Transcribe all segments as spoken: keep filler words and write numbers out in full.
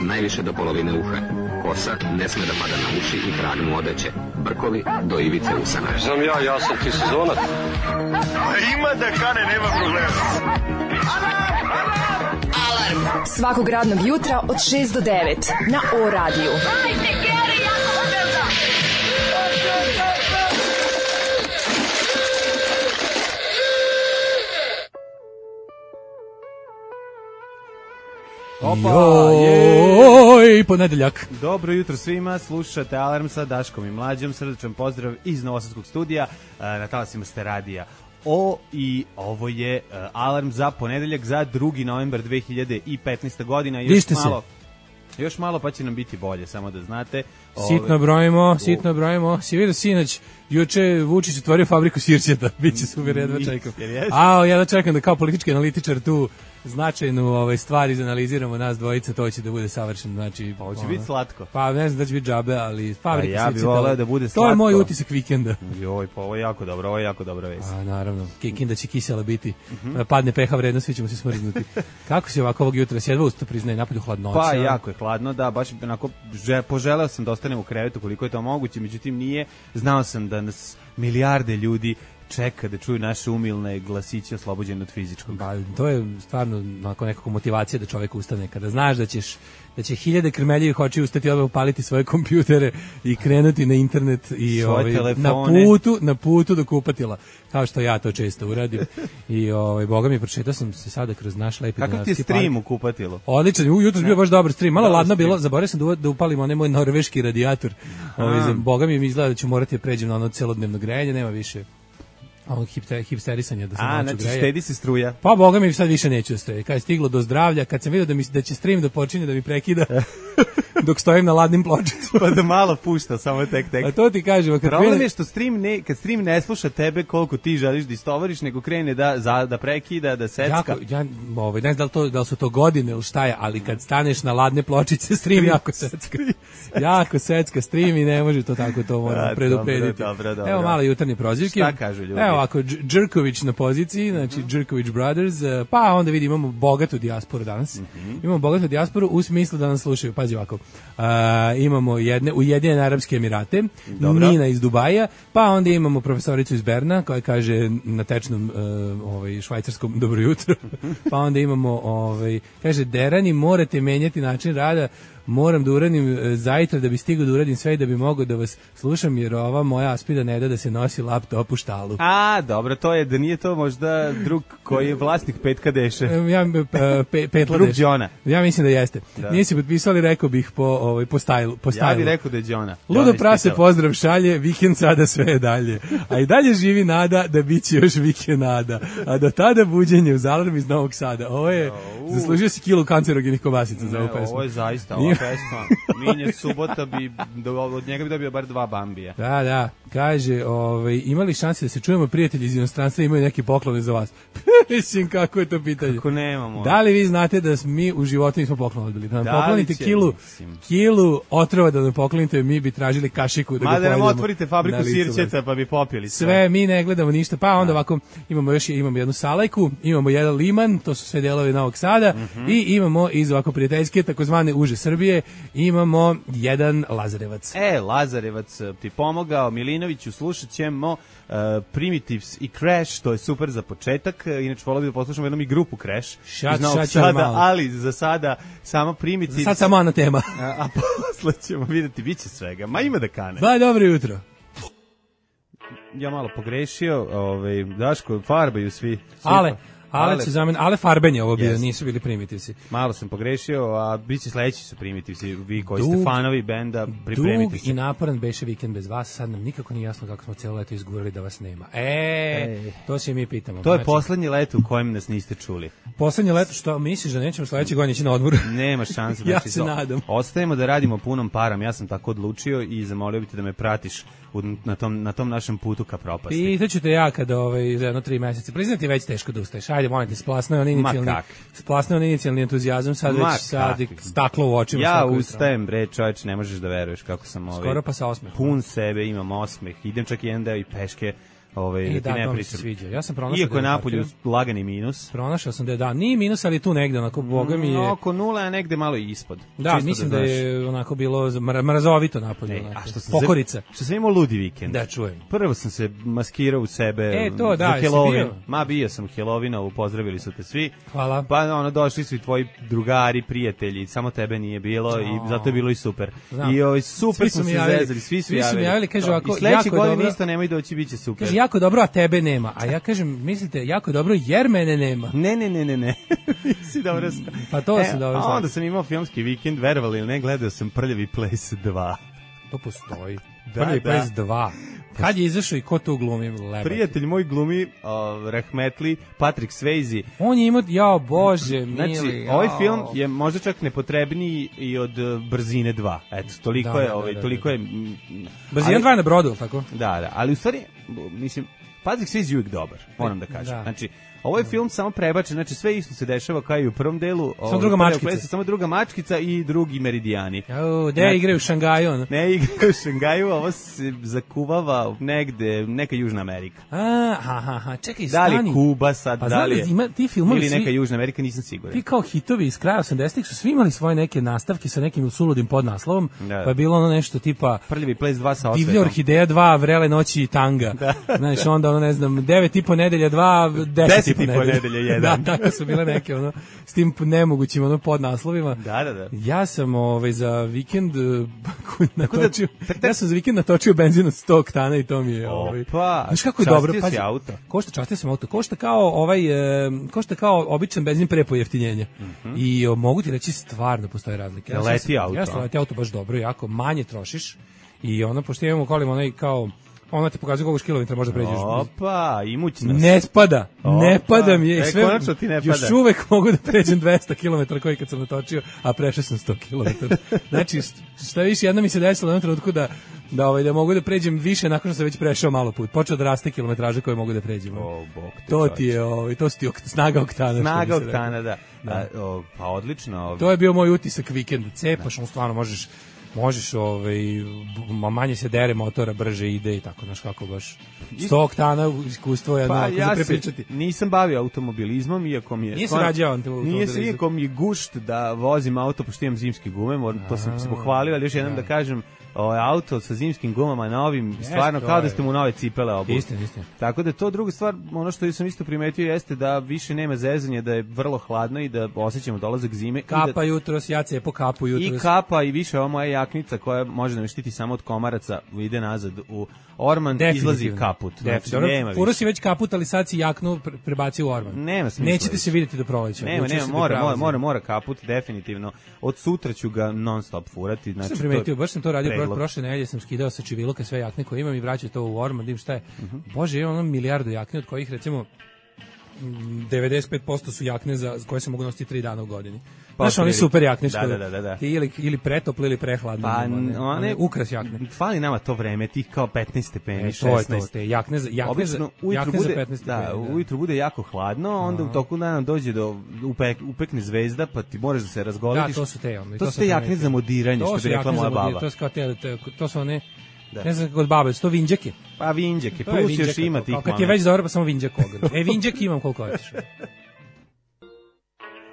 najviše do polovine uha. Kosa ne sme da pada na uši i trag mu odeće. Brkovi do ivice usana. Znam ja, ja sam ti sezonac. Ima da kane, nema problema. Alarm svakog radnog jutra od šest do devet na O radiju. Hajde, Geri, jako se velda! Opa, joj, ponedeljak. Dobro jutro svima, slušate Alarm sa Daškom i Mlađom, srdačan pozdrav iz Novosadskog studija, na talasima ste radija O i ovo je uh, Alarm za ponedeljak za drugi novembar dve hiljade petnaeste. godina. Još Dište malo, se. Još malo pa će nam biti bolje, samo da znate. Sitno brojimo, sitno brojimo. Si vidio sinoć, juče Vučić otvorio fabriku sirćeta, bit će super, jedva čekam. A, ja da čekam da kao politički analitičar tu značajnu ovaj, stvar izanaliziramo nas dvojica, to će da bude savršeno. Znači, pa hoće ono, biti slatko. Pa ne znam da će biti džabe, ali fabrika ja sirćeta. Ja bih voleo da bude slatko. To je moj utisak vikenda. Joj, pa ovo je jako dobro, ovo je jako dobra vest. A, naravno, Kikinda će kisela biti. Uh-huh. Padne pH vrednost, svi ćemo se smrznuti. Kako si ovako ovog jutra, sjedva usta priznaje, napolju hladnoća? Pa, jako je hladno, da, baš onako, že, poželeo sam da ostanem u krevetu koliko je to moguće, međutim nije, znao sam da nas milijarde ljudi čeka da čuju naše umilne glasiće oslobođene od fizičkog. Ba, to je stvarno onako nekako motivacija da čovjek ustane. Kada znaš da ćeš da će hiljade krmeljivih očiju ustati odmah upaliti svoje kompjutere i krenuti na internet i ovaj, na putu na putu do kupatila, kao što ja to često uradim. I ovaj boga mi pročitao sam se sada kroz naš lepi Kakav Dunavski ti stream u kupatilu? Odličan, jutros bio baš dobar stream. Malo da, ladno stream. Bilo, zaboravio sam da, da upalim onaj moj norveški radijator. Ovaj, boga mi izgleda da ću morati da pređem na ono celodnevno grejanje, nema više ovog hipsterisanja da se A, noću znači greje. štedi se struja. Pa boga mi sad više neću da stoji. Kad je stiglo do zdravlja, kad sam vidio da mi da će stream da počinje da mi prekida dok stojim na ladnim pločicama, pa da malo pušta, samo tek tek. A to ti kažem, kad problem je što stream ne, kad stream ne sluša tebe koliko ti želiš da istovariš, nego krene da za, da prekida, da secka. Jako, ja ovaj ne znam da li to da li su to godine ili šta je, ali kad staneš na ladne pločice, stream jako secka. jako secka stream i ne može to tako, to moram preduprediti. Dobro, dobro, dobro. Evo malo jutarnje prozivke. Šta kažu ljudi? Evo ako Đrković na poziciji, znači mm-hmm. Đrković Brothers, pa onda vidi imamo bogatu dijasporu danas. Mm-hmm. Imamo bogatu dijasporu u smislu da nas slušaju. Pazi ovako. Uh, imamo jedne Ujedinjene Arapske Emirate, Dobro. Nina iz Dubaja, pa onda imamo profesoricu iz Berna koja kaže na tečnom uh, ovaj švajcarskom dobro jutro. Pa onda imamo ovaj kaže Derani morate menjati način rada. Moram da uradim e, zajtra da bi stigao da uradim sve i da bi mogao da vas slušam, jer ova moja aspida ne da da se nosi laptop u štalu. A, dobro, to je, da nije to možda drug koji je vlasnik Petka Deše. E, ja, pe, pe, Petla drug Deše. Đona. Ja mislim da jeste. Da. Nije se potpisali, rekao bih po, ovaj, po stajlu. Po ja bih rekao da je Đona. Ludo prase pozdrav šalje, vikend sada sve je dalje. A i dalje živi nada da bit će još vikenada. A do tada buđenje uz Alarm iz Novog Sada. Ovo je, uh. zaslužio si kilu kancerogenih kobasica za ovu pesmu. Ovo je zaista ova pesma. Minje subota bi, od njega bi dobio bar dva bambija. Da, da, kaže, ovaj, imali šanse da se čujemo, prijatelji iz inostranstva imaju neki poklone za vas. Mislim, kako je to pitanje? Kako nemamo. Da li vi znate da mi u životu nismo poklon odbili? Da nam da poklonite kilu, kilu otrova da nam poklonite, mi bi tražili kašiku da Ma ga da nam pojedemo otvorite fabriku sirćeta pa bi popili sve. Sve, mi ne gledamo ništa, pa onda ovako imamo još imamo jednu salajku, imamo jedan liman, to su sve delovi Novog Sada, mm-hmm. i imamo iz ovako prijateljske takozvane uže Srbije, imamo jedan Lazarevac. E, Lazarevac ti pomogao, Milinoviću, slušat ćemo uh, Primitives i Crash, to je super za početak, inače volio bih da poslušamo jednom i grupu Crash šat, iz Novog Sada, ali za sada samo Primitives. Za sad samo ona tema. a, a posle ćemo vidjeti, bit će svega, ma ima da kane. Ba, dobro jutro. Ja malo pogrešio, ovaj, Daško, farbaju svi. Ale, Ale, ale, zamen, ale farbenje ovo bio, yes. nisu bili Primitivsi. Malo sam pogrešio, a bit će sledeći su Primitivsi, vi koji dug, ste fanovi benda, pripremite se. Dug i naporan beše vikend bez vas, sad nam nikako nije jasno kako smo cijelo leto izgurali da vas nema. E, Ej. to se mi pitamo. To je znači, poslednje leto u kojem nas niste čuli. Poslednje leto, što misliš da nećemo sledeće godine ići na odmor? Nema šanse. Ja se nadam. Ostajemo da radimo punom param, ja sam tako odlučio i zamolio bih te da me pratiš u, na, tom, na tom našem putu ka propasti. Pitaću te ja kada ovaj, za jedno tri meseca. Priznati već teško da ustaješ. Ajde, molim te, splasnao on inicijalni, splasnao on inicijalni entuzijazam, sad Ma već sad staklo u očima. Ja ustajem, bre, čovječ, ne možeš da veruješ kako sam ovaj, skoro pa sa osmehom. Pun sebe, imam osmeh, idem čak jedan deo i peške ovaj, E, da da, ti ne to mi se pričam. sviđa. Ja sam pronašao Iako da je je napolju uhvatio. lagani minus. Pronašao sam da je da, nije minus, ali tu negde, onako, boga mi je... Mm, oko nula, a negde malo i ispod. Da, Čisto mislim da, znaš. je onako bilo mra- mrazovito napolje. Ej, onako. a što sam Pokorica. Se, što sam imao ludi vikend. Da, čujem. Prvo sam se maskirao u sebe E, to, da, za jesi Halloween. bio? Ma bio sam u Halloweenovu, pozdravili su te svi. Hvala. Pa ono, došli su i tvoji drugari, prijatelji, samo tebe nije bilo O. i zato je bilo i super. Znam. I ovaj, super Svi smo su mi se javili. zezali, svi su Svi su mi javili. javili, kažu To. ovako, I sledeće jako je godine dobro. isto nemoj doći, bit će super. Kaže, jako je dobro, a tebe nema. A ja kažem, mislite, jako je dobro, jer mene nema. Ne, ne, ne, ne, ne. si dobro. Pa to si dobro A znao. onda sam imao filmski vikend, verovali ili ne, gledao sam Prljavi ples dva. To postoji. Da, Prvi da. ples dva. Kad je izašao i ko to glumi? Lebati. Prijatelj moj glumi, uh, Rahmetli, Patrick Swayze. On je imao, jao bože, mili. Znači, jao. ovaj film je možda čak nepotrebniji i od uh, Brzine dva. Eto, toliko Da, je, da, ovaj, da, da, toliko da. je... mm, Brzina ali- dva je na brodu, tako? Da, da, ali u stvari, mislim, Patrick Swayze je uvijek dobar, moram da kažem. Da. Znači, ovo je film samo prebačen, znači sve isto se dešava kao i u prvom delu. Samo druga mačkica. Samo druga mačkica i drugi meridijani. Jao, gde Znači- igraju u Šangaju? ono? Ne igra u Šangaju, ovo se zakuvava negde, neka Južna Amerika. A, ha, ha, ha, čekaj, Da li stani. je Kuba sad, Pa da znam li da je... ima ti filmovi Ili svi- neka Južna Amerika, nisam siguran. Ti kao hitovi iz kraja osamdesetih su svi imali svoje neke nastavke sa nekim suludim podnaslovom, Da. pa je bilo ono nešto tipa Prljavi ples dva sa Divlja osvetom. orhideja dva, Vrele noći i tanga. Znaš, onda ono, ne znam, devet i po nedelja dva, deset, Deset i po i po nedelja. nedelja jedan. Da, tako su bile neke, ono, s tim nemogućim, ono, podnaslovima. Da, da, da. Ja sam ovaj, za vikend uh, natočio, tak, tak. ja sam za vikend natočio benzin od sto oktana i to mi je... Ovaj, Opa, znaš kako je častio dobro, si pazi, auto. košta, častio sam auto, košta kao ovaj, e, košta kao običan benzin pre pojeftinjenja. I o, mogu ti reći stvarno postoje razlike. Ne Ja leti sam- auto, Ja sam a? leti auto baš dobro, jako manje trošiš i ono, pošto imamo kolima onaj kao, ono ti pokazuje koliko kilometra možda pređeš. Opa, imućnost. Ne spada, ne Opa. pada mi je. E, Sve, konačno ti ne još pada. uvek mogu da pređem dvesta kilometara koji kad sam natočio, a prešao sam sto kilometara. Znači, šta više, jedno mi se desilo na jednom trenutku da, da, ovaj, da mogu da pređem više nakon što sam već prešao malo put. Počeo da raste kilometraže koje mogu da pređem. O, bog te To čoveče. ti je, ovaj, to su ti ok, snaga oktana. što bi Snaga se oktana, reklo. da. A, o, pa odlično. Ovaj. To je bio moj utisak vikenda. Cepaš, on stvarno možeš možeš ovaj b- manje se dere motora, brže ide i tako, znaš kako baš. sto oktana iskustvo je Pa onako za ja se prepričati. nisam bavio automobilizmom, iako mi je... Nije se stvarno- rađao automobilizam. Nije se, iako mi je gušt da vozim auto, pošto imam zimske gume, moram, to sam se pohvalio, ali još jednom da kažem, ovaj auto sa zimskim gumama novim, stvarno to kao da je- ste mu nove cipele obuli. Istina, istina. Tako da to druga stvar, ono što sam isto primetio jeste da više nema zezanja, da je vrlo hladno i da osjećamo dolazak zime. i da- Kapa jutros, ja cepo kapu jutros. I kapa i više ova moja jaknica koja može da me štiti samo od komaraca, ide nazad u orman, izlazi kaput. Znači, Dobro, nema furo više. si već kaput, ali sad si jaknu pre- prebacio u orman. Nema smisla Nećete više. se vidjeti do proleća. Nema, Odlučio nema, si da mora, mora, prelazim. mora, mora kaput, definitivno. Od sutra ću ga non stop furati. Znači, Sam primetio, to- baš sam to radio pro, predlog. prošle nedelje, sam skidao sa čiviluka sve jakne koje imam i vraćao to u orman, dim šta je. Mhm. Bože, imam ono milijardu jakne, od kojih recimo mm, devedeset pet posto su jakne za za koje se mogu nositi tri dana u godini. Pa, Znaš, oni otprilike. super jakne što Da, da, da, da, da. ti ili, ili pretopli ili prehladno. Pa, one, one, one ukras jakne. Fali nama to vreme, tih kao petnaest stepeni, E, to je šesnaest. to, te jakne za, jakne za, Obično ujutru jakne za bude, petnaest da, stepeni, da. ujutru bude jako hladno, onda u toku dana dođe do upek, upekne zvezda, pa ti moraš da se razgolitiš. Da, to su te, ono, i to to su sam te jakne primetio. za modiranje, To što su bi rekla jakne moja za modir, baba. To su kao te, te, to su one, Da. ne znam kako od babe, su to vinđake. Pa vinđake, To je plus još vinđaka, ima kao- tih kao Kad je momenata. već dobro, pa samo vinđak ogre. E, vinđak imam koliko hoćeš.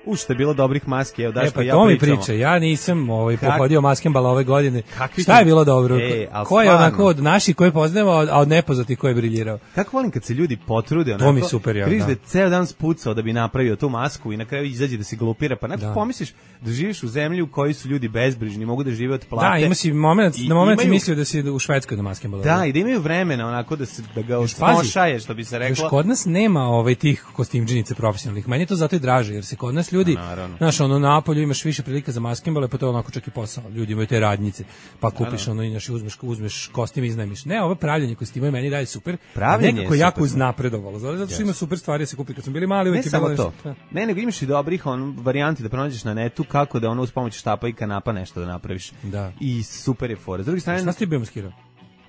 U, što je bilo dobrih maski, evo E, Daško pa i ja to mi pričamo. priča, ja nisam ovaj, Kak- pohodio maskembala ove godine. Kakvi Šta ti- je bilo dobro? E, al ko je stvarno. onako od naših koje poznajemo, a od nepoznatih ko je briljirao? Kako volim kad se ljudi potrude, onako, To mi super, ja, križ da. da je ceo dan spucao da bi napravio tu masku i na kraju izađe da se glupira, pa nekako Da. pomisliš da živiš u zemlji u kojoj su ljudi bezbrižni, mogu da žive od plate. Da, ima si moment, I na moment si imaju- mislio da si u Švedskoj na maskembalu. Da, i da imaju vremena onako da se da ga Još pazi, osmošaje, što bi se Još reklo. kod nas nema ovaj tih kostimdžinice profesionalnih. Meni je to zato i draže, jer se kod nas ljudi, naravno. znaš, ono, na napolju imaš više prilika za maskembale, pa to je onako čak i posao. Ljudi imaju te radnjice, pa kupiš ono, inaš, uzmeš, uzmeš kostim i iznajmiš. Ne, ovo pravljenje kostima je meni dalje super. Pravljenje Nekako je jako super. uznapredovalo. Zato zato što ima super stvari da se kupi. Kad smo bili mali, Ne uvijek je samo bilo to. nešto. Ne, nego imaš i dobrih on, varijanti da pronađeš na netu kako da ono uz pomoć štapa i kanapa nešto da napraviš. Da. I super je fora. S druge strane, Šta si ti bio maskirao?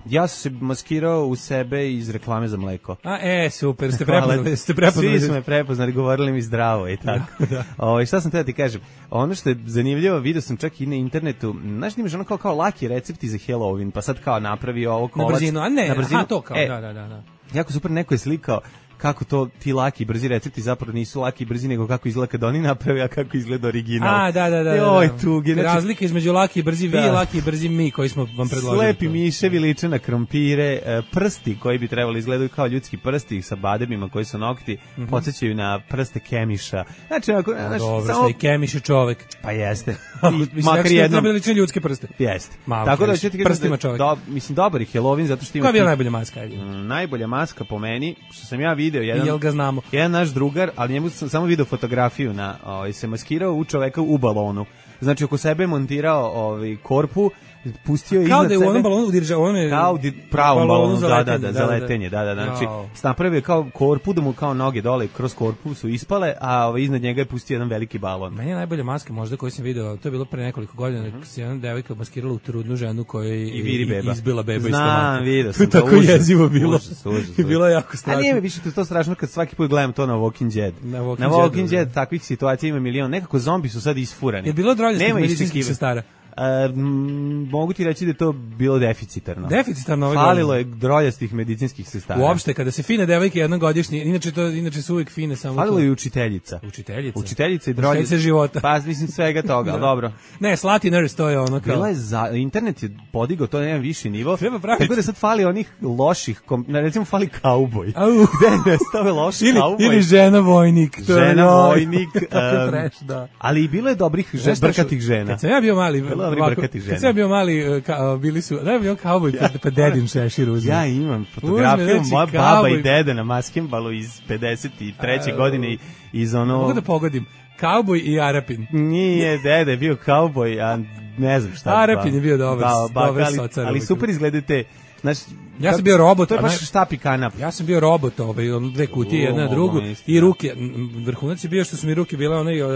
ja sam se maskirao u sebe iz reklame za mleko. A, e, super, ste Hvala. prepoznali, ste prepoznali. Svi su me prepoznali, govorili mi zdravo i tako. Da. Ovaj, šta sam te da ti kažem? Ono što je zanimljivo, vidio sam čak i na internetu, znaš da imaš ono kao, kao laki recepti za Halloween, pa sad kao napravi ovo Na kolac. brzinu, a ne, na brzinu. aha, to kao, E, da, da, da. da. jako super, neko je slikao kako to ti laki i brzi recepti zapravo nisu laki i brzi, nego kako izgleda kad oni naprave, a kako izgleda original. A, da, da, da. Joj, da. tuge. Znači, razlike između laki i brzi vi da. i laki i brzi mi koji smo vam predložili. Slepi miševi liče na krompire, prsti koji bi trebali izgledaju kao ljudski prsti sa bademima koji su nokti, mm-hmm. podsjećaju na prste Kemiša. Znači, ako, no, znači, dobro, samo... i Kemiš je čovek. Pa jeste. I, makar jednom. Trebali liče ljudske prste. Jeste. Malo tako da ćete prstima čovek. Do, mislim, dobar je Halloween zato što ima... Koja je bila najbolja maska? Ajde? Mm, najbolja maska po meni, što sam ja video, jedan... I jel ga znamo? Jedan naš drugar, ali njemu sam samo video fotografiju na, ovaj, se maskirao u čoveka u balonu. Znači, oko sebe montirao ovaj, korpu, pustio je iznad sebe. Kao da je u onom balonu dirže, on je... Kao u pravom balonu, za da, letenje, da, da, za letenje, da, da, da. Znači, no. napravio je kao korpu, da mu kao noge dole kroz korpu su ispale, a ovaj, iznad njega je pustio jedan veliki balon. Meni je najbolja maska možda koju sam video, to je bilo pre nekoliko godina, mm-hmm. se jedna devojka maskirala u trudnu ženu koja je I viri beba. izbila beba iz stomaka. stomaka. Vidio sam. To je tako jezivo bilo. Užas, užas, užas. I bilo je jako strašno. A nije mi više to strašno kad svaki put gledam to na Walking Dead. Na Walking, na Walking Dead takvih situacija ima milion. Nekako zombi su sad isfurani. Je bilo droljastih medicinskih sestara? Uh, m, mogu ti reći da je to bilo deficitarno. Deficitarno ove Falilo je droljastih medicinskih sestara. Uopšte, kada se fine devojke jednogodišnje, inače, to, inače su uvijek fine samo... Falilo je i učiteljica. Učiteljica? Učiteljica i drolje... Učiteljica života. Pa, mislim, svega toga, ali dobro. Ne, Slati Nurse, to je ono kao... Bila je za... Internet je podigao to na jedan viši nivo. Treba praviti. Tako da sad fali onih loših, kom... recimo fali kauboj. Au. Gde je nestave loši ili, kauboj? Ili žena vojnik. To žena je, vojnik. um, trash, da. Ali i bilo je dobrih žena, brkatih žena. Kad sam ja bio mali... Bilo je brkatih žena. Kad sam ja bio mali, ka, bili su... Da je bio kauboj, pa, pa dedin šešir uzme. Ja imam fotografiju, Uzme, moja znači, baba kauboj. i deda na maskembalu iz pedeset treće godine iz ono... Mogu da pogodim. Kauboj i Arapin. Nije, deda je bio kauboj, a ne znam šta. Arapin je bio dobar, da, ba, dobar ali, socar. ali super izgledate. Znači, ja sam bio robot. To je baš štap i kanap. Ja sam bio robot, ovaj, on dve kutije, jedna na drugu. I ruke. Vrhunac je bio što su mi ruke bile onaj... Uh,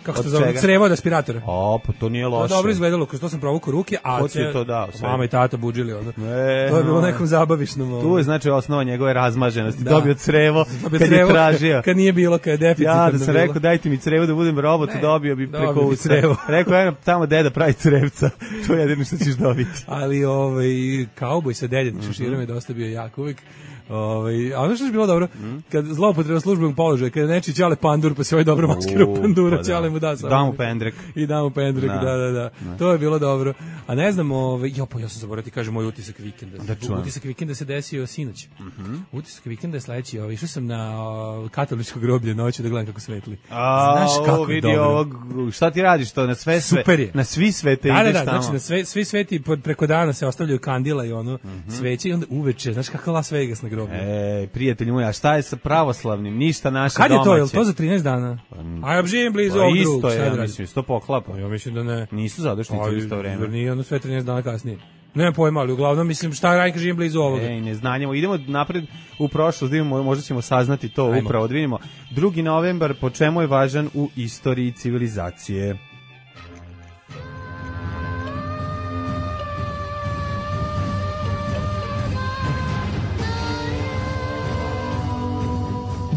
kako se zove, crevo od aspiratora. O, pa to nije loše. To dobro izgledalo, kroz to sam provukao ruke, a ko ti je to dao? Sve? Mama i tata budžili ono. E, to je bilo nekom zabavišnom. Tu je znači osnova njegove razmaženosti. Da. Dobio crevo dobio kad crevo, je tražio. Kad nije bilo, kad je deficitarno. Ja da sam rekao dajte mi crevo da budem robot, ne, dobio bi preko usta. Crevo. Rekao ja tamo deda pravi crevca. To je jedino što ćeš dobiti. Ali ovaj kauboj sa dedin šeširom je dosta bio jak uvijek. Ovaj, a ono što je bilo dobro, mm. kad zloupotreba službenog položaja, kada neči ćale pandur, pa se ovaj dobro maskirao pandura, pa ćale mu da sam. Da mu pendrek. I da mu pendrek, da, da, da. da. To je bilo dobro. A ne znam, ovaj, jo, pa ja sam zaboravio ti kažem moj utisak vikenda. Da utisak vikenda se desio sinoć. Mm -hmm. Utisak vikenda je sledeći, ovaj, išao sam na o, katoličko groblje noću da gledam kako svetli. A, znaš kako vidi dobro. Ovog, šta ti radiš to na sve sve? Super je. Na svi svete da, ideš da, da, tamo. znači na sve, svi sveti preko dana se ostavljaju kandila i ono, mm -hmm. sveće i onda uveče, znaš kako Las Vegas na groblju. E, prijatelji moji, a šta je sa pravoslavnim? Ništa naše kad domaće. Kad je to? Je to za trinaest dana? A ja živim blizu ovog drugog. Isto je, ja mislim, sto poklapa. Ja mislim da ne. Nisu zadušnici u isto vreme. Nije ono sve trinaest dana kasnije. Ne pojma, ali uglavnom mislim šta radite živim blizu ovoga. Ej, ne znanjemo. Idemo napred u prošlost, da vidimo, možda ćemo saznati to. Ajmo. Upravo. Da vidimo. drugi novembar, po čemu je važan u istoriji civilizacije?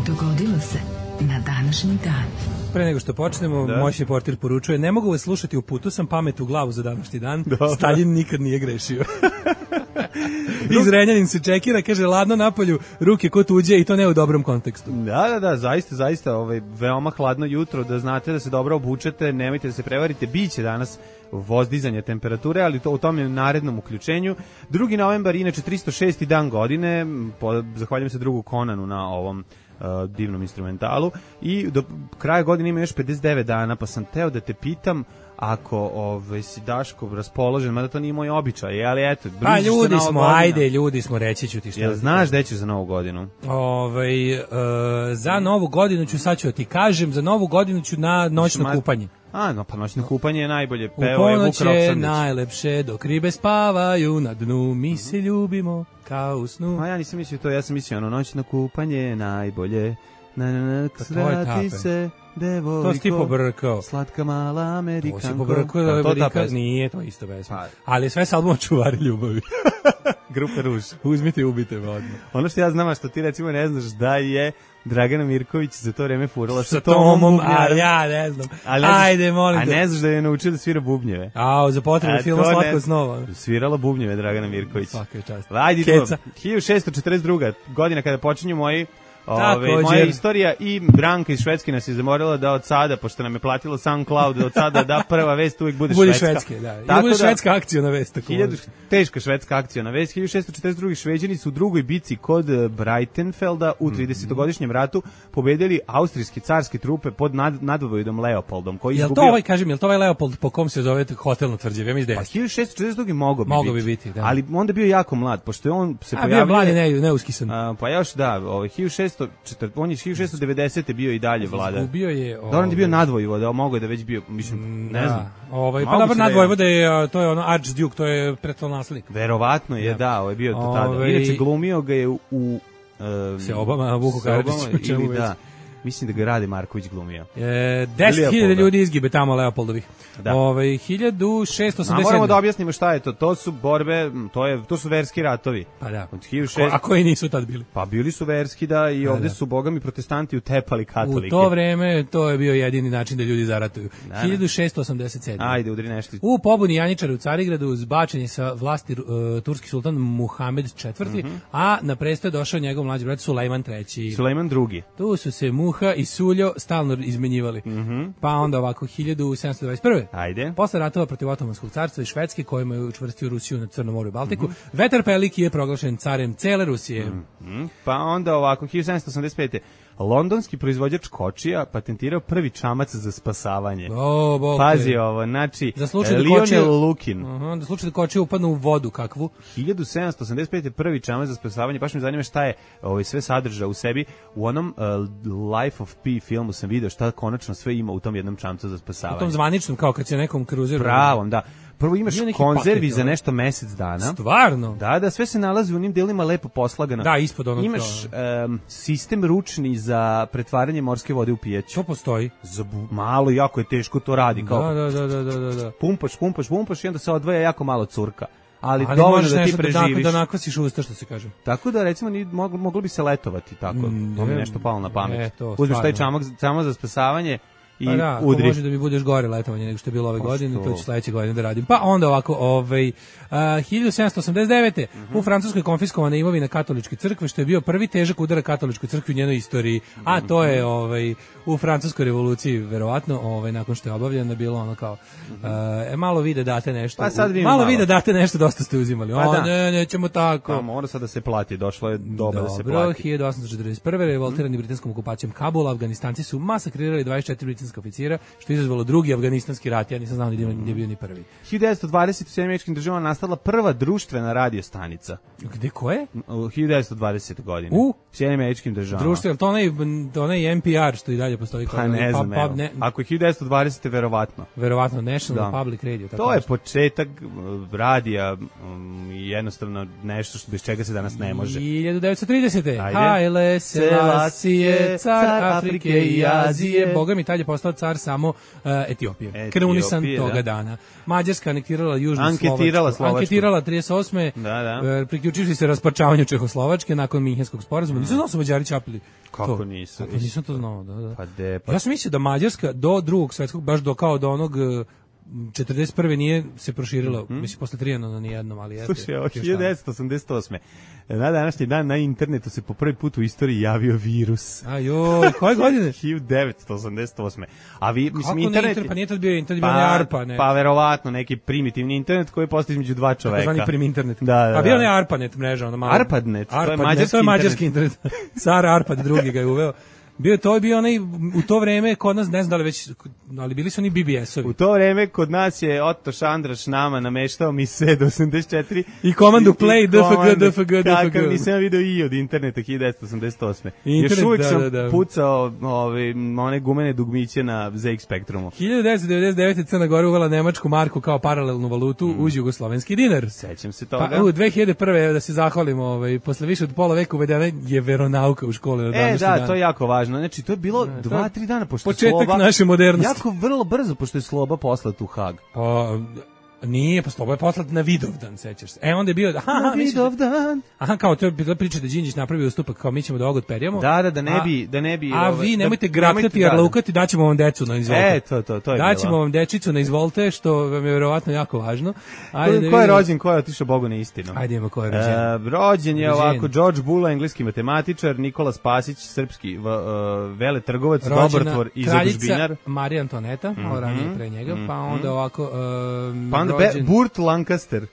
Dogodilo se na današnji dan. Pre nego što počnemo, da. Moćni portir poručuje, ne mogu vas slušati, u putu sam pamet u glavu za današnji dan, da. Stalin nikad nije grešio. Iz Renjanin se čekira, kaže, ladno napolju, ruke ko tuđe i to ne u dobrom kontekstu. Da, da, da, zaista, zaista, ovaj, veoma hladno jutro, da znate da se dobro obučete, nemojte da se prevarite, biće danas vozdizanje temperature, ali to u tom je narednom uključenju. drugi novembar, inače tristo šesti dan godine, po, zahvaljujem se drugu Konanu na ovom Uh, divnom instrumentalu i do kraja godine ima još pedeset devet dana, pa sam teo da te pitam ako ovaj, si Daško raspoložen, mada to nije moj običaj, ali eto, pa ljudi smo, godina. Ajde, ljudi smo, reći ću ti što. Jel znaš gde ćeš za novu godinu? Ovaj, uh, za novu godinu ću, sad ću da ti kažem, za novu godinu ću na noćno Šma... kupanje. A, no, pa noćno kupanje je najbolje. U ponoć je najlepše, dok ribe spavaju na dnu, mi se ljubimo kao u snu. A ja nisam mislio to, ja sam mislio ono, noćno kupanje je najbolje, Na, na, na, Pa to je ta svrati pesma. se, devojko. To si ti pobrkao. Slatka mala Amerikanko. To si pobrkao da Da, to ta Amerika, pesma. nije to isto pesma. Pa. Ali sve s albuma Čuvari ljubavi. Grupe Ruž. Uzmite i ubite me odmah. Ono što ja znam, a što ti recimo ne znaš da je Dragana Mirković za to vreme furala Sa Tomom, a bubnjarom. ja ne znam. Ali ne znaš- Ajde, molim A te. ne znaš da je naučio da svira bubnjeve. A, za potrebe A filma to Slatko ne- snova. Svirala bubnjeve Dragana Mirković. Svaka je čast. Ajde, idemo. Keca. hiljadu šessto četrdeset druga godina kada počinju moji Ove, Također. moja istorija i Branka iz Švedske nas je zamorila da od sada, pošto nam je platila SoundCloud, da od sada da prva vest uvijek bude Bude švedska. švedske, da. Ili Tako bude da- švedska akcijona vest. Tako Hiljadu, može. teška švedska akcijona vest. hiljadu šessto četrdeset druga Šveđani su u drugoj bici kod eh, Breitenfelda u tridesetogodišnjem ratu pobedili austrijske carske trupe pod nad, nadvojdom Leopoldom, koji je Jel to izgubio... ovaj, kažem, jel to ovaj Leopold po kom se zove hotel na Tvrđavi? Ja mislim da Pa jeste. hiljadu šessto četrdeset druga mogao bi Mogao biti. bi biti, da. Ali onda bio jako mlad, pošto je on se A bio pojavio... je mlad i ne, neuskisan. A, pa još da, ovaj hiljadu šessto četrdeset on je hiljadu šessto devedesete bio i dalje vladar. Izgubio je... Da, on je bio ovaj, nadvojvoda, mogao je da već bio, mislim, ne da, znam. Ovaj, pa Moguće dobro, da je- nadvojvoda je, a, to je ono Archduke, to je pretolnaslednik. Verovatno je, da, ovo je bio to tada. Ovaj- Inače, glumio ga je u... u um, Se Obama, Vuku Karadžiću, Seobama, čemu ili već. da. Mislim da ga Rade Marković glumio. E, deset hiljada Leopolda. ljudi izgibe tamo Leopoldovih. Da. Ovaj, hiljadu šessto A osamdeset sedam. moramo da objasnimo šta je to. To su borbe, m, to je to su verski ratovi. Pa da. Od hiljadu Ko, šessto a koji nisu tad bili? Pa bili su verski da i Da, ovde da. su bogami protestanti utepali katolike. U to vreme to je bio jedini način da ljudi zaratuju. Da, da. hiljadu šessto osamdeset sedam. Ajde, udri nešto. U pobuni Janjičara u Carigradu zbačen je sa vlasti uh, turski sultan Muhamed četvrti. Mhm. A na presto je došao njegov mlađi brat Sulejman treći. Sulejman drugi. Tu su se Muha i Suljo stalno izmenjivali. Pa onda ovako hiljadu sedamsto dvadeset prve. Ajde. Posle ratova protiv Otomanskog carstva i Švedske, kojima je učvrstio Rusiju na Crnom moru i Baltiku, Mhm. Vetar Peliki je proglašen carem cele Rusije. Mm, Pa onda ovako, hiljadu sedamsto osamdeset pete. Londonski proizvođač kočija patentirao prvi čamac za spasavanje. O, bog te. Pazi ovo, znači, Za slučaj da Lionel kočija- Lukin. Aha, da slučaj da kočije upadnu u vodu kakvu. hiljadu sedamsto osamdeset pete prvi čamac za spasavanje, baš me zanima šta je ovaj, sve sadrža u sebi. U onom uh, Life of Pi filmu sam video šta konačno sve ima u tom jednom čamcu za U spasavanje. tom zvaničnom, kao kad se nekom kruzeru... Pravom, da. Prvo imaš Bio neki konzervi paket, za ovaj. nešto mesec dana. Stvarno? Da, da, sve se nalazi u onim delima lepo poslagano. Da, ispod onog Imaš em, sistem ručni za pretvaranje morske vode u pijaću. To postoji. Za bu- malo, jako je teško to radi. Kao, Da, da, da, da, da, da. pumpaš, pumpaš, pumpaš i onda se odvaja jako malo curka. Ali, Ali dovoljno možeš da ti nešto da, preživiš. da nakvasiš usta, što se kaže. Tako da, recimo, ni, moglo, moglo bi se letovati tako. Mm, to mi je ne, nešto palo na pamet. ne, to Uzmeš taj stvarno. čamak, čamak za spasavanje i Pa da, ako udri. može da mi budeš gore letovanje nego što je bilo ove Pa godine, što? to ću sledeće godine da radim. Pa onda ovako, ovaj, a, hiljadu sedamsto osamdeset devete. Mhm. u Francuskoj konfiskovana imovina katoličke crkve, što je bio prvi težak udar katoličkoj crkvi u njenoj istoriji. A to je ovaj, u Francuskoj revoluciji, verovatno, ovaj, nakon što je obavljeno, bilo ono kao, e, malo vi da date nešto. Pa sad vi malo, malo. vi da date nešto, dosta ste uzimali. Pa o, da. ne, nećemo tako. Pa mora sad da se plati, došlo je doba da se Dobro, plati. hiljadu osamsto četrdeset prve. revoltirani britanskom okupacijom Kabula, Afganistanci su masakrirali dvadeset četiri britanska oficira, što je izazvalo drugi afganistanski rat. Ja nisam znao ni da je bio ni prvi. hiljadu devetsto dvadesete u Sjedinjenim Američkim Državama nastala prva društvena radio stanica. Gde ko je? U hiljadu devetsto dvadesete godine. U? Sjedinjenim Američkim Državama. Društvo, je li to onaj, to onaj N P R što i dalje postoji? kao Pa ne onaj znam, pub- evo. pub- ne, Ako je hiljadu devetsto dvadesete verovatno. verovatno National Da. Public Radio. Tako To je nešto. početak uh, radija um, i jednostavno nešto što bez čega se danas ne može. hiljadu devetsto tridesete. Ajde. Haile Selassie, car Afrike i Azije. Boga mi tad je postao car samo uh, Etiopije. Etiopije, Krunisan da. toga dana. Mađarska anektirala južnu Anketirala Slovačku. Slovačku. Anketirala trideset osme. Da, da. e, priključivši se rasparčavanju Čehoslovačke nakon Minhenskog sporazuma. Nisam znao su Mađari čapili. Kako to. nisu? Pa nisam to znao, da, da. Pa de, pa Ja sam mislio da Mađarska do drugog svetskog, baš do kao do onog e, četrdeset prve nije se proširila, mislim posle Trijanona ni jednom, ali jeste. Slušaj, ovo još tamo. hiljadu devetsto osamdeset osme. Na današnji dan na internetu se po prvi put u istoriji javio virus. A joj, koje godine? hiljadu devetsto osamdeset osme. A vi, mislim, Kako ne internet... internet? Pa nije tad bio internet, bio onaj ARPA, ne. Pa verovatno neki primitivni internet koji postoji između dva čoveka. Takozvani prim internet. Da, da, A bio da. onaj ARPANET mreža, ono malo. ARPANET, to je ARPANET, mađarski to je mađarski internet. Car Arpad drugi ga je uveo. Bio to je bio onaj u to vreme kod nas, ne znam da li već, ali bili su oni B B S-ovi. U to vreme kod nas je Otto Šandraš nama nameštao mi se do osamdeset četiri I komandu play, i D F G, komandu, D F G, D F G. Kakav nisam video i od interneta hiljadu devetsto osamdeset osme. Internet, Još uvijek da, sam da, da. pucao ove, one gumene dugmiće na Z X Spektrumu. hiljadu devetsto devedeset devete. Crna Gora uvela nemačku marku kao paralelnu valutu uz jugoslovenski dinar. Sećam se toga. Pa u dve hiljade prve. da se zahvalimo, ovaj posle više od pola veka uvedena je veronauka u škole na E, današnji da, dan. to je jako važno. važno. Znači, to je bilo Ne, dva, to- tri dana, pošto je početak Sloba... naše modernosti. Jako vrlo brzo, pošto je Sloba poslat u Hag. Pa, nije, pa Slobo je poslat na Vidovdan, sećaš se. E, onda je bio, aha, Na aha, misliš da- Vidovdan. aha, kao to je bila priča da Đinđić napravio ustupak, kao mi ćemo da ovog odperjamo. Da, da, da ne A- bi... Da ne bi A ovaj, vi nemojte da- graktati, nemojte- jer da, da. laukati, daćemo vam decu na izvolte. E, to, to, to je Daćemo bilo. vam dečicu na izvolte, što vam je verovatno jako važno. Ajde, da Ko je vidimo. rođen, ko je otišao Bogu na istinu? Ajde, ima ko je rođen. E, rođen je Rođen. ovako George Bula, engleski matematičar, Nikola Spasić, srpski v, uh, veletrgovac, Rođena dobrotvor i kraljica zadužbinar. Marija Antoneta, malo ranije pre njega, pa onda ovako um, Pa onda Be, rođen, Burt Lancaster,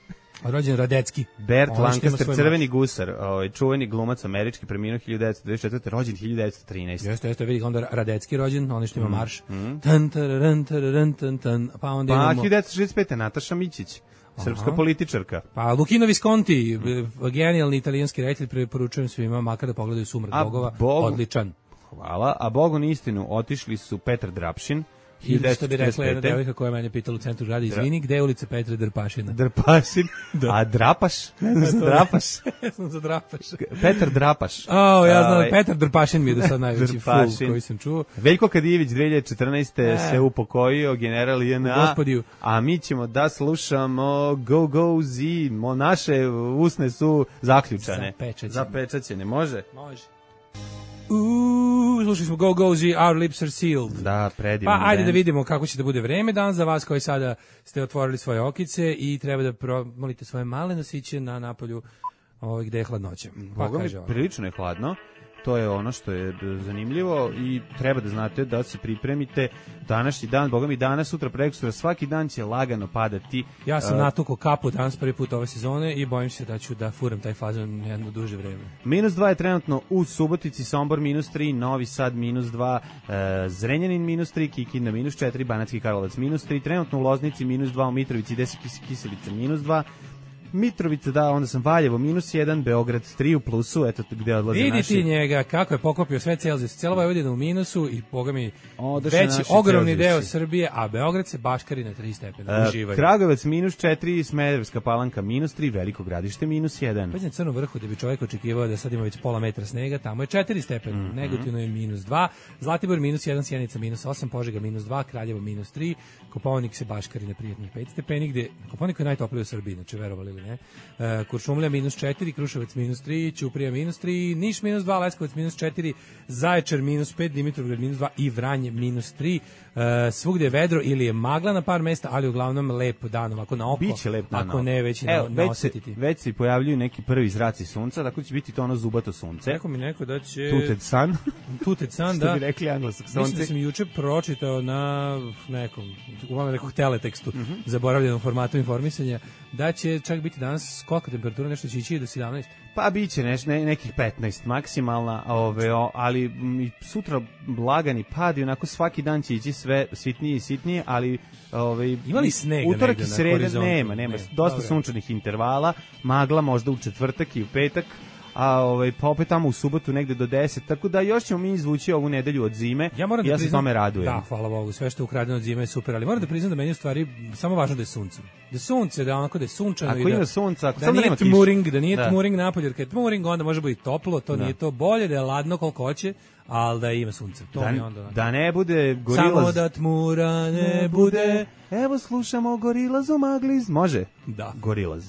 rođen Radecki. Bert Ono što ima Lancaster, svoj crveni marš. gusar, ovaj, čuveni glumac američki, preminuo hiljadu devetsto dvadeset četvrte. rođen hiljadu devetsto trinaeste. Jeste, jeste, vidi ga onda Radecki rođen, onaj što ima marš. Tan, tararan, tararan, tan, tan, pa onda Pa imamo... hiljadu devetsto šezdeset pete. Nataša Mićić, srpska Aha. političarka. Pa Luchino Visconti, genijalni italijanski reditelj, preporučujem svima, makar da pogledaju Sumrak A bogova, Bogu- odličan. Hvala. A Bogu na istinu otišli su Petar Drapšin, Ili što bi rekla jedna hiljadu devetsto trideset pete. devojka koja je mene pitala u centru grada, izvini, gde je ulica Petra Drpašina? Drpašin, a Drapaš, ne znam šta Drapaš, Ja sam za Drapaš. Petar Drapaš. O, ja znam, Ovaj, Petar Drpašin mi je do sad najveći Drpašin. ful koji sam čuo. Veljko Kadijević dve hiljade četrnaeste. E. se upokojio, general J N A, Gospodiju. a mi ćemo da slušamo Go Go Z, mo naše usne su zaključane. Zapečaćene. Zapečaćene, može? Može. Uuu, slušali smo Go Go Z, Our Lips Are Sealed. Da, predivan. Pa ajde band. da vidimo kako će da bude vreme danas za vas koji sada ste otvorili svoje okice i treba da promolite svoje male nosiće na napolju ovaj, gde je hladnoća. Pa Boga mi, kaže ovako. prilično je hladno. To je ono što je zanimljivo i treba da znate da se pripremite današnji dan, Boga mi danas, sutra, prekosutra, svaki dan će lagano padati. Ja sam Uh, natukao kapu danas prvi put ove sezone i bojim se da ću da furam taj fazon jedno duže vreme. Minus dva je trenutno u Subotici, Sombor minus tri, Novi Sad minus dva, e, Zrenjanin minus tri, Kikinda minus četiri, Banatski Karlovac minus tri, trenutno u Loznici minus dva, u Mitrovici, Desi Kiselica minus dva, Mitrovica, da, onda sam Valjevo minus jedan, Beograd tri u plusu, eto gde odlaze Vidi naši. ti njega kako je pokopio sve Celzijus, cijela Vojvodina u minusu i boga mi Odoše veći naši ogromni Celzijusi. deo Srbije, a Beograd se baškari na tri stepena. E, Uživaju. Kragujevac minus četiri, Smederevska Palanka minus tri, Veliko Gradište minus jedan. Pa na Crnom vrhu gde bi čovjek očekivao da sad ima već pola metra snega, tamo je četiri stepena, Mhm. Negotivno je minus dva, Zlatibor minus jedan, Sjenica minus osam, Požega minus dva, Kraljevo minus tri, Kopaonik se baškari na prijatnih pet stepeni, gde Kopaonik je najtopliji u Srbiji, znači verovali ili ne. E, Kuršumlja minus četiri, Kruševac minus tri, Ćuprija minus tri, Niš minus dva, Leskovac minus četiri, Zaječar minus pet, Dimitrovgrad minus dva i Vranje minus tri. E, svugde je vedro ili je magla na par mesta, ali uglavnom lep dan, ovako na oko. Biće lep dan. Ako ne, već i Evo, na, već, se, naosetiti. već se pojavljuju neki prvi zraci sunca, tako će biti to ono zubato sunce. Rekao mi neko da će... Tuted sun. Tuted sun, Što da. bi rekli Mislim da anglosaksonci. sam juče pročitao na nekom, uglavnom nekog teletekstu, Mhm. zaboravljenom formatu informisanja, da će čak biti danas kolika temperatura, nešto će ići do sedamnaest. Pa biće neš, ne, nekih petnaest maksimalna, ove, o, ali m, i sutra lagani pad i onako svaki dan će ići sve sitnije i sitnije, ali ove, Ima li snega utorak negde i na sreda horizontu? nema, nema, Ne, dosta dobro. sunčanih intervala, magla možda u četvrtak i u petak, a ovaj pa opet tamo u subotu negde do deset, tako da još ćemo mi izvući ovu nedelju od zime. Ja moram i da ja se priznam, tome radujem. Da, hvala Bogu, sve što je ukradeno od zime je super, ali moram da priznam da meni u stvari samo važno da je sunce. Da je sunce, da onako da je sunčano Ako i da, ima sunca, ako da samo nije nema kiše. tmuring, da nije Da. tmuring napolje, jer kad je tmuring onda može biti toplo, to nije to bolje, da je ladno koliko hoće, ali da ima sunce. To mi je Da, onda onako. da ne bude Samo gorilaz. da tmura ne bude. Evo slušamo Gorilaz u Magliz. Može? Da. Gorilaz.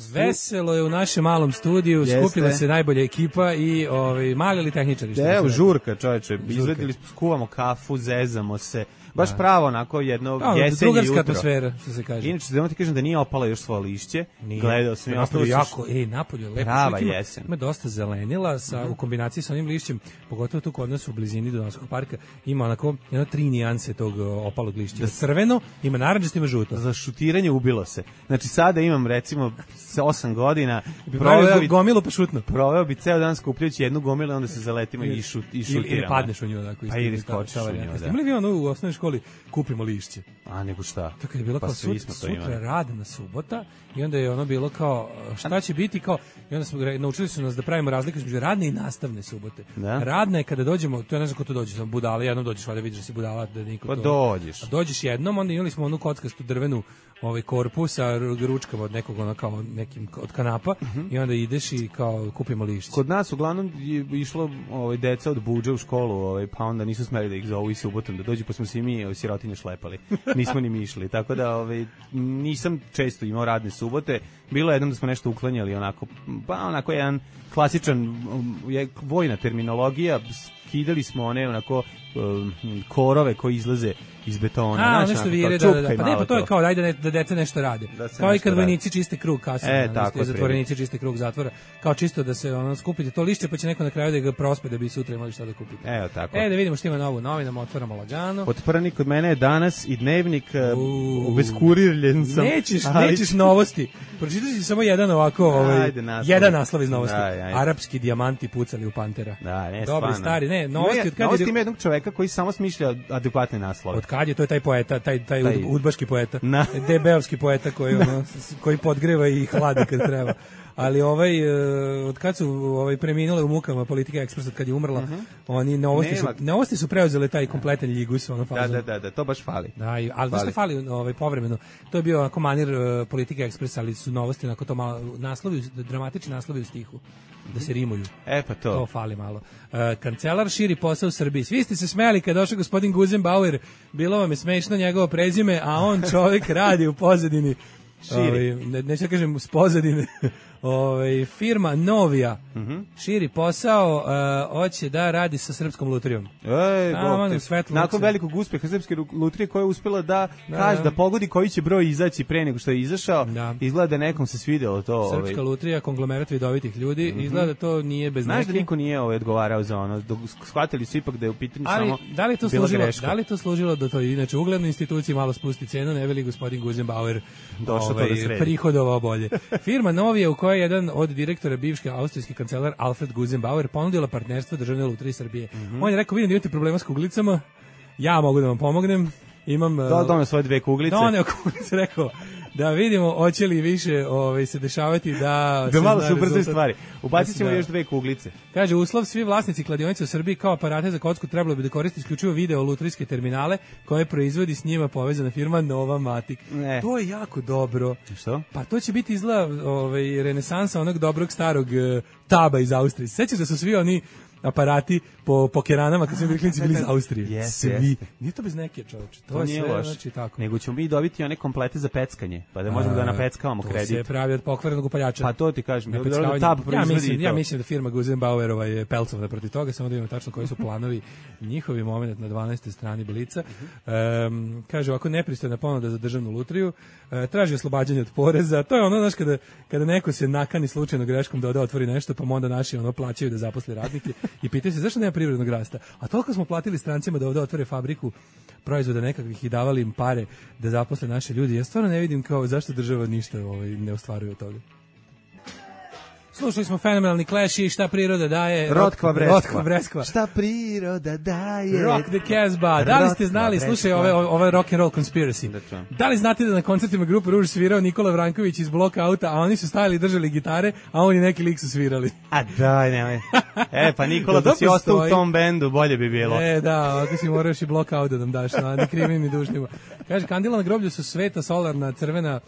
Veselo je u našem malom studiju, Jeste. skupila se najbolja ekipa i ovaj mali li tehničari što Evo, se žurka, čoveče, izvedili, skuvamo kafu, zezamo se, baš pravo onako jedno Da, jesenje drugarska jutro. atmosfera, što se kaže. Inače, da ti kažem da nije opala još svoje lišće, Nije. gledao sam i napolju ostalo jako, ej, napolju je lepo. Prava Čovjek ima- jesen. Ima dosta zelenila sa, u kombinaciji sa onim lišćem, pogotovo tu kod nas u blizini Donavskog parka, ima onako jedno tri nijanse tog o, opalog lišća. Crveno, ima naranđasto, ima žuto. za šutiranje ubilo se. Znači, sada imam, recimo, s osam godina, Proveo proveo bi, gomilu pa šutno. proveo bi ceo dan skupljajući jednu gomilu, onda se zaletimo i, šut, i Ili, šutiramo. ili padneš u nju. Onako, Pa ili skočiš u nju, da. Imali vi ono u osnovnoj školi, kupimo lišće. A nego šta? Tako je bilo pa kao sut, sutra radna subota i onda je ono bilo kao šta će biti kao i onda smo naučili su nas da pravimo razliku između radne i nastavne subote. Da? Radna je kada dođemo, to je ne znam ko to dođe, samo budala, jednom dođeš, valjda vidiš da si budala, da niko pa to. Pa dođeš. A dođeš jednom, onda imali smo onu kockastu drvenu ovaj korpus sa ručkama od nekog ono kao nekim od kanapa uh-huh. i onda ideš i kao kupimo lišće. Kod nas uglavnom je išlo ovaj deca od budža u školu, ovaj pa onda nisu smeli da ih zovu i subotom da dođu, pa smo se i mi sirotinje šlepali. Nismo ni mi išli, tako da ovaj nisam često imao radne subote. Bilo je jednom da smo nešto uklanjali onako, pa onako jedan klasičan je vojna terminologija, skidali smo one onako um, korove koji izlaze iz betona. A, nešto onako, vire, da, da, da. Pa ne, pa to je kao, daj da, ne, da deca nešto rade. Da kao i kad vojnici čiste krug kasno, e, tako, zatvorenici čiste krug zatvora. Kao čisto da se ono, skupite to lišće, pa će neko na kraju da ga prospe da bi sutra imali šta da kupite. Evo tako. E, da vidimo što ima novu novinama, otvaramo lagano. Otprani kod mene je danas i dnevnik, uh, obeskurirljen sam. Nećeš, ali... nećeš novosti. Pročitaš si samo jedan ovako, ovaj, ajde, naslov. jedan naslov iz novosti. Aj, aj. Arapski dijamanti pucali u Pantera. Da, ne, dobri, stari, ne, novosti od kad novosti je... ima jednog čoveka koji samo smišlja adekvatne naslove. Od kad je, to je taj poeta, taj, taj, taj... udbaški poeta, D B-ovski poeta koji, ono, koji podgreva i hladi kad treba. Ali ovaj od kad su ovaj preminule u mukama Politika Ekspres od kad je umrla, uh-huh. oni novosti su novosti su preuzele taj kompletan ljigus ono fazon. Da, da, da, da, to baš fali. Da, ali baš fali ovaj povremeno. To je bio onako manir uh, Politika Ekspres, ali su novosti onako to malo naslovi, dramatični naslovi u stihu. Da se rimuju. E pa to. To fali malo. Uh, kancelar širi posao u Srbiji. Svi ste se smejali kad došao gospodin Guzenbauer. Bilo vam je smešno njegovo prezime, a on čovjek radi u pozadini. Ovaj, ne, neću da kažem s pozadine. Ovaj, firma Novija uh-huh. širi posao, uh, hoće da radi sa Srpskom lutrijom. Ej, nakon velikog uspeha Srpske lutrije koja je uspela da, da kaže da pogodi koji će broj izaći pre nego što je izašao, da. Izgleda da nekom se svidelo to. Srpska ovaj. lutrija, konglomerat vidovitih ljudi, uh-huh. izgleda da to nije bez Znaš neke. Da niko nije ovaj odgovarao za ono, shvatili su ipak da je u pitanju ali, samo da li to služilo, greška. Da li to služilo da to inače uglednoj instituciji malo spusti cenu, ne veli gospodin Guzenbauer došao ovaj, to da sredi. Prihodovao bolje. Firma Novija u kojoj je jedan od direktora bivške austrijski kancelar Alfred Guzenbauer ponudila partnerstvo Državne lutrije Srbije. Mm-hmm. On je rekao, vidim da imate problema s kuglicama, ja mogu da vam pomognem. Imam da doneo svoje dve kuglice. Doneo kuglice, rekao da vidimo hoće li više ovaj se dešavati da da malo su brze stvari. Ubacit ćemo da, još dve kuglice. Kaže uslov, svi vlasnici kladionice u Srbiji kao aparate za kocku trebalo bi da koriste isključivo video lutrijske terminale koje proizvodi s njima povezana firma Nova Matic. Ne. To je jako dobro. Što? Pa to će biti izgleda ovaj renesansa onog dobrog starog uh, taba iz Austrije. Sećaš da su svi oni aparati po pokeranama kad su bili klinci bili iz Austrije. Yes, Svi. Yes. Nije to bez neke, čoveče. To, to je nije sve, loš. Znači tako. Nego ćemo mi dobiti one komplete za peckanje, pa da možemo A, da napeckavamo to kredit. To se pravi od pokvarenog upaljača. Pa to ti kažem. Da da tab ja mislim, ja mislim da firma Guzenbauerova je pelcovna protiv toga, samo da vidimo tačno koji su planovi njihovi. Moment na dvanaestoj strani Blica. Um, kaže ovako, nepristojna ponuda za državnu lutriju, uh, traži oslobađanje od poreza. To je ono, znaš, kada, kada neko se nakani slučajno greškom da ode otvori nešto, pa onda naši ono plaćaju da zaposle radnike i pitaju se zašto nema privrednog rasta. A toliko smo platili strancima da ovde otvore fabriku proizvoda nekakvih i davali im pare da zaposle naše ljudi. Ja stvarno ne vidim kao zašto država ništa ovaj, ne ostvaruje od toga. Slušali smo fenomenalni Clash i šta priroda daje. Rotkva Breskva. Rotkva Breskva. Šta priroda daje. Rock the Casbah. Da li ste znali, Breskva. Slušaj, ove, ove rock and roll conspiracy. Da, da li znate da na koncertima grupe Ruž svirao Nikola Vranković iz bloka auta, a oni su stajali i držali gitare, a oni neki lik su svirali. A daj, nemoj. E, pa Nikola, da si ostao u tom bendu, bolje bi bilo. E, da, ako si moraš i blok out da nam daš, na ni krivim ni dužnima. Kaže, kandila na groblju su sveta, solarna, crvena,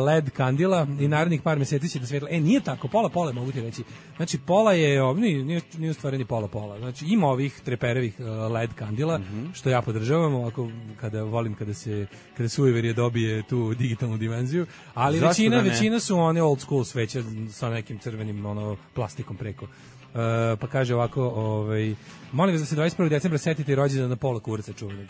led kandila i narednih par meseci će da svetla. E, nije tako, pola pola mogu ti reći. Znači, pola je, nije, nije, nije stvareni pola pola. Znači, ima ovih treperevih led kandila, mm-hmm. što ja podržavam, ovako, kada volim, kada se, kada sujeverije dobije tu digitalnu dimenziju, ali Zašto većina, da većina su one old school sveće sa nekim crvenim, ono, plastikom preko. Uh, pa kaže ovako, ovaj, molim vas da se dvadeset prvog decembra setite rođendan na pola kurca čuvenog.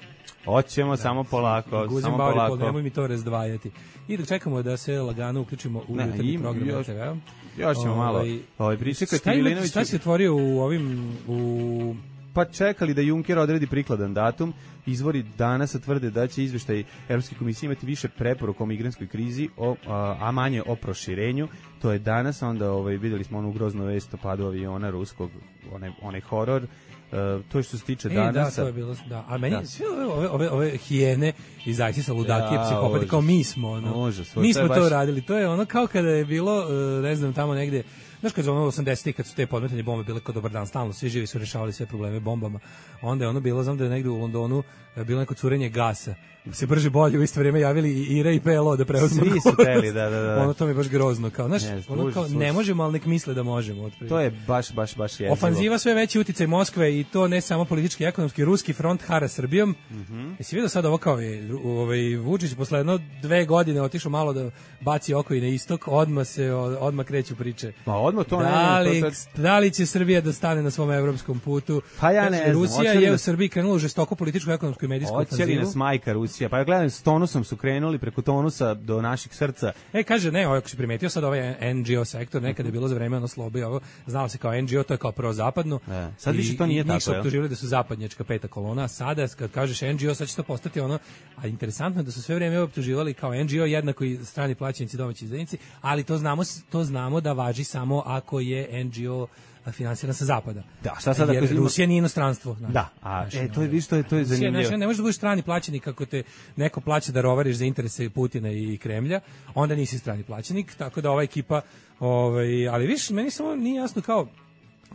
Hoćemo, da, samo polako, samo polako. Nemoj mi to razdvajati. I da čekamo da se lagano uključimo u jutarnji program još, T V-a. Još ćemo malo. Ovaj pričekati Milinović. Šta si otvorio u ovim u pa čekali da Juncker odredi prikladan datum. izvori danas tvrde da će izveštaj Evropske komisije imati više preporuka o migrantskoj krizi, o, a, a manje o proširenju. To je danas, onda ovaj, videli smo onu groznu vest o padu aviona ruskog, onaj, onaj horor. Uh, to je što se tiče e, danas. Da, to je bilo, da. A meni, da. Sve ove, ove, ove hijene iz ISIS-a, ludaki, ja, psihopati, kao mi smo, ono, užas, mi smo to, to baš... radili. To je ono kao kada je bilo, uh, ne znam, tamo negde, znaš kad je ono osamdesetih kad su te podmetanje bombe bile kao dobar dan, stalno svi živi su rešavali sve probleme bombama, onda je ono bilo, znam da je negde u Londonu bilo neko curenje gasa, se brže bolje u isto vrijeme javili i Ira i P L O da preuzmu. Svi su teli, da, da, da. Ono to mi je baš grozno, kao, znaš, ne, ono kao, ne možemo, ali nek misle da možemo. Otprilike. To je baš, baš, baš jezivo. Ofanziva sve veći uticaj Moskve i to ne samo politički i ekonomski, ruski front hara Srbijom. Mm-hmm. Jesi vidio sad ovo kao je, ovaj, Vučić posle jedno dve godine otišao malo da baci oko i na istok, odmah se, odmah kreću priče. Ma odmah to da li, ne, to, to... da li će Srbija da stane na svom evropskom putu? Pa ja ne znam. Rusija je u Srbiji krenula u žestoko političku, ekonomsku i medijsku ofanzivu. Hoće li nas majka Rusija? Pa ja gledam, s Tonusom su krenuli preko Tonusa do naših srca. E, kaže, ne, ovo, ako si primetio sad ovaj N G O sektor, nekada je bilo za vreme ono slobi, ovo, znalo se kao N G O, to je kao prozapadno. E, sad više to nije tako, njih su optuživali da su zapadnjačka peta kolona, sada kad kažeš N G O, sad će to postati ono, a interesantno je da su sve vreme optuživali kao N G O, jednako i strani plaćenici, domaći izdajnici, ali to znamo, to znamo da važi samo ako je N G O finansirana sa zapada. Da, šta sad ako Rusija nije inostranstvo, znači. Da, a znači, e to je viš to je to je zanimljivo. Znači, ne možeš da budeš strani plaćenik kako te neko plaća da rovariš za interese Putina i Kremlja, onda nisi strani plaćenik, tako da ova ekipa, ovaj, ali viš, meni samo nije jasno kao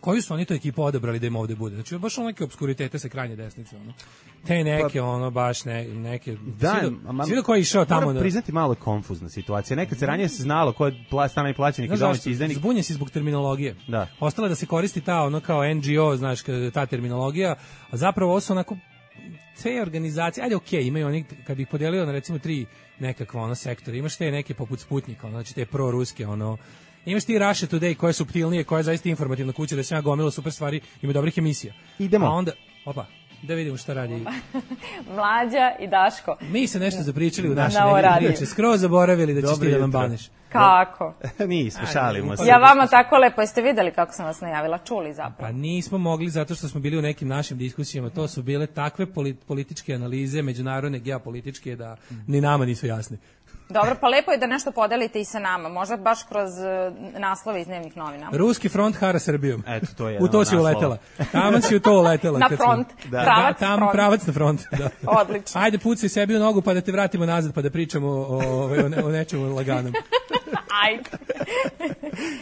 koju su oni to ekipu odabrali da im ovde bude. Znači, baš ono neke obskuritete sa krajnje desnice, ono. Te neke, pa, ono, baš ne, neke... Da, svi do koji je išao tamo... Moram da... priznati malo konfuzna situacija. Nekad se ranije se znalo ko je strani plaćenik i domaći izdajnik. Zbunjen si zbog terminologije. Da. Ostala da se koristi ta, ono, kao N G O, znaš, ta terminologija, a zapravo ovo su onako te organizacije, ajde okej, okay, imaju oni, kad bi ih podelio na recimo tri nekakva, ono, sektora, imaš te neke poput Sputnika, ono, znači te proruske, ono, imaš ti Russia Today koja je suptilnije, koja je zaista informativna kuća, da se ja gomilo super stvari, ima dobrih emisija. Idemo. A onda, opa, da vidimo šta radi. Mlađa i Daško. Mi se nešto zapričali u našoj negdje priče, skroz zaboravili da ćeš ti da nam baneš. Kako? Nismo, šalimo se. Ja vama tako lepo, jeste videli kako sam vas najavila, čuli zapravo? Pa nismo mogli zato što smo bili u nekim našim diskusijama, to su bile takve političke analize, međunarodne, geopolitičke, da ni nama nisu jasne. Dobro, pa lepo je da nešto podelite i sa nama, možda baš kroz uh, naslove iz dnevnih novina. Ruski front hara Srbijom. Eto, to je u to si uletela. Tamo si u to uletela. Na front, smo... da. pravac da, tamo front. Pravac na front. Da. Odlično. Ajde, pucaj sebi u nogu pa da te vratimo nazad pa da pričamo o, o, o, ne, o nečemu laganom. Ajde.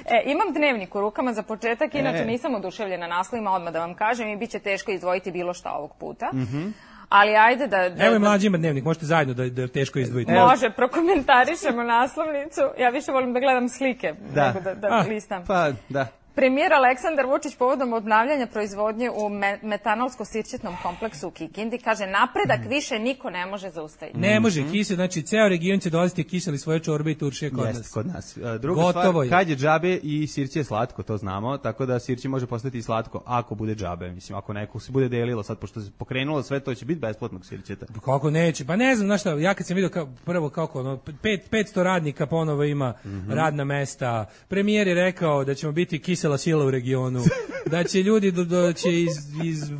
E, imam dnevnik u rukama za početak, inače e. nisam oduševljena naslovima, odmah da vam kažem, i bit će teško izdvojiti bilo šta ovog puta. Mhm. Mm Ali ajde da... da Evo je mlađi ima dnevnik, možete zajedno da, da teško izdvojite. Može, prokomentarišemo naslovnicu. Ja više volim da gledam slike da. nego da, da ah, listam. Pa, da. Premijer Aleksandar Vučić povodom obnavljanja proizvodnje u me metanolsko-sirćetnom kompleksu u Kikindi kaže napredak mm. više niko ne može zaustaviti. Ne može, mm-hmm. kisel, znači ceo region će dolaziti kiseli svoje čorbe i turšije kod Jest, nas. kod nas. Druga Gotovo stvar, kad je džabe i sirće je slatko, to znamo, tako da sirće može postati i slatko ako bude džabe. Mislim, ako neko se bude delilo sad, pošto se pokrenulo sve, to će biti besplatnog sirćeta. Kako neće? Pa ne znam, znaš šta, ja kad sam vidio kao, prvo kako, ono, pet, petsto radnika ponovo ima mm-hmm. radna mesta, premijer je rekao da ćemo biti kisela sila u regionu, da će ljudi do, do, će iz, iz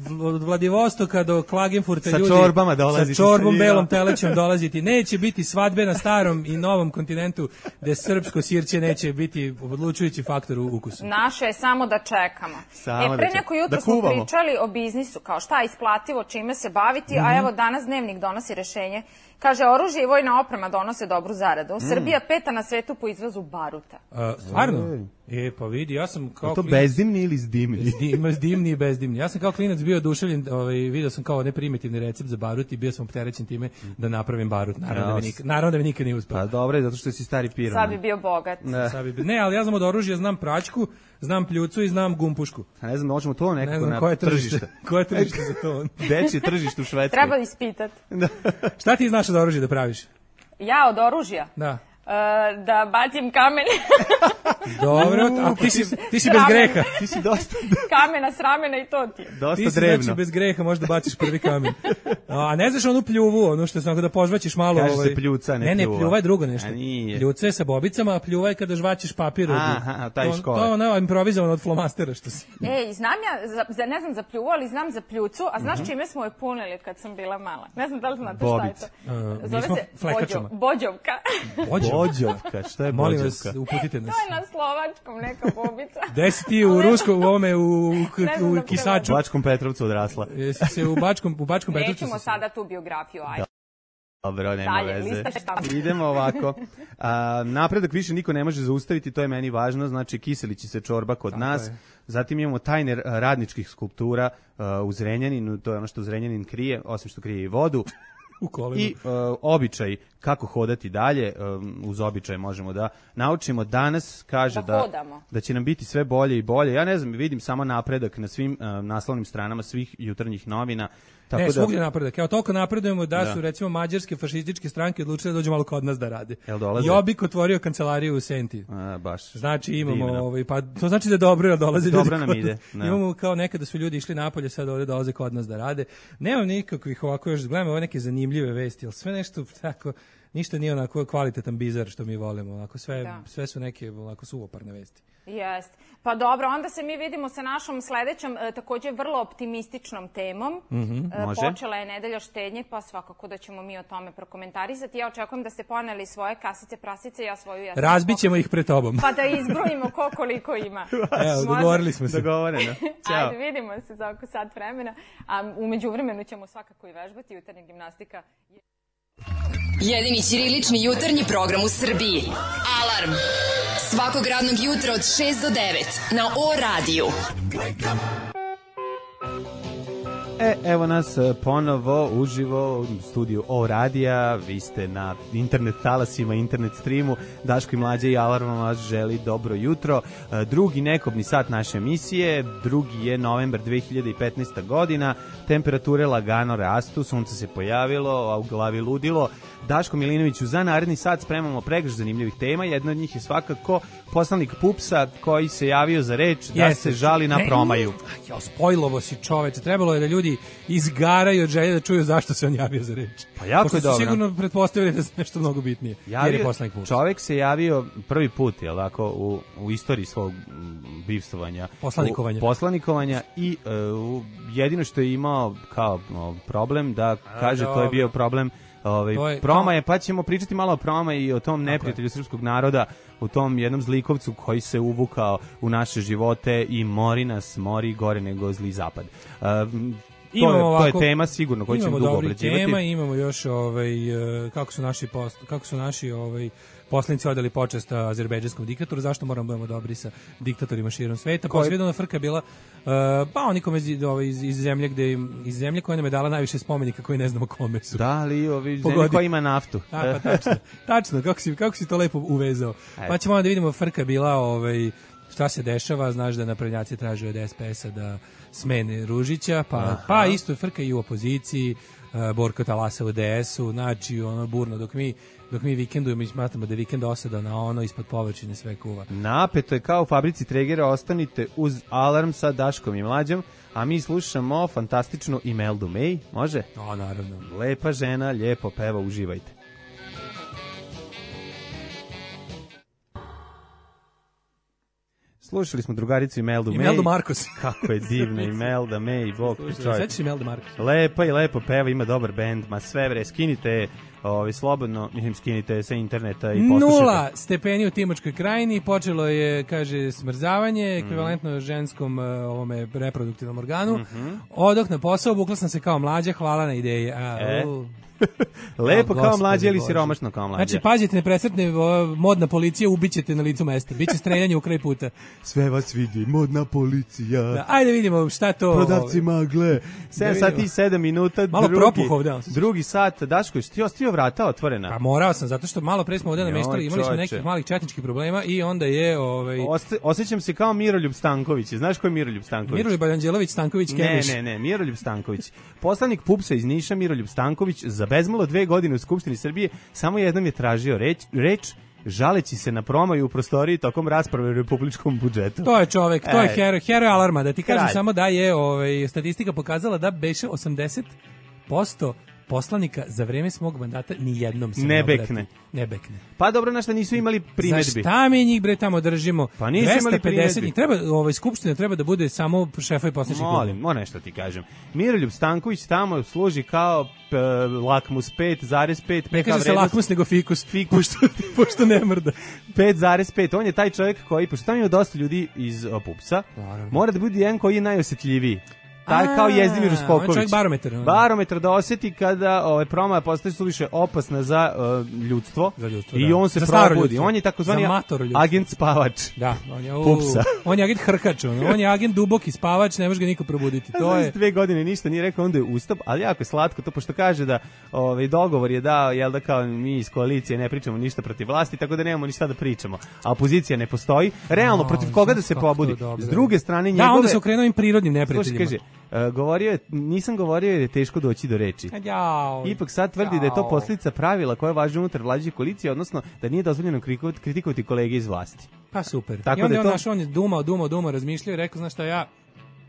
Vladivostoka do Klagenfurta sa ljudi čorbama dolaziti, sa čorbom sa belom telećom dolaziti, neće biti svadbe na starom i novom kontinentu gde srpsko sirće neće biti odlučujući faktor u ukusu. Naše je samo da čekamo. Samo e, pre da neko jutro da smo pričali o biznisu, kao šta je isplativo, čime se baviti, mm-hmm. a evo danas Dnevnik donosi rešenje. Kaže, oružje i vojna oprema donose dobru zaradu. Mm. Srbija peta na svetu po izvozu baruta. A, stvarno? E, pa vidi, ja sam kao... A to klinac, bezdimni ili zdimni? Ima zdimni i bezdimni. Ja sam kao klinac bio oduševljen, ovaj, vidio sam kao neprimitivni recept za barut i bio sam opterećen time da napravim barut. Naravno, no, da, mi nikad, naravno da mi nikad nije uspio. Pa dobro, zato što si stari piran. Sad bi bio bogat. Ne, Sad bi bio, ne ali ja znam od oružja, znam praćku, znam pljucu i znam gumpušku. A ne znam, možemo to nekako ne znam, na koje tržište. Koje tržište za to? Dečje tržište u Švedskoj. Treba ispitati. Šta ti znaš od oružja da praviš? Ja od oružja? Da. da bacim kamen. Dobro, a ti si, ti si bez greha. Ti si dosta... Kamena s ramena i to ti. Dosta ti si, drevno. Znači, bez greha možda baciš prvi kamen. A ne znaš onu pljuvu, ono što sam da požvaćeš malo... Kaže ovaj... se pljuca, ne, ne pljuva. Ne, pljuva je drugo nešto. Pljuca je sa bobicama, a pljuva je kada žvaćeš papir. Aha, taj škola. To je ono improvizovano od flomastera što si. Ej, znam ja, za, za, ne znam za pljuvu, ali znam za pljucu, a znaš mm-hmm. čime smo je punili kad sam bila mala? Ne znam da li znate Bobic. šta je to. Uh, Zove se flekačama. Bođovka. Bođovka, šta je Molim bođovka? vas, uputite nas. To je na slovačkom neka bobica. Gde si ti u Ruskom, u ovome, u, u, u Kisaču? U Bačkom Petrovcu odrasla. Jesi se u Bačkom, u Bačkom Petrovcu? Nećemo sada tu biografiju, ajde. Dobro, nema Dalje, veze. lista Idemo ovako. A, napredak više niko ne može zaustaviti, to je meni važno, znači kiselići se čorba kod Tako nas. Je. Zatim imamo tajne radničkih skulptura uh, u Zrenjaninu, to je ono što Zrenjanin krije, osim što krije i vodu. U kolima. I uh, običaj kako hodati dalje, um, uz običaj možemo da naučimo. Danas kaže da, da, da će nam biti sve bolje i bolje. Ja ne znam, vidim samo napredak na svim uh, naslovnim stranama svih jutarnjih novina. Tako ne, da, svugdje napredak. Evo, toliko napredujemo da, da su, recimo, mađarske fašističke stranke odlučile da dođu malo kod nas da rade. Jel dolaze? Jobbik otvorio kancelariju u Senti. A, baš. Znači imamo, ovaj, pa to znači da je dobro, jer dolaze ljudi. Dobro nam ide. No. Imamo kao nekada su ljudi išli napolje, sad ovdje dolaze kod nas da rade. Nemam nikakvih ovako, još gledamo ove neke zanimljive vesti, ali sve nešto tako, ništa nije onako kvalitetan bizar što mi volimo. Onako sve, da. sve su neke onako suvoparne vesti. Jest. Pa dobro, onda se mi vidimo sa našom sledećom, e, takođe vrlo optimističnom temom. Mm-hmm, e, počela je nedelja štednje, pa svakako da ćemo mi o tome prokomentarisati. Ja očekujem da ste poneli svoje kasice, prasice, ja svoju... Ja Razbićemo ih pred tobom. Pa da izbrojimo ko koliko ima. Evo, dogovorili smo se. Dogovoreno. Ajde, vidimo se za oko sat vremena. A umeđu vremenu ćemo svakako i vežbati. Jutarnja gimnastika... Jedini ćirilični jutarnji program u Srbiji. Alarm! Svakog radnog jutra od šest do devet na O radiju. E, evo nas ponovo uživo u studiju O radija. Vi ste na internet talasima, internet streamu. Daško i Mlađa i Alarm vas želi dobro jutro. Drugi nekobni sat naše emisije. Drugi je novembar dve hiljade petnaesta godina. Temperature lagano rastu, sunce se pojavilo, a u glavi ludilo. Daško Milinoviću, za naredni sat spremamo pregršt zanimljivih tema. Jedna od njih je svakako poslanik Pupsa koji se javio za reč da Jeste. se žali na promaju. Ne, jo, spojlovo si čoveče. Trebalo je da ljudi izgaraju od želje da čuju zašto se on javio za reč. Pa jako Pošto je dobro. Sigurno pretpostavili da je nešto mnogo bitnije. Javio, jer je poslanik Pups. Čovek se javio prvi put, jel tako, u, u istoriji svog bivstvovanja. Poslanikovanja. U, poslanikovanja i uh, jedino što je imao kao uh, problem da kaže to je bio problem Ovaj je, promaje, pa ćemo pričati malo o promaji i o tom neprijatelju srpskog naroda, u tom jednom zlikovcu koji se uvukao u naše živote i mori nas, mori gore nego zli zapad. Uh, to, je, ovako, to je tema sigurno koju ćemo dugo obrađivati. Imamo tema, imamo još ovaj, kako su naši, post, kako su naši ovaj, poslanici odali počast azerbejdžanskom diktatoru, zašto moramo budemo dobri sa diktatorima širom sveta. Pa svijedona frka bila, uh, pa oni kome iz, ovaj, iz, iz zemlje gde iz zemlje koja nam je dala najviše spomenika koji ne znamo kome su. Da, ali ovi zemlje koja ima naftu. A, pa tačno, tačno kako, si, kako si to lepo uvezao. Ajde. Pa ćemo onda da vidimo, frka bila ovaj, šta se dešava, znaš da naprednjaci traže od S P S-a da smene Ružića, pa, pa isto frka i u opoziciji, uh, Borko talasa u D S-u, znači ono burno, dok mi dok mi vikendujemo i smatramo da je vikend osada na ono, ispod površine sve kuva. Napeto je kao u fabrici Tregera, ostanite uz Alarm sa Daškom i Mlađom, a mi slušamo fantastičnu Imeldu May, može? O, naravno. Lepa žena, lijepo peva, uživajte. Slušali smo drugaricu Imeldu May. Imeldu Markos. Kako je divna Imelda May, bog ti čovjek. Sveći Imelda Markos. Lepa i lepo peva, ima dobar bend, ma sve bre, skinite ovi, slobodno, mislim, skinite sa interneta i poslušajte. Nula stepeni u Timočkoj krajini, počelo je, kaže, smrzavanje, ekvivalentno mm. ženskom ovome reproduktivnom organu. Mm-hmm. Odoh na posao, bukla sam se kao Mlađa, hvala na ideji. A, e. Lepo kao Mlađa ili siromašno kao Mlađa. Znači, pazite, ne presretne modna policija, ubićete na licu mesta. Biće streljanje u kraj puta. Sve vas vidi, modna policija. Da, ajde vidimo šta to... Prodavci magle. sedam sati i sedam minuta. Malo drugi, propuhov, da. Drugi sat. Daško, ti ostio vrata otvorena? Pa morao sam, zato što malo pre smo ovdje nameštali, imali smo nekih malih četničkih problema i onda je... Ovaj... Oste, osjećam se kao Miroljub Stanković. Znaš ko je Miroljub Stanković? Miroljub Anđelović Stanković Kemiš. Ne, ne, ne, Miroljub Stanković. Poslanik Pupsa iz Niša, Miroljub Stanković, za bezmalo dve godine u Skupštini Srbije samo jednom je tražio reč, reč žaleći se na promaju u prostoriji tokom rasprave o republičkom budžetu. To je čovek, to je E. heroj, heroj alarma. Da ti kažem Kralj. samo da je ovaj, statistika pokazala da beše osamdeset posto poslanika za vreme smog mandata ni jednom se Ne ne obrati. bekne. Ne bekne. Pa dobro, na šta nisu imali primedbi. Za šta mi njih bre tamo držimo? Pa nisu imali dvesta pedeset primedbi. njih. Treba, ovaj, skupština treba da bude samo šefovi poslaničkih klubova. Molim, mo nešto ti kažem. Miroljub Stanković tamo služi kao p, lakmus pet zarez pet. Ne kaže se lakmus nego fikus. Fikus. Pošto, pošto ne mrda. pet zarez pet. On je taj čovjek koji, pošto tamo ima dosta ljudi iz o, pupsa, mora da bude jedan koji je najosjetljiviji. Taj A, kao Jezdimir on je Uspoković. čovjek barometar, ono. Barometar da osjeti kada ovaj promaja postaje suviše opasna za uh, ljudstvo. Za ljudstvo, I da. on se Za staro probudi. ljudstvo. On je takozvani Za mator ljudstvo. agent spavač. Da, on je, u, Pupsa. on je agent hrkač, on, on je agent duboki spavač, ne može ga niko probuditi. To Znaš, je dve godine ništa nije rekao, onda je ustap, ali jako je slatko to, pošto kaže da ovaj, dogovor je dao, jel da kao mi iz koalicije ne pričamo ništa protiv vlasti, tako da nemamo ništa da pričamo. A opozicija ne postoji. Realno, A, protiv koga da se kako to pobudi? dobro. S druge strane, njegove... Da, onda se okrenuo im prirodnim Slušaj, neprijateljima. kaže, uh, govorio je, nisam govorio jer je teško doći do reči. Jao, Ipak sad tvrdi da je to jao. posljedica pravila koja važi unutar vladajuće koalicije, odnosno da nije dozvoljeno kritikovati, kritikovati kolege iz vlasti. Pa super. Tako I onda da je on, to- naš, on je dumao, dumao, dumao, razmišljao i rekao, znaš šta, ja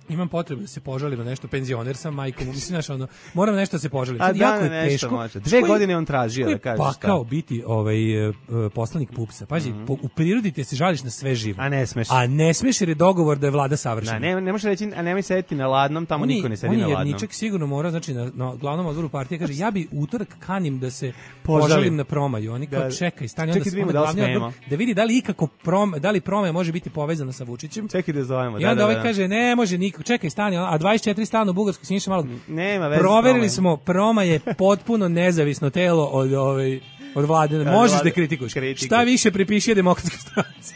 imam potrebu da se požalim na nešto, penzioner sam, majkom, mislim, znaš, ono, moram nešto da se požalim. A Sad, da, jako je nešto teško. može. Dve Koji- godine on tražio koji da kaže je šta. pakao biti ovaj, e, e, poslanik Pupsa. Pazi, po, u prirodi ti se žališ na sve živo. A ne smeš. A ne smeš jer je dogovor da je vlada savršena. Da, ne, ne može reći, a nemoj sedeti na ladnom, tamo On je- niko ne sedi on na je ladnom. jedničak sigurno mora, znači na, na glavnom odboru partije kaže ja bi utorak kanim da se Požalim. požalim na promaju. Oni kao Da. čekaj, stani Čekaj onda, da vidimo onda da li glavni smemo. odbor, da vidi da li ikako prom, da li promaja može biti povezana sa Vučićem. Čekaj da zovemo. I da, onda da, ovaj da. kaže ne može niko, čekaj stani, a dvadeset četiri stana u Bugarskoj Siniša Malog. Nema veze. s Proverili promajom. smo, Proma je potpuno nezavisno telo od ovaj od vlade. Možeš vlade- da kritikuješ. kritikuj. Šta više pripiši demokratskoj stranci.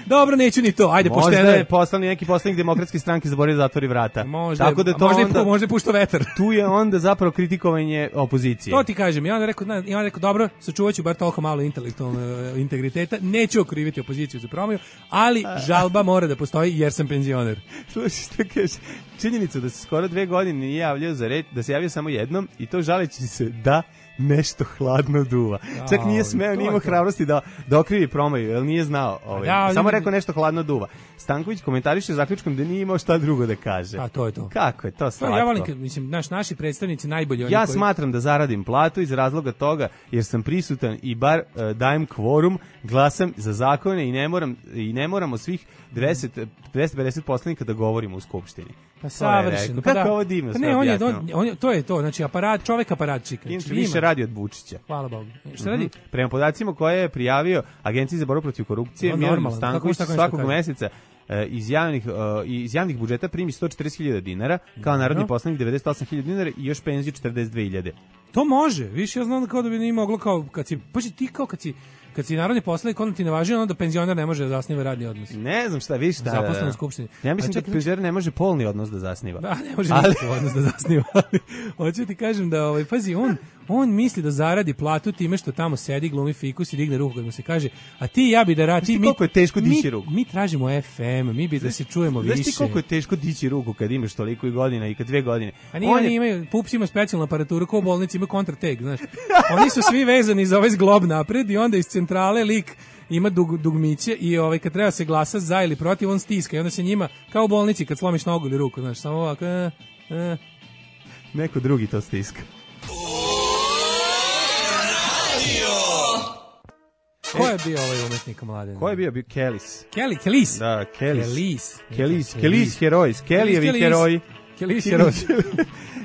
Dobro, neću ni to. Ajde, Možda pošteno je je. poslani neki poslanik demokratske stranke zaboravio da zatvori vrata. Možda, Tako da a to možda, onda, je, možda je puštao vetar. tu je onda zapravo kritikovanje opozicije. To ti kažem, ja onda rekao, na, ja onda rekao dobro, sačuvaću bar toliko malo intelektualnog e, integriteta, neću okriviti opoziciju za promiju, ali žalba mora da postoji jer sam penzioner. Slušaj što kaže, činjenica da se skoro dve godine nije javljao za reč, da se javio samo jednom i to žaleći se da nešto hladno duva. Čak nije smeo, to nije je imao to. hrabrosti da, da okrivi promaju, jer nije znao. Ovaj. Da, Samo ljudi- rekao nešto hladno duva. Stanković komentariše zaključkom da nije imao šta drugo da kaže. A to je to. Kako je to To, slatko? ja volim, kad, mislim, naš, naši predstavnici najbolji oni Ja koji... smatram da zaradim platu iz razloga toga jer sam prisutan i bar uh, dajem kvorum, glasam za zakone i ne moram i ne moramo svih dvadeset dvesta pedeset poslanika da govorimo u skupštini. Pa To je savršeno. rekao. Pa Kako da. ovo divno Pa sve ne, on je, objasnio. on, on je, to je to, znači aparat, čovek aparatčika. Inače Znači, više ima. radi od Vučića. Hvala Bogu. Šta radi? Prema podacima koje je prijavio Agenciji za borbu protiv korupcije, O, Miroljub normalno. Stanković Kako- kako nešto svakog kaže? meseca e, iz javnih e, iz javnih budžeta primi sto četrdeset hiljada dinara, kao narodni poslanik devedeset osam hiljada dinara i još penziju četrdeset dve hiljade. To može. Više ja znam da kao da bi nije moglo kao kad si pa ti kao kad si kad si narodni poslanik onda ti ne važi ono da penzioner ne može da zasniva radni odnos. Ne znam šta, vidiš šta. Zaposlen u skupštini. Ja mislim A čekaj, da penzioner ne može polni odnos da zasniva. Da, ne može Ali- nikakav odnos da zasniva. Ali hoću ti kažem da, ovaj, pazi, on, on misli da zaradi platu time što tamo sedi, glumi fikus i digne ruku kad mu se kaže, a ti i ja bi da radi... Znaš ti koliko je teško dići mi, ruku? Mi tražimo F M, mi bi da se čujemo više. Znaš ti koliko je teško dići ruku kad imaš toliko i godina i kad dve godine? A nije, On oni je- imaju, Pups ima specijalnu aparaturu, ko u bolnici imaju kontrateg, znaš. Oni su svi vezani za ovaj zglob napred i onda iz centrale lik ima dug, dugmiće i ovaj, kad treba se glasa za ili protiv, on stiska i onda se njima, kao u bolnici kad slomiš nogu ili ruku, znaš, samo ovako, e, e. Neko drugi to stiska. Ko je bio ovaj umetnik mladen? Ko je bio? Bio Kelis. Kelly, Kelis. Da, Kelis. Kelis. Kelis, Kelis herojs, Kellyjevi heroji. Kelis heroj.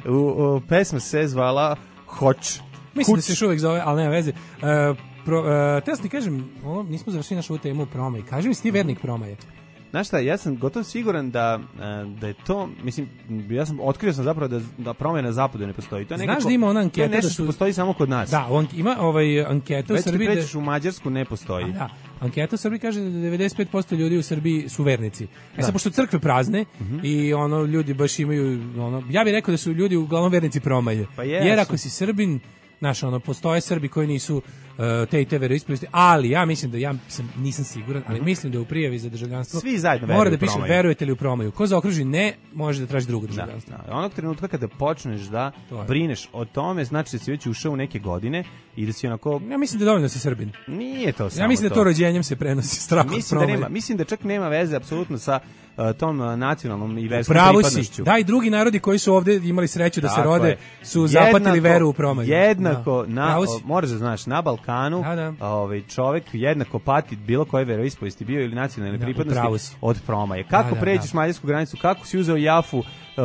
u, u, pesma se zvala Hoć. Mislim da Kuć. se još uvek zove, ali nema veze. Uh, pro, uh, te ti kažem, ovo, nismo završili našu temu promaj. Kaži mi, si ti vernik promaje? Znaš šta, ja sam gotovo siguran da, e, da je to, mislim, ja sam otkrio sam zapravo da, da promjena na zapadu ne postoji. To je Znaš nekako, da ima ona to je anketa nešto da što su- postoji samo kod nas. Da, on ima ovaj anketa u Već ti Srbiji. da- pređeš u Mađarsku, ne postoji. Da, anketa u Srbiji kaže da devedeset pet posto ljudi u Srbiji su vernici. E sad, pošto crkve prazne i ono ljudi baš imaju, ono, ja bih rekao da su ljudi uglavnom vernici promaje. Pa jesu. Jer ako si Srbin, znaš, ono, postoje Srbi koji nisu uh, te i te veroispovesti, ali ja mislim da, ja sam, nisam siguran, ali mm-hmm. mislim da u prijavi za državljanstvo svi zajedno mora da piše verujete li u promaju. Ko zaokruži ne, može da traži drugo državljanstvo. Da, da. Onog trenutka kada počneš da brineš o tome, znači da si već ušao u neke godine i da si onako... Ja mislim da je dovoljno si Srbin. Nije to samo to. Ja mislim da to rođenjem se prenosi strah od mislim da nema, mislim da čak nema veze apsolutno sa uh, tom uh, nacionalnom i verskom pripadnošću. Da, i drugi narodi koji su ovde imali sreću da tako se rode je. Su jednako, zapatili veru u promaju. Jednako, da. na, o, moraš da znaš, na Balkanu da, da. Ovaj, čovek jednako pati bilo koje veroispovesti bio ili nacionalne da, pripadnosti od promaje. Kako da, da, pređeš da. mađarsku granicu, kako si uzeo jafu, Uh,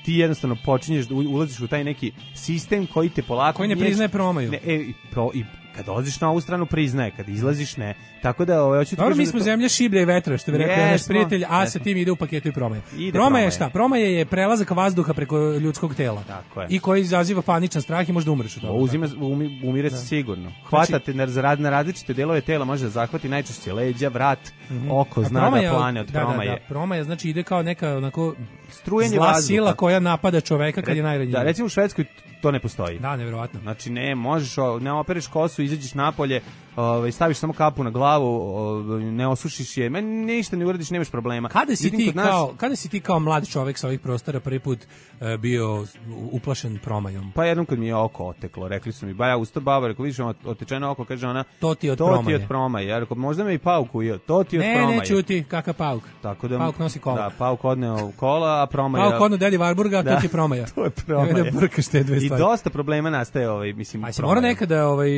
ti jednostavno počinješ da ulaziš u taj neki sistem koji te polako koji ne priznaje promaju. Ne, e, i, pro, i kad dolaziš na ovu stranu priznaje, kad izlaziš ne. Tako da ovaj hoću ti Dobro, mi smo da to... zemlja šiblja i vetra, što bi rekao naš prijatelj, a sa tim ide u paketu i promaja. Promaja je šta? Promaja je prelazak vazduha preko ljudskog tela. Tako je. I koji izaziva paničan strah i možda umreš od toga. Uzima umi, umire se da. sigurno. Hvatate na, na različite delove tela, može da zahvati najčešće leđa, vrat, mm-hmm. oko, zna promaja, da plane od da, promaje. Da, da, promaja znači ide kao neka onako strujenje zla vazduha. Sila koja napada čoveka kad je najranjiviji. Da, recimo u Švedskoj to ne postoji. Da, neverovatno. Znači ne možeš, ne opereš kosu, izađeš napolje, ovaj staviš samo kapu na glavu, ovaj, ne osušiš je, men ništa ne uradiš, nemaš problema. Kada si ti nas... kao, kada si ti kao mlad čovjek sa ovih prostora prvi put uh, bio uplašen promajom? Pa jednom kad mi je oko oteklo, rekli su mi, ba ja usto baba, rekao vidiš otečeno oko, kaže ona, to ti od to promaje. Ti od promaje. Ja rekao možda me i pauk ujeo, to ti od ne, promaje. Ne, ne čuti, kakav pauk. Tako da pauk nosi kola. Da, pauk odneo kola, a promaja. Pauk odneo Dedi Varburga, da, to ti je promaja. To je promaja. Da brkaš te dve stvari. I dosta problema nastaje ovaj, mislim, a si mora nekada ovaj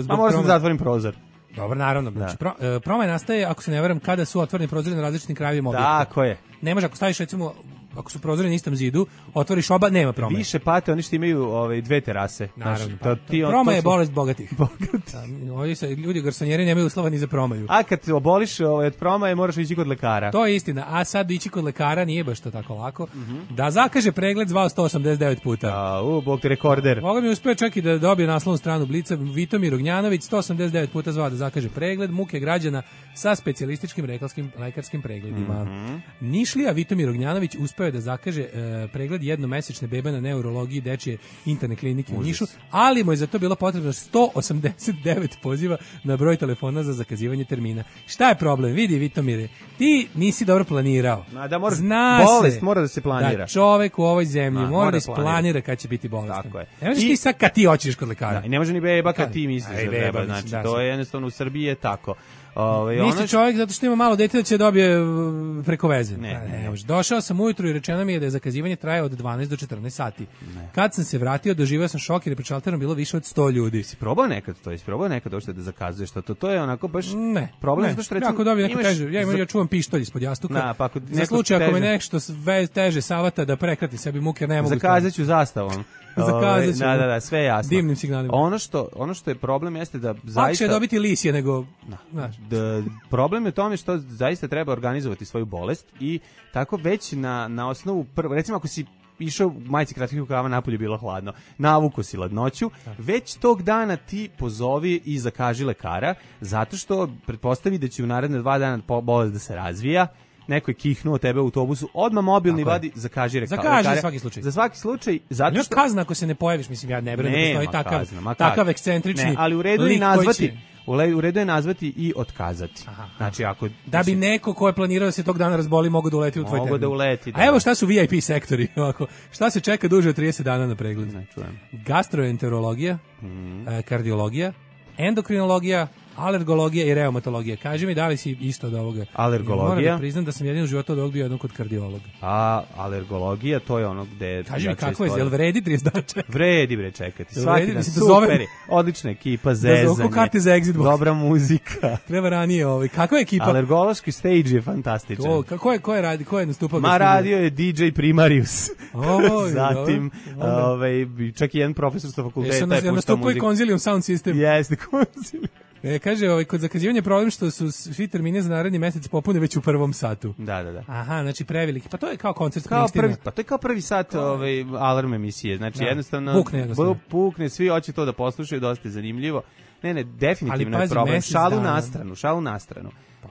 zbog a možda zatvorim prozor. Dobro, naravno. Znači, pro, uh, promaja nastaje, ako se ne varam, kada su otvoreni prozori na različitim krajevima objekta. Tako je. Ne može, ako staviš, recimo, ako su prozori na istom zidu, otvoriš oba, nema promaje. Više pate oni što imaju ove, dve terase. Naravno. To, ti, promaja je su... bolest bogatih. Bogati. Da, ovi se, ljudi garsonjeri nemaju uslova ni za promaju. A kad oboliš ovaj, od promaje, moraš ići kod lekara. To je istina. A sad ići kod lekara nije baš to tako lako. Mm-hmm. Da zakaže pregled zvao sto osamdeset devet puta. A, u, bog ti rekorder. Moga mi uspio čak i da dobije naslovnu stranu Blica. Vitomir Ognjanović sto osamdeset devet puta zvao da zakaže pregled muke građana sa specijalističkim lekarskim, lekarskim pregledima. Mm-hmm. Nišlija Vitomir Ognjanović uspeo je da zakaže e, pregled jednomesečne bebe na neurologiji dečije interne klinike u Nišu, ali mu je za to bilo potrebno sto osamdeset devet poziva na broj telefona za zakazivanje termina. Šta je problem? Vidi, Vitomire, ti nisi dobro planirao. Ma da mora, Zna bolest se mora da se planira. Da čovek u ovoj zemlji Ma, mora, mora da isplanira kad će biti bolestan. Tako je. Ne možeš ti sad kad ti hoćeš kod lekara. Da, i ne može ni beba kad ti misliš da treba. Znači, da, to je jednostavno u Srbiji je tako. Ove, Misli čovjek zato što ima malo dete da će dobije preko veze. Ne, ne, ne. Došao sam ujutru i rečeno mi je da je zakazivanje traje od dvanaest do četrnaest sati. Ne. Kad sam se vratio, doživio sam šok jer je pred šalterom bilo više od sto ljudi. Si probao nekad to? Jesi probao nekad došli da zakazuješ to? To je onako baš ne, problem. Ne, što recimo, jako dobio, neko imaš... kaže, ja, imam, ja čuvam pištolj ispod jastuka. Na, pa ako za slučaj ako me nešto sve teže savata da prekrati sebi muke, ne mogu. Zakazat ću zastavom. Zakazat ću. Da, da, da, sve jasno. Dimnim signalima. Ono što, ono što je problem jeste da zaista... Lakše je dobiti lisije nego... Da, da, problem je u tome što zaista treba organizovati svoju bolest i tako već na, na osnovu... Prvo, recimo ako si išao u majici kratkih rukava, napolje bilo hladno, navuko si ladnoću, već tog dana ti pozovi i zakaži lekara, zato što pretpostavi da će u naredne dva dana bolest da se razvija, neko je kihnuo tebe u autobusu, odmah mobilni vadi, zakaži rekao. Zakaži za svaki slučaj. Za svaki slučaj, zato što... što... kazna ako se ne pojaviš, mislim, ja ne vjerujem da postoji takav, kazna, takav ekscentrični ne, ali u redu je nazvati, će... u redu je nazvati i otkazati. Aha, znači, ako... Da bi neko ko je planirao da se tog dana razboli, mogu da uleti u tvoj termin. Mogu da uleti, da. A evo šta su V I P sektori, ovako. Šta se čeka duže od trideset dana na pregled? Ne, čujem. Gastroenterologija, mm. kardiologija, endokrinologija, alergologija i reumatologija. Kaži mi da li si isto od ovoga. Alergologija. Moram da priznam da sam jedin u životu od ovog bio jednom kod kardiologa. A alergologija, to je ono gde... Kaži mi kako je, jel vredi trideset dana čekati? Vredi bre čekati. Svaki dan, super, odlična ekipa, zezanje, da karte za exit box. Dobra muzika. Treba ranije ovaj. Kakva je ekipa? Alergološki stage je fantastičan. To, kako je, ko je radi, ko je nastupao? Ma radio je D J Primarius. O, zatim, ovaj, čak i jedan profesor sa fakulteta je puštao muziku. Nastupao i Consilium Sound System. Jeste, Consilium. E, kaže, ovaj, kod zakazivanja problem što su svi termini za naredni mesec popune već u prvom satu. Da, da, da. Aha, znači preveliki. Pa to je kao koncert kao prvi, pa to je kao prvi sat ovaj, alarm emisije. Znači, da. jednostavno... Pukne jednostavno. Pukne, svi hoće to da poslušaju, dosta je zanimljivo. Ne, ne, definitivno Ali, je pazi, problem. mesec Šalu dana. na stranu, šalu na stranu.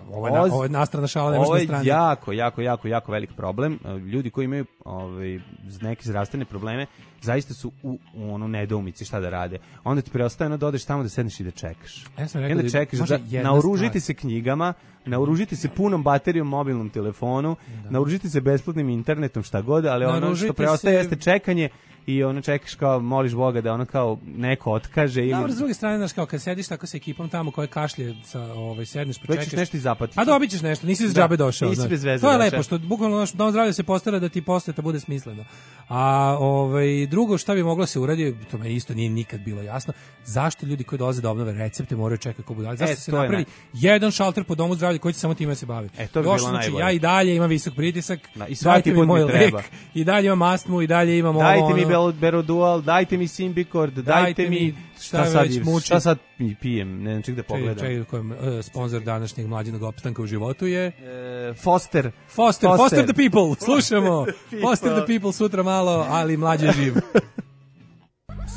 Ovo je, na, ovo je nastrana šala, ne može Ovo na je strani. jako, jako, jako, jako velik problem. Ljudi koji imaju ovaj, neke zdravstvene probleme, zaista su u, u ono nedoumici šta da rade. Onda ti preostaje ono da odeš tamo da sedneš i da čekaš. Ja sam rekao I onda da čekaš, može da, jedna naoružite stvar. se knjigama, naoružite se punom baterijom mobilnom telefonu, Da. naoružite se besplatnim internetom, šta god, ali ono što Naoružite preostaje se- jeste čekanje i ono čekaš kao, moliš Boga da ono kao neko otkaže ili... Dobro, s druge strane, znaš, kao kad sediš tako sa ekipom tamo koje kašlje, sa, ovaj, sedneš, Već ćeš počekaš. nešto i zapatiš. A dobit ćeš nešto, nisi za Da, džabe došao. nisi znaš. bez veze To je došao. lepo, što bukvalno naš dom zdravlja se postara da ti poseta bude smisleno. A ovaj, drugo šta bi moglo se uraditi, to me isto nije nikad bilo jasno, zašto ljudi koji dolaze da obnove recepte moraju čekati kako budali? Zašto E, se to je napravi jedan šalter po domu zdravlja koji će samo time se bavi? E, to bi Još, bilo znači, najbolje. ja i dalje imam visok pritisak, Da, i svaki dajte mi put mi moj treba. lek, i dalje imam astmu, i dalje imam ovo, Dajte mi ono. Bel- Berodual, dajte mi Symbicort, dajte, Dajte mi mi šta šta sad, već muči. šta sad pi- pijem, ne znam ček da pogledam. Čekaj, čekaj, kojem, uh, sponsor današnjeg mlađenog opstanka u životu je E, Foster. Foster, Foster the people, slušamo. people. Foster the people sutra malo, ali mlađe živ.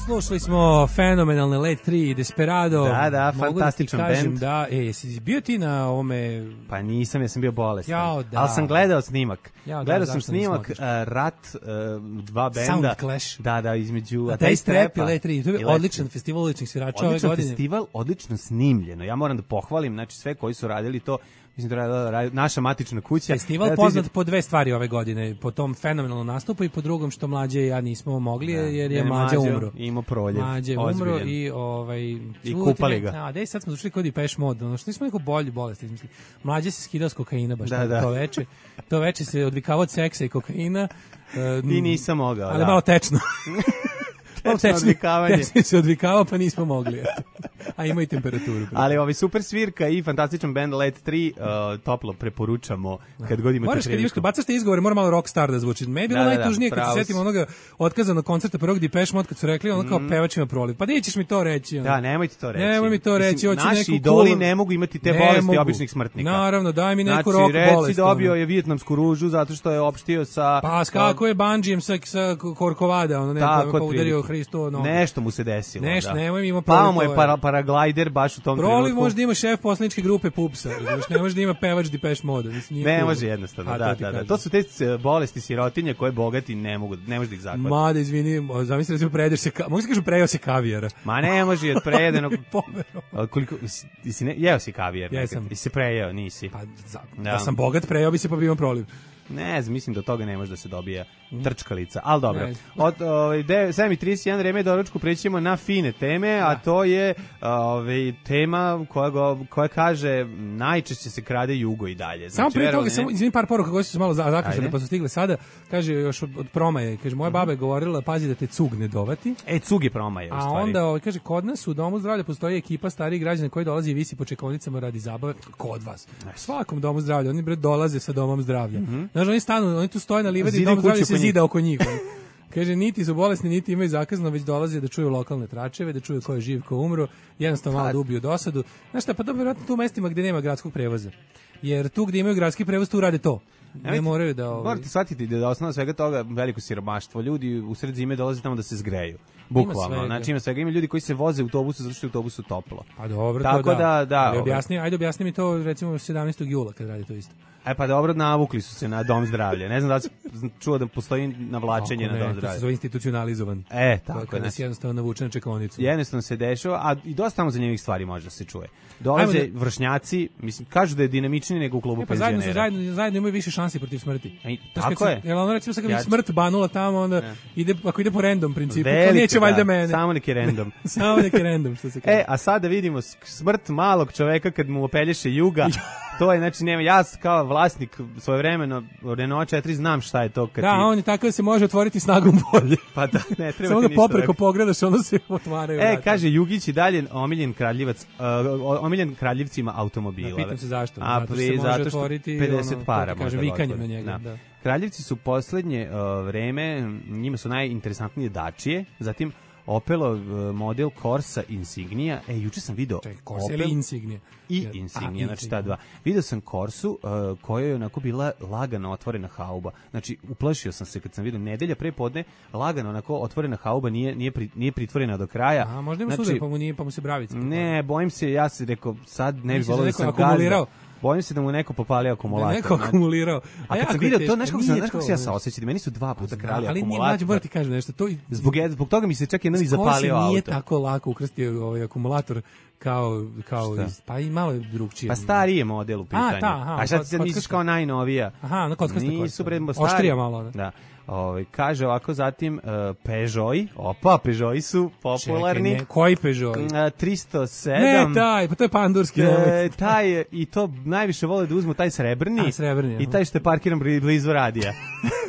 Slušali smo fenomenalne Late tri i Desperado. Da, da, Mogu fantastičan da ti kažem bend. Da, e, jesi bio ti na ovome... Pa nisam, ja sam bio bolestan. Jao, da. Ali sam gledao snimak. Jao, da, gledao sam zašto nismo snimak otišli? uh, Rat, uh, dva benda. Sound Clash. Da, da, između A Atheist Taste Rap i Rapa Late tri. To je i Late odličan tri. festival odličnih svirača ove Odličan godine. festival, odlično snimljeno. Ja moram da pohvalim, znači sve koji su radili to, mislim da radila radi- naša matična kuća. Festival Evo ti poznat izve- po dve stvari ove godine, po tom fenomenalnom nastupu i po drugom što mlađe i ja nismo mogli jer je jer je mlađe Mlađo umro. imao proljev, Mlađe umro ozbiljan. i ovaj I kupali ga. A, dej sad smo došli kod Depeche Mode, ono što nismo neko bolji bolest izmislili. Mlađe se skidao s kokaina baš Da, to, da. to veče. To veče se odvikavao od seksa i kokaina. e, I nisam mogao, Ali da. malo tečno. Malo Tečno odvikavanje. Tečno se odvikavao, pa nismo mogli. Eto. A ima i temperaturu. Ali ovaj super svirka i fantastičan band Late tri uh, toplo preporučamo kad god imate Moraš kad imaš, priliku. kad bacaš te izgovore, mora malo rockstar da zvuči. Me je bilo Da, da, da, najtužnije kad pravo se si. setim onoga otkazanog koncerta prvog Depeche Mode kad su rekli ono kao pevač ima proliv. Pa di ćeš mi to reći? Ono? Da, nemojte to reći. Nemoj mi to reći, Mislim, hoću naši neku idoli cool- ne mogu imati te Ne bolesti mogu. običnih smrtnika. Naravno, daj mi neku znači, rock reci bolest, dobio ono. je vijetnamsku ružu zato što je opštio sa... Pa kako je Banđijem sa, sa Korkovada, ono ne, Tako, pa, pa udario otprilike. Hristo nogu. Nešto mu se desilo. Nešto, da. nemoj mi ima Pao proliv, mu je to je- para, paraglider baš u tom Proliv trenutku. može da ima šef poslaničke grupe Pupsa, razumiješ, ne može da ima pevač Depeche Mode. Mislim, nije Ne cool. može jednostavno, A, da, to ti da, da. kažem. To su te e, bolesti sirotinje koje bogati ne mogu, ne može da ih zahvati. Mada, izvini, zamisli da se prejedeš se, ka... mogu se kažu prejao se kavijara. Ma ne može i od prejedenog... Pomerom. A koliko, si, si ne, jeo si kavijer? Jesam. nekad? I se prejeo, nisi? Pa, za, Da. da sam bogat, prejao bi se pa bi imam proliv. Ne znam, mislim da od toga ne može da se dobija trčkalica, ali dobro. Ne. Od ovaj sedam i trideset jedan vreme do ručku prećemo na fine teme, a to je ovaj tema koja go, koja kaže najčešće se krade jugo i dalje. Samo prije verovali toga, ne? samo izvini par poruka koje su se malo za- zaključene Ajde. pa su stigle sada. Kaže još od, od promaje, kaže moja baba je govorila pazi da te cug ne dovati. E, cug je promaje, u A stvari. onda ovaj, kaže kod nas u domu zdravlja postoji ekipa starijih građana koji dolazi i visi po čekaonicama radi zabave kod vas. U svakom domu zdravlja oni bre dolaze sa domom zdravlja. Znaš, oni stanu, oni tu stoje na livadi i Zidaju dom zdravlja kuću se oko njih. zida oko njih. ono. Kaže, niti su bolesni, niti imaju zakazano, već dolaze da čuju lokalne tračeve, da čuju ko je živ, ko umro, jednostavno malo da ubiju dosadu. Znaš šta, pa dobro, vjerojatno tu u mestima gde nema gradskog prevoza. Jer tu gde imaju gradski prevoz, tu rade to. Ne Nemojte- moraju da... Ovaj, Morate shvatiti da je osnova svega toga veliko siromaštvo. Ljudi u sred zime dolaze tamo da se zgreju. Bukvalno. svega. Znači ima svega. Ima ljudi koji se voze u autobusu zato što je u autobusu toplo. pa dobro, Tako to da, da, Ali ovaj. objasni, ajde objasni mi to recimo sedamnaestog jula kad radi to isto. E pa dobro, navukli su se na dom zdravlja. Ne znam da li si čuo da postoji navlačenje Kako na dom ne, to se zdravlja. zove institucionalizovan. E, To je tako je. kada si Znači, jednostavno navučen na čekaonicu. jednostavno se dešava, a i dosta tamo zanimljivih stvari može da se čuje. Dolaze Ajmo vršnjaci, mislim, kažu da je dinamičniji nego u klubu E, pa zajedno, penzionera. su- zajedno, zajedno imaju više šansi protiv smrti. Ej, Znaš, tako kad je. se- Jel ono recimo sad kad bi Ja- smrt banula tamo, onda ide, ako ide po random principu, to Velika, neće valjda da, mene. Samo neki random. Samo neki random, što se kaže. E, a sada vidimo s- smrt malog čoveka kad mu opelješe juga. To je, znači, nema, ja s- kao vlasnik svojevremeno Renault četiri znam šta je to kad Da, ti... on je takav da se može otvoriti snagom volje. Pa da, ne treba Samo ti da ništa popreko da- pogledaš, ono se otvaraju. E, vrata. kaže Jugić i dalje omiljen kradljivac, uh, omiljen kradljivcima automobila. Da, pitam se zašto. A Zato što pri, se može zato što otvoriti, pedeset ono, para kako ti kažem, može da vikanjem otvori. na njega, Da. da. Kraljevci su poslednje uh, vreme, njima su najinteresantnije dačije, zatim Opelov model Corsa Insignia. E, juče sam video Čekaj, Corsa Opel ili Insignia? i A, Insignia, znači Insignia. ta dva. Video sam Corsu uh, koja je onako bila lagano otvorena hauba. Znači, uplašio sam se kad sam vidio nedelja pre podne, lagano onako otvorena hauba, nije, nije, pri, nije pritvorena do kraja. A, možda ima znači, sudar, pa mu, nije, pa mu se bravica. ne, bojim se, ja se rekao, sad ne bi Misliš da volio da neko sam akumulirao? gazda. Bojim se da mu neko popalio akumulator. Da je neko akumulirao. A kad jako sam je vidio teško, to, znaš kako sam, nije znaš kako to, se ja znaš. saosećam, meni su dva puta krali Ali nije akumulator. mlađe, moram ti kažem nešto. To, Zbog, zbog toga mi se čak jedan i zapalio Corsi auto. nije tako lako ukrsti ovaj akumulator kao, kao Šta? iz, pa i malo je drugčije. Pa stariji je model u pitanju. A, ta, aha, A šta kod- ti sad kod- misliš kao najnovija? Aha, no kockaste Nisu kocka. bre, stari. Oštrija malo, ne? Da. Ovaj kaže ovako zatim uh, Peugeot, opa, Peugeot su popularni. Čekaj, ne, koji Peugeot? Uh, tristo sedam. Ne, taj, pa to je pandurski. E, nemojte. taj i to najviše vole da uzmu taj srebrni, A, srebrni, i aha. taj što je parkiran bli- blizu radija.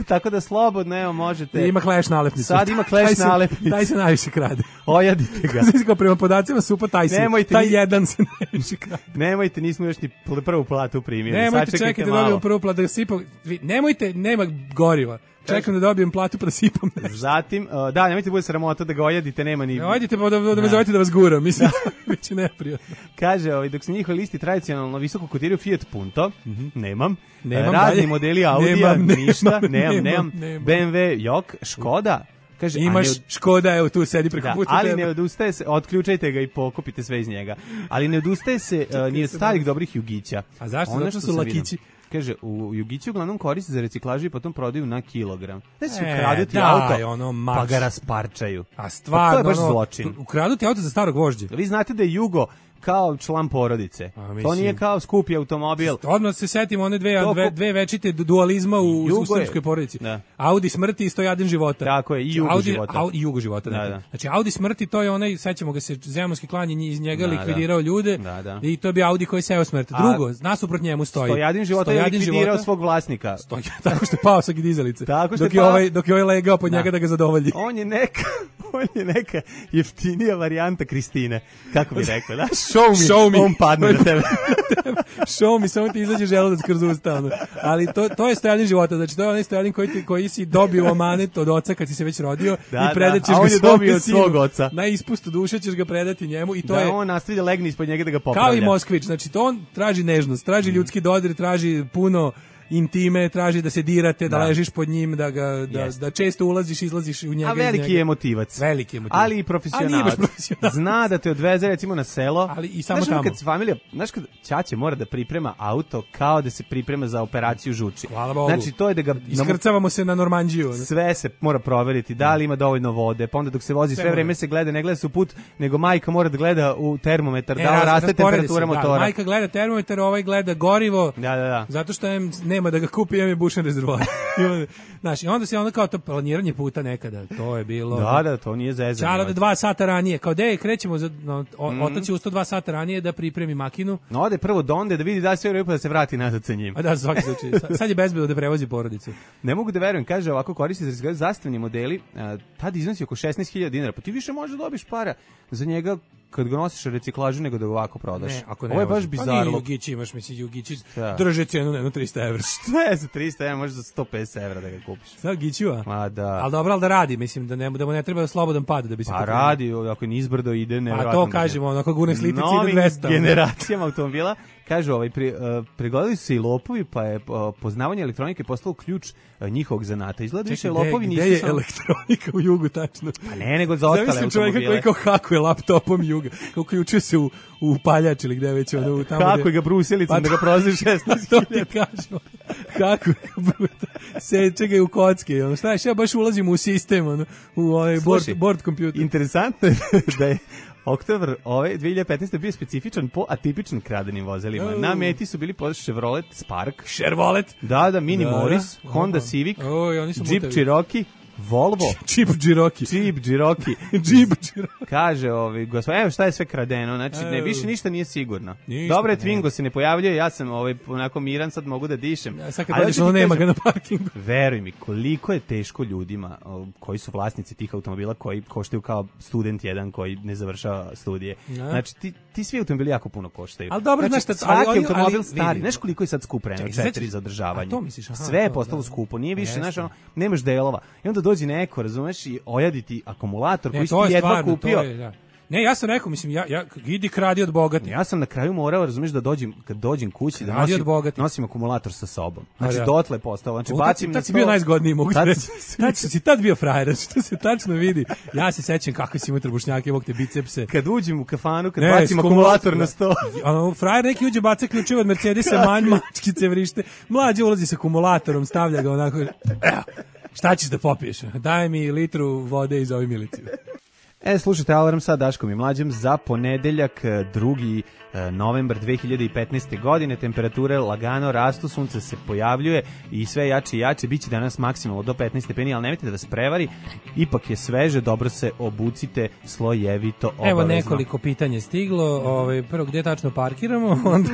Tako da slobodno, evo, možete. Ima kleš nalepnicu. Sad ima kleš Taj se- nalepnicu. Taj se najviše krade. Ojadite ga. Znači, kao prema podacima supa taj se. Nemojte taj ni- jedan se najviše krade. Nemojte, nismo još ni pl- prvu platu primili. Nemojte, Sačekajte čekajte, malo. dobijem prvu platu da sipam. Vi- Nemojte, nema goriva. Čekam da dobijem platu pa da sipam nešto. Zatim, uh, da, nemojte bude sramota da ga ojadite, nema ni... Ojdite pa da, da me zovete da vas guram, mislim, biće neprijatno. Kaže, ovaj, dok se njihove listi tradicionalno visoko kotiraju Fiat Punto, nemam, Nemam razni dalje. modeli Audija, Nemam, nemam, ništa, nemam, nemam, nemam, nemam. B M W Jok, Škoda, kaže, Imaš a ne, Škoda, evo tu sedi preko da, puta ali tebe. ne odustaje se, otključajte ga i pokupite sve iz njega, ali ne odustaje se uh, ni od starih dobrih Jugića. A zašto? Ono Zato što što su sam vidio. lakići. Kaže, u Jugići uglavnom koriste za reciklažu i potom prodaju na kilogram. Znači, E, ukradu ti daj, auto, ono, pa marš. ga rasparčaju. A stvarno, Pa to je baš ono, zločin. Ukradu ti auto za starog vožđe. Vi znate da je Jugo kao član porodice. A, To mislim- nije kao skupi automobil. Odmah se setimo one dve, To dve, ko- dve večite dualizma u, Jugo u je- srpskoj porodici. Da. Audi smrti i Stojaden života. Tako je, i Jugo Audi, života. Audi, i Jugo života. Da, dakle. da. Znači, Audi smrti, to je onaj, sećamo ga se, zemunski klan je nji- iz njega Da, likvidirao ljude Da, da. i to je bio Audi koji seo smrt. A- Drugo, nasuprot njemu stoji. Stojadin života je Stojadin likvidirao života, svog vlasnika. stoji, tako što je pao sa dizalice. Tako što dok je je pao- ovaj, dok je ovaj legao pod Da. njega da ga zadovolji. On je neka, on je neka jeftinija varijanta Kristine. Kako bi rekao, da? Show me, Show me. on padne na tebe. Show mi, samo ti izađe želudac kroz usta. ono. Ali to, to je Stojadin života. Znači, to je onaj Stojadin koji, ti, koji si dobio amanet od oca kad si se već rodio Da, i predat da, ćeš a ga on je svome dobio od sinu. svog oca. Na ispustu duše ćeš ga predati njemu i to Da je on nastavi da legne ispod njega da ga popravlja. kao i Moskvić. Znači, to on traži nežnost, traži ljudski dodir, traži puno intime, traži da se dirate, da, Da. ležiš pod njim, da, ga, da, Jest. da često ulaziš, izlaziš u njega. A iz veliki njega. je emotivac. Veliki je emotivac. Ali i A nije profesionalac. baš profesionalac. Zna da te odveze recimo na selo. Ali i samo znaš, ono tamo. kad familija, znaš kad ćaće mora da priprema auto kao da se priprema za operaciju žuči. Hvala Bogu. Znači to je da ga Iskrcavamo se na Normandiju. ono. sve se mora proveriti, da li ima dovoljno vode, pa onda dok se vozi sve, Sve mora. vreme se gleda, ne gleda se u put, nego majka mora da gleda u termometar, E, da li raz- raste rasporedi temperatura se, da, motora. majka gleda termometar, ovaj gleda gorivo. Da, da, da. Zato što em, nema da ga kupi, em je bušen rezervoar. I onda, znaš, i onda se onda kao to planiranje puta nekada, to je bilo... Da, da, to nije zezanje. Čara da dva sata ranije, kao de, krećemo, za, no, o, otac je ustao dva sata ranije da pripremi makinu, No, ode prvo do onda da vidi da li sve u redu pa da se vrati nazad sa njim. a da, svaki slučaj, sa- sad je bezbedno da prevozi porodicu. Ne mogu da verujem, kaže ovako koristi se za zastavni modeli, a, tad iznosi oko šesnaest hiljada dinara, pa ti više možeš da dobiš para za njega kad ga nosiš u reciklažu nego da ga ovako prodaš. Ne, ako ne Ovo je baš vozi. Pa bizarno. nije Jugić, imaš, mislim, Jugići Da. drže cenu na jedno trista evra. Šta je za trista evra, može za sto pedeset evra da ga kupiš. Sad Giću, a? Ma da. Ali dobro, ali da radi, mislim, da, ne, da mu ne treba slobodan pad da bi se Pa pokrenuo. radi, ako je nizbrdo ide, A nevjerojatno. to kažemo, onako gune slitici ide Novim dvesta. generacijama automobila, kažu, ovaj, pri, uh, pregledali su se i lopovi, pa je uh, poznavanje elektronike postalo ključ uh, njihovog zanata. Izgleda više Čekaj, lopovi gde, nisu gde je samo... elektronika u Jugu, tačno? Pa ne, nego za ostale Zamislim čovjeka automobile. koji kao hakuje laptopom Juga, kao uključuje se u, u paljač ili gde već ono, u tamo Kako gde... je ga brusilicom Pa da ga prozi šesnaest To ti hiljada. kažem. Kako je ga bruta. Seče ga i u kocke. Ono, znaš, ja baš ulazim u sistem, ono, u ovaj board, Slušaj, board computer. Interesantno je da je oktobar ove dve hiljade petnaeste bio specifičan po atipičnim kradenim vozilima. Oh. Na meti su bili pod Chevrolet Spark, Chevrolet. da, da, Mini Da, da. Morris, Honda Aha. Civic, Oj, oni su Jeep mutevi. Cherokee, Volvo, Jeep Cherokee. Jeep Cherokee. Jeep Cherokee. Kaže, ovaj, gospod, evo šta je sve kradeno, znači ne, Evo. više ništa nije sigurno. Ništa, Dobre, ne. Twingo se ne pojavljuje, ja sam ovaj, onako miran, sad mogu da dišem. Ja, sad kad Ali dođeš, hoću ono ti nema kažem, ga na parkingu. Veruj mi, koliko je teško ljudima o, koji su vlasnici tih automobila, koji koštaju kao student jedan koji ne završava studije. Ja. Znači, ti, ti svi automobili jako puno koštaju. Ali dobro, znači, znaš šta, svaki ali oni- automobil ali stari, vidi. znaš koliko je sad skup Renault Čekaj, četiri sećaš- za održavanje. a to misliš, aha, Sve je to, postalo da. skupo, nije više, Jeste. znaš, ono, nemaš delova. I onda dođe neko, razumeš, i ojaditi akumulator Ne, koji si to je ti jedva stvarno, kupio. to je, da. Ne, ja sam rekao, mislim, ja, ja idi kradi od bogati. Ja sam na kraju morao, razumeš, da dođem, kad dođem kući, da Kradi nosim, od bogati. nosim akumulator sa sobom. Znači, A, da. dotle je postao. Znači, O, bacim tad, na tad si sto... bio najzgodniji, mogu ti Tad reći. sam- Tad si tad bio frajer, što se tačno vidi. Ja se sećam kako si imao trbušnjake, imao te bicepse. Kad uđem u kafanu, kad Ne, bacim s akumulator na sto. Ono, frajer neki uđe, baca ključeve od Mercedesa, manj, mačkice vrište. Mlađe ulazi sa akumulatorom, stavlja ga onako. Evo, šta ćeš da popiješ? Daj mi litru vode i zovi miliciju. E, slušajte Alarm sa Daškom i Mlađem za ponedeljak, drugi novembar dve hiljade petnaeste. godine. Temperature lagano rastu, sunce se pojavljuje i sve jače i jače. Biće danas maksimalno do petnaest stepeni, ali nemojte da vas prevari. Ipak je sveže, dobro se obucite slojevito, obavezno. Evo nekoliko pitanja stiglo. Ovaj, prvo, gdje tačno parkiramo? Onda,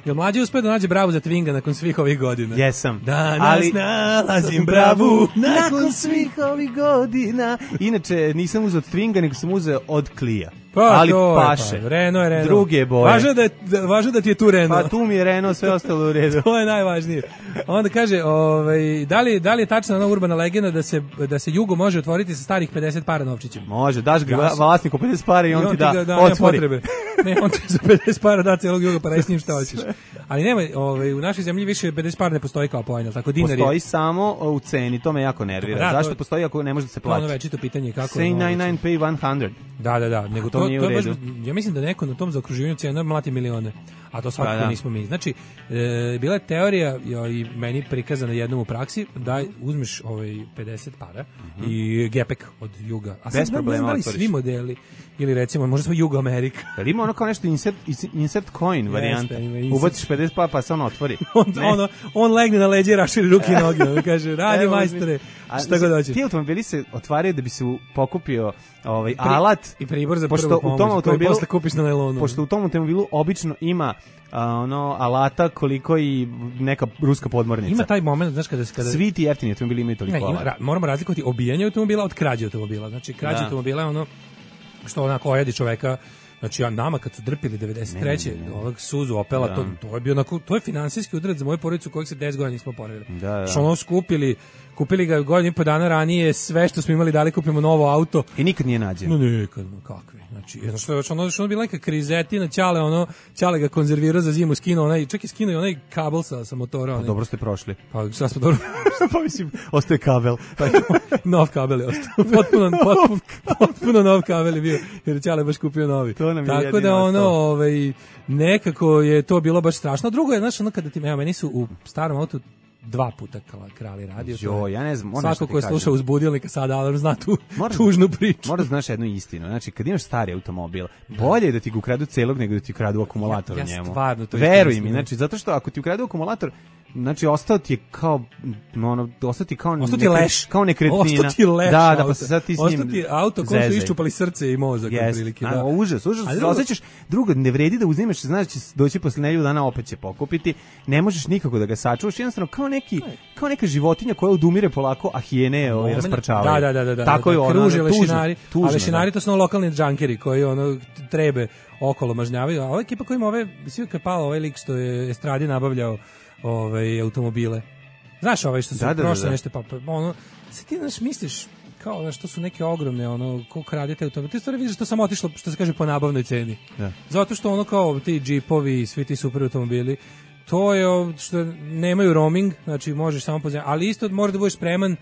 jel Mlađe uspio da nađe bravu za Twinga nakon svih ovih godina? Jesam. Danas Ali nalazim bravu nakon svih ovih godina. Inače, nisam uzeo od Twinga, nego sam uzeo od Klija. Pa, ali to je, paše. Pa, Renault je Renault. Druge boje. Važno da, je, da, važno da ti je tu Renault. Pa tu mi je Renault, sve ostalo u redu. To je najvažnije. Onda kaže, ovaj, da li, da li je tačna ona urbana legenda da se, da se Jugo može otvoriti sa starih pedeset para novčićem? Može, daš ga Ja sam- vlasniku pedeset para i on, I on ti da, ga da, nema otvori. potrebe. Ne, on ti za pedeset para da celog Juga, pa radi s njim šta hoćeš. Ali nema, ovaj, u našoj zemlji više pedeset para ne postoji kao pojam, jel tako, dinar je. Postoji samo u ceni, to me jako nervira. Da, to Zašto je- postoji ako ne može da se To je ono plati? večito pitanje kako... Say ono, ninety-nine pay one hundred. Da, da, da, nego To to, nije to u je baš, redu. ja mislim da neko na tom zaokruživanju cena mlati milione, a to svakako Pa da. nismo mi. Znači, e, bila je teorija jo, i meni prikazana jednom u praksi da uzmeš ovaj pedeset para i gepek od Juga. A sad Bez ne znam problema da li otvoriš. svi modeli, ili recimo, možda smo Jugo Amerika. Jel ima ono kao nešto insert, insert coin varijanta? ima insert. Ubaciš pedeset pa, pa se on otvori. On, Ne. ono, on legne na leđe i raširi ruke i noge. On kaže, radi Evo, majstore, a, šta god hoćeš. Ti automobili se otvaraju da bi se u- pokupio ovaj, alat. I pribor za pošto prvu u pomoć, tom koji automobilu, posle kupiš na nailonu. Pošto u tom automobilu obično ima a, ono alata koliko i neka ruska podmornica. Ima taj moment, znaš, kada se... Kada... Svi ti jeftini automobili imaju toliko Ne, ima, alata. ra, moramo razlikovati obijanje automobila od krađe automobila. Znači, krađe Da. automobila je ono što onako ojedi čoveka. Znači, ja, nama kad su drpili devedeset treće Ne, ne, ne. ovog Suzu Opela, Da. to, to je bio onako, to je finansijski udarac za moju porodicu kojeg se deset godina nismo poravili. Da, da. Što ono skupili, kupili ga godinu i po dana ranije, sve što smo imali dali kupimo novo auto. I nikad nije nađen. No nikad, no kakvi. Znači, jedno što je još ono, što ono bila neka krizetina, Ćale, ono, Ćale ga konzervirao za zimu, skinuo onaj, čak i skinuo i onaj kabel sa, sa motora. Pa Onaj. dobro ste prošli. Pa šta smo dobro, Pa mislim, ostaje kabel. pa, nov kabel je ostao. Potpuno, potpuno, potpuno nov kabel je bio, jer je Ćale baš kupio novi. To nam je Tako jedino da ono, ostalo. ovaj, nekako je to bilo baš strašno. A drugo je, znaš, ono kada ti, evo, meni su u starom autu dva puta kala- krali radio. to je- Jo, ja ne znam, moram nešto Svako ti ko je kažem. slušao uz budilnika sada, alarm zna tu Moram- tužnu priču. Moraš da znaš jednu istinu. Znači, kad imaš stari automobil, bolje je da ti ga ukradu celog nego da ti ukradu akumulator Ja- u ja njemu. stvarno to Veruj isto mi, mislim, znači, zato što ako ti ukradu akumulator, znači, ostao ti je kao, ono, ostao ti kao, Ostao ti nekre- leš. kao nekretnina. Ostao ti leš Da, da, auto. pa se sad ti s njim Ostao ti auto kom su zezaj. iščupali srce i mozak. Jeste, otprilike, a, da. užas, užas, A se drugo- osjećaš, drugo, ne vredi da uzimeš, znaš da će doći posle nedelju dana, opet će pokupiti, ne možeš nikako da ga sačuvaš, jednostavno kao neki, kao neka životinja koja odumire polako, a hijene ovaj, rasprčavaju. Da, da, da, da. Tako da, je ono, kruže tužno, lešinari, tužno, a lešinari da. to su ono lokalni džankeri koji ono trebe okolo mažnjavaju, a ova ekipa koja ima ove, svi kad je palo ovaj lik što je Estradi nabavljao ovaj, automobile. Znaš ovaj što se Da, da, da, prošle da. nešto, pa, pa ono, se ti znaš misliš, kao znaš, to su neke ogromne, ono, ko kradete automobile, ti stvari vidiš što samo otišlo, što se kaže, po nabavnoj ceni. Da. Zato što ono kao ti džipovi, svi ti super automobili, to je o, što nemaju roaming, znači možeš samo pozivati, ali isto moraš da budeš spreman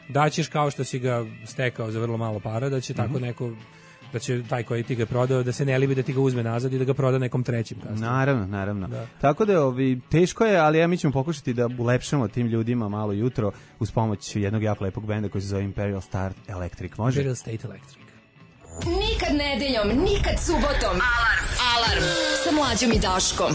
da ćeš kao što si ga stekao za vrlo malo para, da će Mhm. tako neko, da će taj koji ti ga prodao, da se ne libi da ti ga uzme nazad i da ga proda nekom trećim kasnije. Naravno, naravno. Da. Tako da ovi, teško je, ali ja mi ćemo pokušati da ulepšamo tim ljudima malo jutro uz pomoć jednog jako lepog benda koji se zove Imperial Star Electric. Može? Imperial State Electric. Nikad nedeljom, nikad subotom. Alarm. Alarm. Sa Mlađom i Daškom.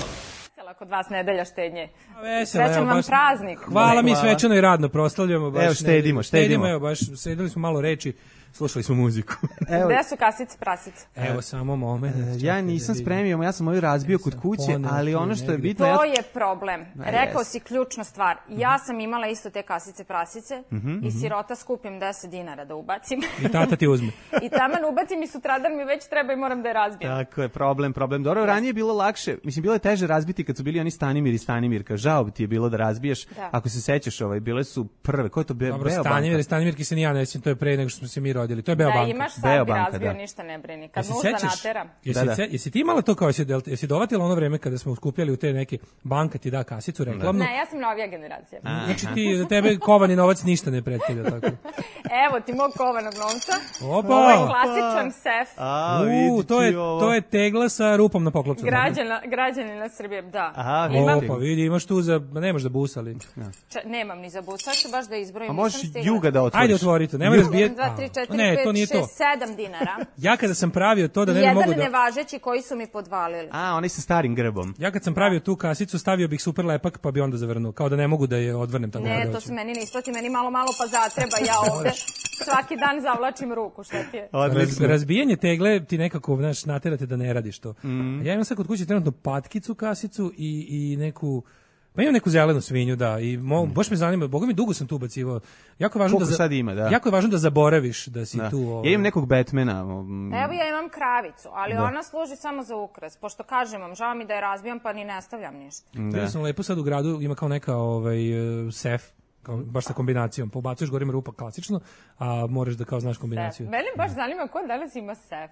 Kod vas nedelja štednje. Veselo, Srećan evo, vam baš- praznik. Hvala, mi Hvala. svečano i radno proslavljamo. Baš Evo, štedimo, ne- štedimo. Evo, baš sredili smo malo reči slušali smo muziku. Evo, Gde su kasice prasice? Evo samo moment. ja nisam spremio, ja sam ovaj razbio kod kuće, ali ono što je bitno... To ja... je problem. Rekao si ključnu stvar. Ja sam imala isto te kasice prasice i sirota skupim deset dinara da ubacim. I tata ti uzme. I taman ubacim i sutradan mi već treba i moram da je razbijem. Tako je, problem, problem. Dobro, ranije je bilo lakše, mislim, bilo je teže razbiti kad su bili oni Stanimir i Stanimirka. Žao bi ti je bilo da razbiješ, Da. ako se sećaš, ovaj, bile su prve, ko je to Be Dobro, Beobanka? Stanimir i Stanimirki se ni ja ne sjećam, to je pre nego što smo se mi rodili. To je Beobanka. Da imaš sad bi Beobanka, razbio, da. ništa ne brini. Kad Jesi nužda sećaš? natera. Jesi, Da, da. se- jesi ti imala to kao, jesi, del- jesi dovatila ono vreme kada smo skupljali u te neke, banka ti da kasicu reklamnu? Ne, ja sam novija generacija. Znači ti, za tebe kovani novac ništa ne predstavlja tako. Evo ti mog kovanog novca. Opa! Ovo je klasičan sef. A, U, vidi to ti je, ovo. to je tegla sa rupom na poklopcu. Građana, građanina Srbije, da. Aha, Imam, vidi. Opa, vidi, imaš tu za, ma nemaš da busali. ča, nemam ni za bus, sad ću baš da izbrojim. A nisam možeš stigla. Juga da otvoriš. Ajde, otvori to, nemoj razbijeti. jedan, dva, tri, četiri, Ne, to nije pet, to. šest, sedam dinara. Ja kada sam pravio to da ne bi Jedan mogu da... nevažeći koji su mi podvalili. A, onaj sa starim grbom. Ja kad sam pravio tu kasicu, stavio bih super lepak, pa bi onda zavrnuo. Kao da ne mogu da je odvrnem tako Ne, kada to hoću. se meni ne isplati, meni malo malo pa zatreba, ja ovde svaki dan zavlačim ruku, šta ti je? Raz, Odlično. razbijanje tegle ti nekako, znaš, naterate da ne radiš to. Mhm. Ja imam sad kod kuće trenutno patkicu, kasicu i, i neku... Pa imam neku zelenu svinju, da, i mo, baš me zanima, boga mi dugo sam tu ubacivao. Jako je važno Koliko da za- sad ima, da. Jako je važno da zaboraviš da si Da. tu. Ovaj. Ja imam nekog Batmana. um, Evo ja imam kravicu, ali Da. ona služi samo za ukras, pošto kažem vam, žao mi da je razbijam pa ni ne stavljam ništa. Vidio sam lepo sad u gradu, ima kao neka ovaj, uh, sef, kao, baš sa kombinacijom. Pobacuješ gorima rupa klasično, a moraš da kao znaš kombinaciju. Sef. Mene baš zanima ko danas ima sef.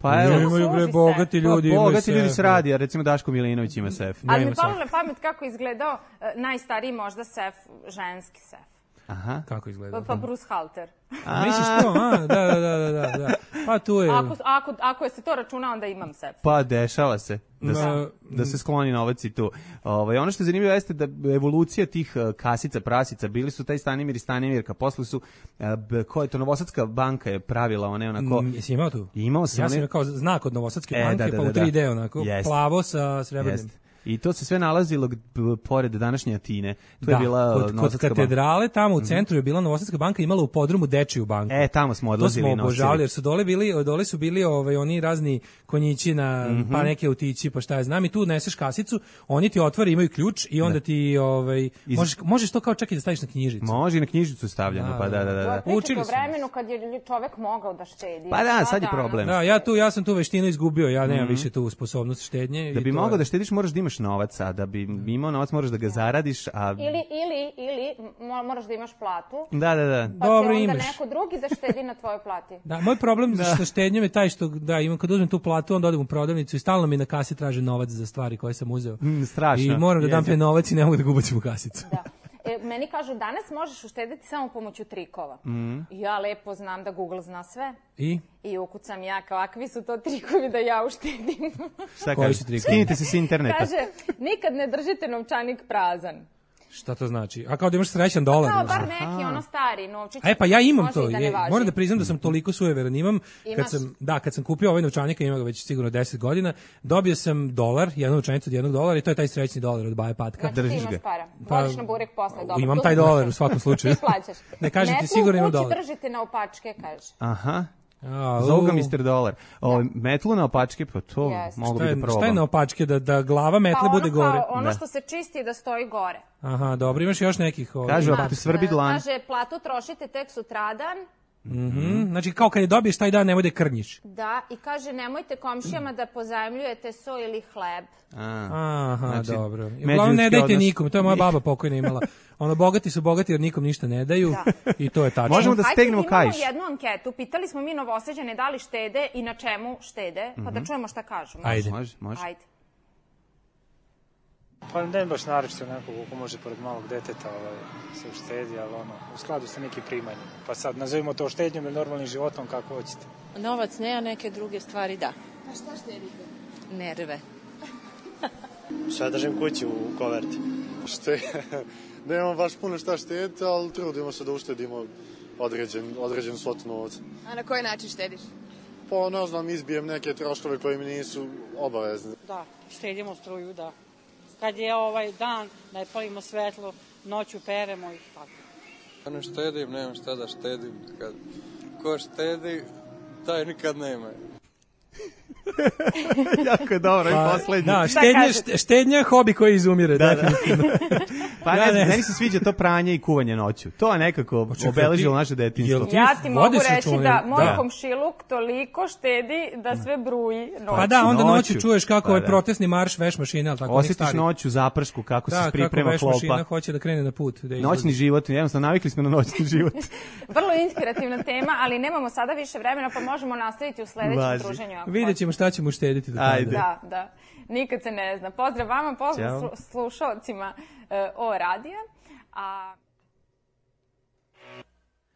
Pa evo, Imaju bre služi bogati sef. ljudi. pa, imaju bogati ljudi sef, se radi, a recimo Daško Milinović ima sef. Ali mi imam palo sef. na pamet kako je izgledao e, najstariji možda sef, ženski sef. Aha. Kako izgleda? Pa Bruce Halter. A, misliš to? A, da, da, da, da, da, da. Pa tu je... Ako, ako, ako je se to računa, onda imam sef. Pa dešava se da se, Ma, da se skloni novac i tu. Ovaj ono što je zanimljivo jeste da evolucija tih uh, kasica, prasica, bili su taj Stanimir i Stanimirka, posle su uh, b- ko je to Novosadska banka je pravila one onako. Mm, jesi imao tu? Imao sam Ja sam one- imao kao znak od Novosadske E, banke, da, da, pa da, u tri D da. onako, Jeste. plavo sa srebrnim. Jeste. I to se sve nalazilo g- b- pored današnje Atine. Tu Da, je bila kod, uh, kod Novosadska banka. katedrale, tamo u centru je bila Novosadska banka, imala u podrumu dečiju banku. E, tamo smo To odlazili smo i nosili. obožavali, jer su dole bili, dole su bili ovaj, oni razni konjići na, Mhm. pa neke autići, pa šta ja znam, i tu neseš kasicu, oni ti otvore, imaju ključ i onda ti, ovaj, Iz- možeš, možeš to kao čak i da staviš na knjižicu. Može i na knjižicu stavljeno, Da, pa da, da, da. da. Pričate Učili o smo. vremenu kad je čovek mogao da štedi. Pa da, Šta sad je danas? problem. Da, ja tu, ja sam tu veštinu izgubio, ja nemam više tu sposobnost štednje. Da i bi to mogao je- da štediš moraš da imaš novac, a da bi imao novac moraš da ga zaradiš, a... Ili, ili, ili mo- moraš da imaš platu, Da, da, da. pa Dobro, će onda imaš. neko drugi da štedi na tvojoj plati. Da, moj problem sa štednjom je taj što, da, imam, kad uzmem tu platu, onda odem u prodavnicu i stalno mi na kasi traže novac za stvari koje sam uzeo. Mm, strašno. I moram da dam Jezivo. taj novac i ne mogu da ga ubacim u kasicu. Da. E, meni kažu, danas možeš uštediti samo pomoću trikova. Mhm. I ja lepo znam da Google zna sve. I? I ukucam ja, kakvi su to trikovi da ja uštedim. Šta Koji kaže? su trikovi? Skinite se s interneta. Kaže, nikad ne držite novčanik prazan. Šta to znači? A kao da imaš srećan dolar? Kao ili šta? bar neki ono stari novčić. E pa ja imam može to. i da je, ne važi. moram da priznam da sam toliko sujeveran. Imam kad Imaš? sam da kad sam kupio ovaj novčanik, ima ga već sigurno deset godina, dobio sam dolar, jednu novčanicu od jednog dolara i to je taj srećni dolar od Baje Patka. Znači ti držiš imaš ga. para. Pa, Vodiš na burek posle, dobro. imam tu taj smo. dolar u svakom slučaju. Ti plaćaš. Ne kažem ti, Metlu sigurno imam u kući dolar. držite na opačke, kaže. Aha. A, Zovu ga u. mister Dolar. O, metlu na opačke, pa to Jeste. mogu Šta bi je, da šta probam. je na opačke, da, da glava Pa metle ono bude gore? kao, ono Da. što se čisti da stoji gore. Aha, dobro, imaš još nekih... Ovaj, Kažu, ima- ako te svrbi E, dlan. Kaže, platu trošite tek sutradan. Mhm, znači kao kad je dobiješ taj dan, nemoj da krnjiš. Da, i kaže, nemojte komšijama da pozajmljujete so ili hleb. A, Aha, Znači, dobro. I uglavnom ne međuljudski dajte odnos. nikom, to je moja baba pokojna imala. Ono, bogati su bogati jer nikom ništa ne daju i to je tačno. Možemo da Hajde, stegnemo imamo kaiš. jednu anketu, pitali smo mi Novosađane da li štede i na čemu štede, pa da čujemo šta kažu. Može? Ajde. Može, može. Ajde. Pa ne baš naročito nekog ko može pored malog deteta ovaj, se uštedi, ali ono, u skladu sa nekim primanjima. Pa sad nazovimo to štednjom ili normalnim životom, kako hoćete. Novac ne, a neke druge stvari da. A šta štedite? Nerve. Sve držim kući u koverti. Šte, nemam baš puno šta štediti, ali trudimo se da uštedimo određen, određen svotu novca. A na koji način štediš? Pa ne znam, izbijem neke troškove koji mi nisu obavezni. Da, štedimo struju, da. Kad je ovaj dan, ne palimo svetlo, noću peremo i tako. Ja ne štedim, nemam šta da štedim. Kad ko štedi, taj nikad nema. Jako je dobro, pa, i poslednji. Da, štednja, štednja je hobi koji izumire, da, definitivno. Da. Pa ne, ne, meni se sviđa to pranje i kuvanje noću. To je nekako obeležilo naše detinjstvo. Ja ti mogu reći čune, da moj da. komšiluk toliko štedi da sve bruji noću. Pa da, onda noću, noću čuješ kako pa, je da. protestni marš veš mašine, al tako osjetiš noću zapršku kako da, se priprema kako klopa. Veš mašina hoće da krene na put. Da noćni život, jednostavno navikli smo na noćni život. Vrlo inspirativna tema, ali nemamo sada više vremena, pa možemo nastaviti u sledećem Važi. druženju. Videćemo šta ćemo uštediti do Ajde. Da, da. Nikad se ne zna. Pozdrav vama, pozdrav Ćao. slušalcima uh, o radija. A...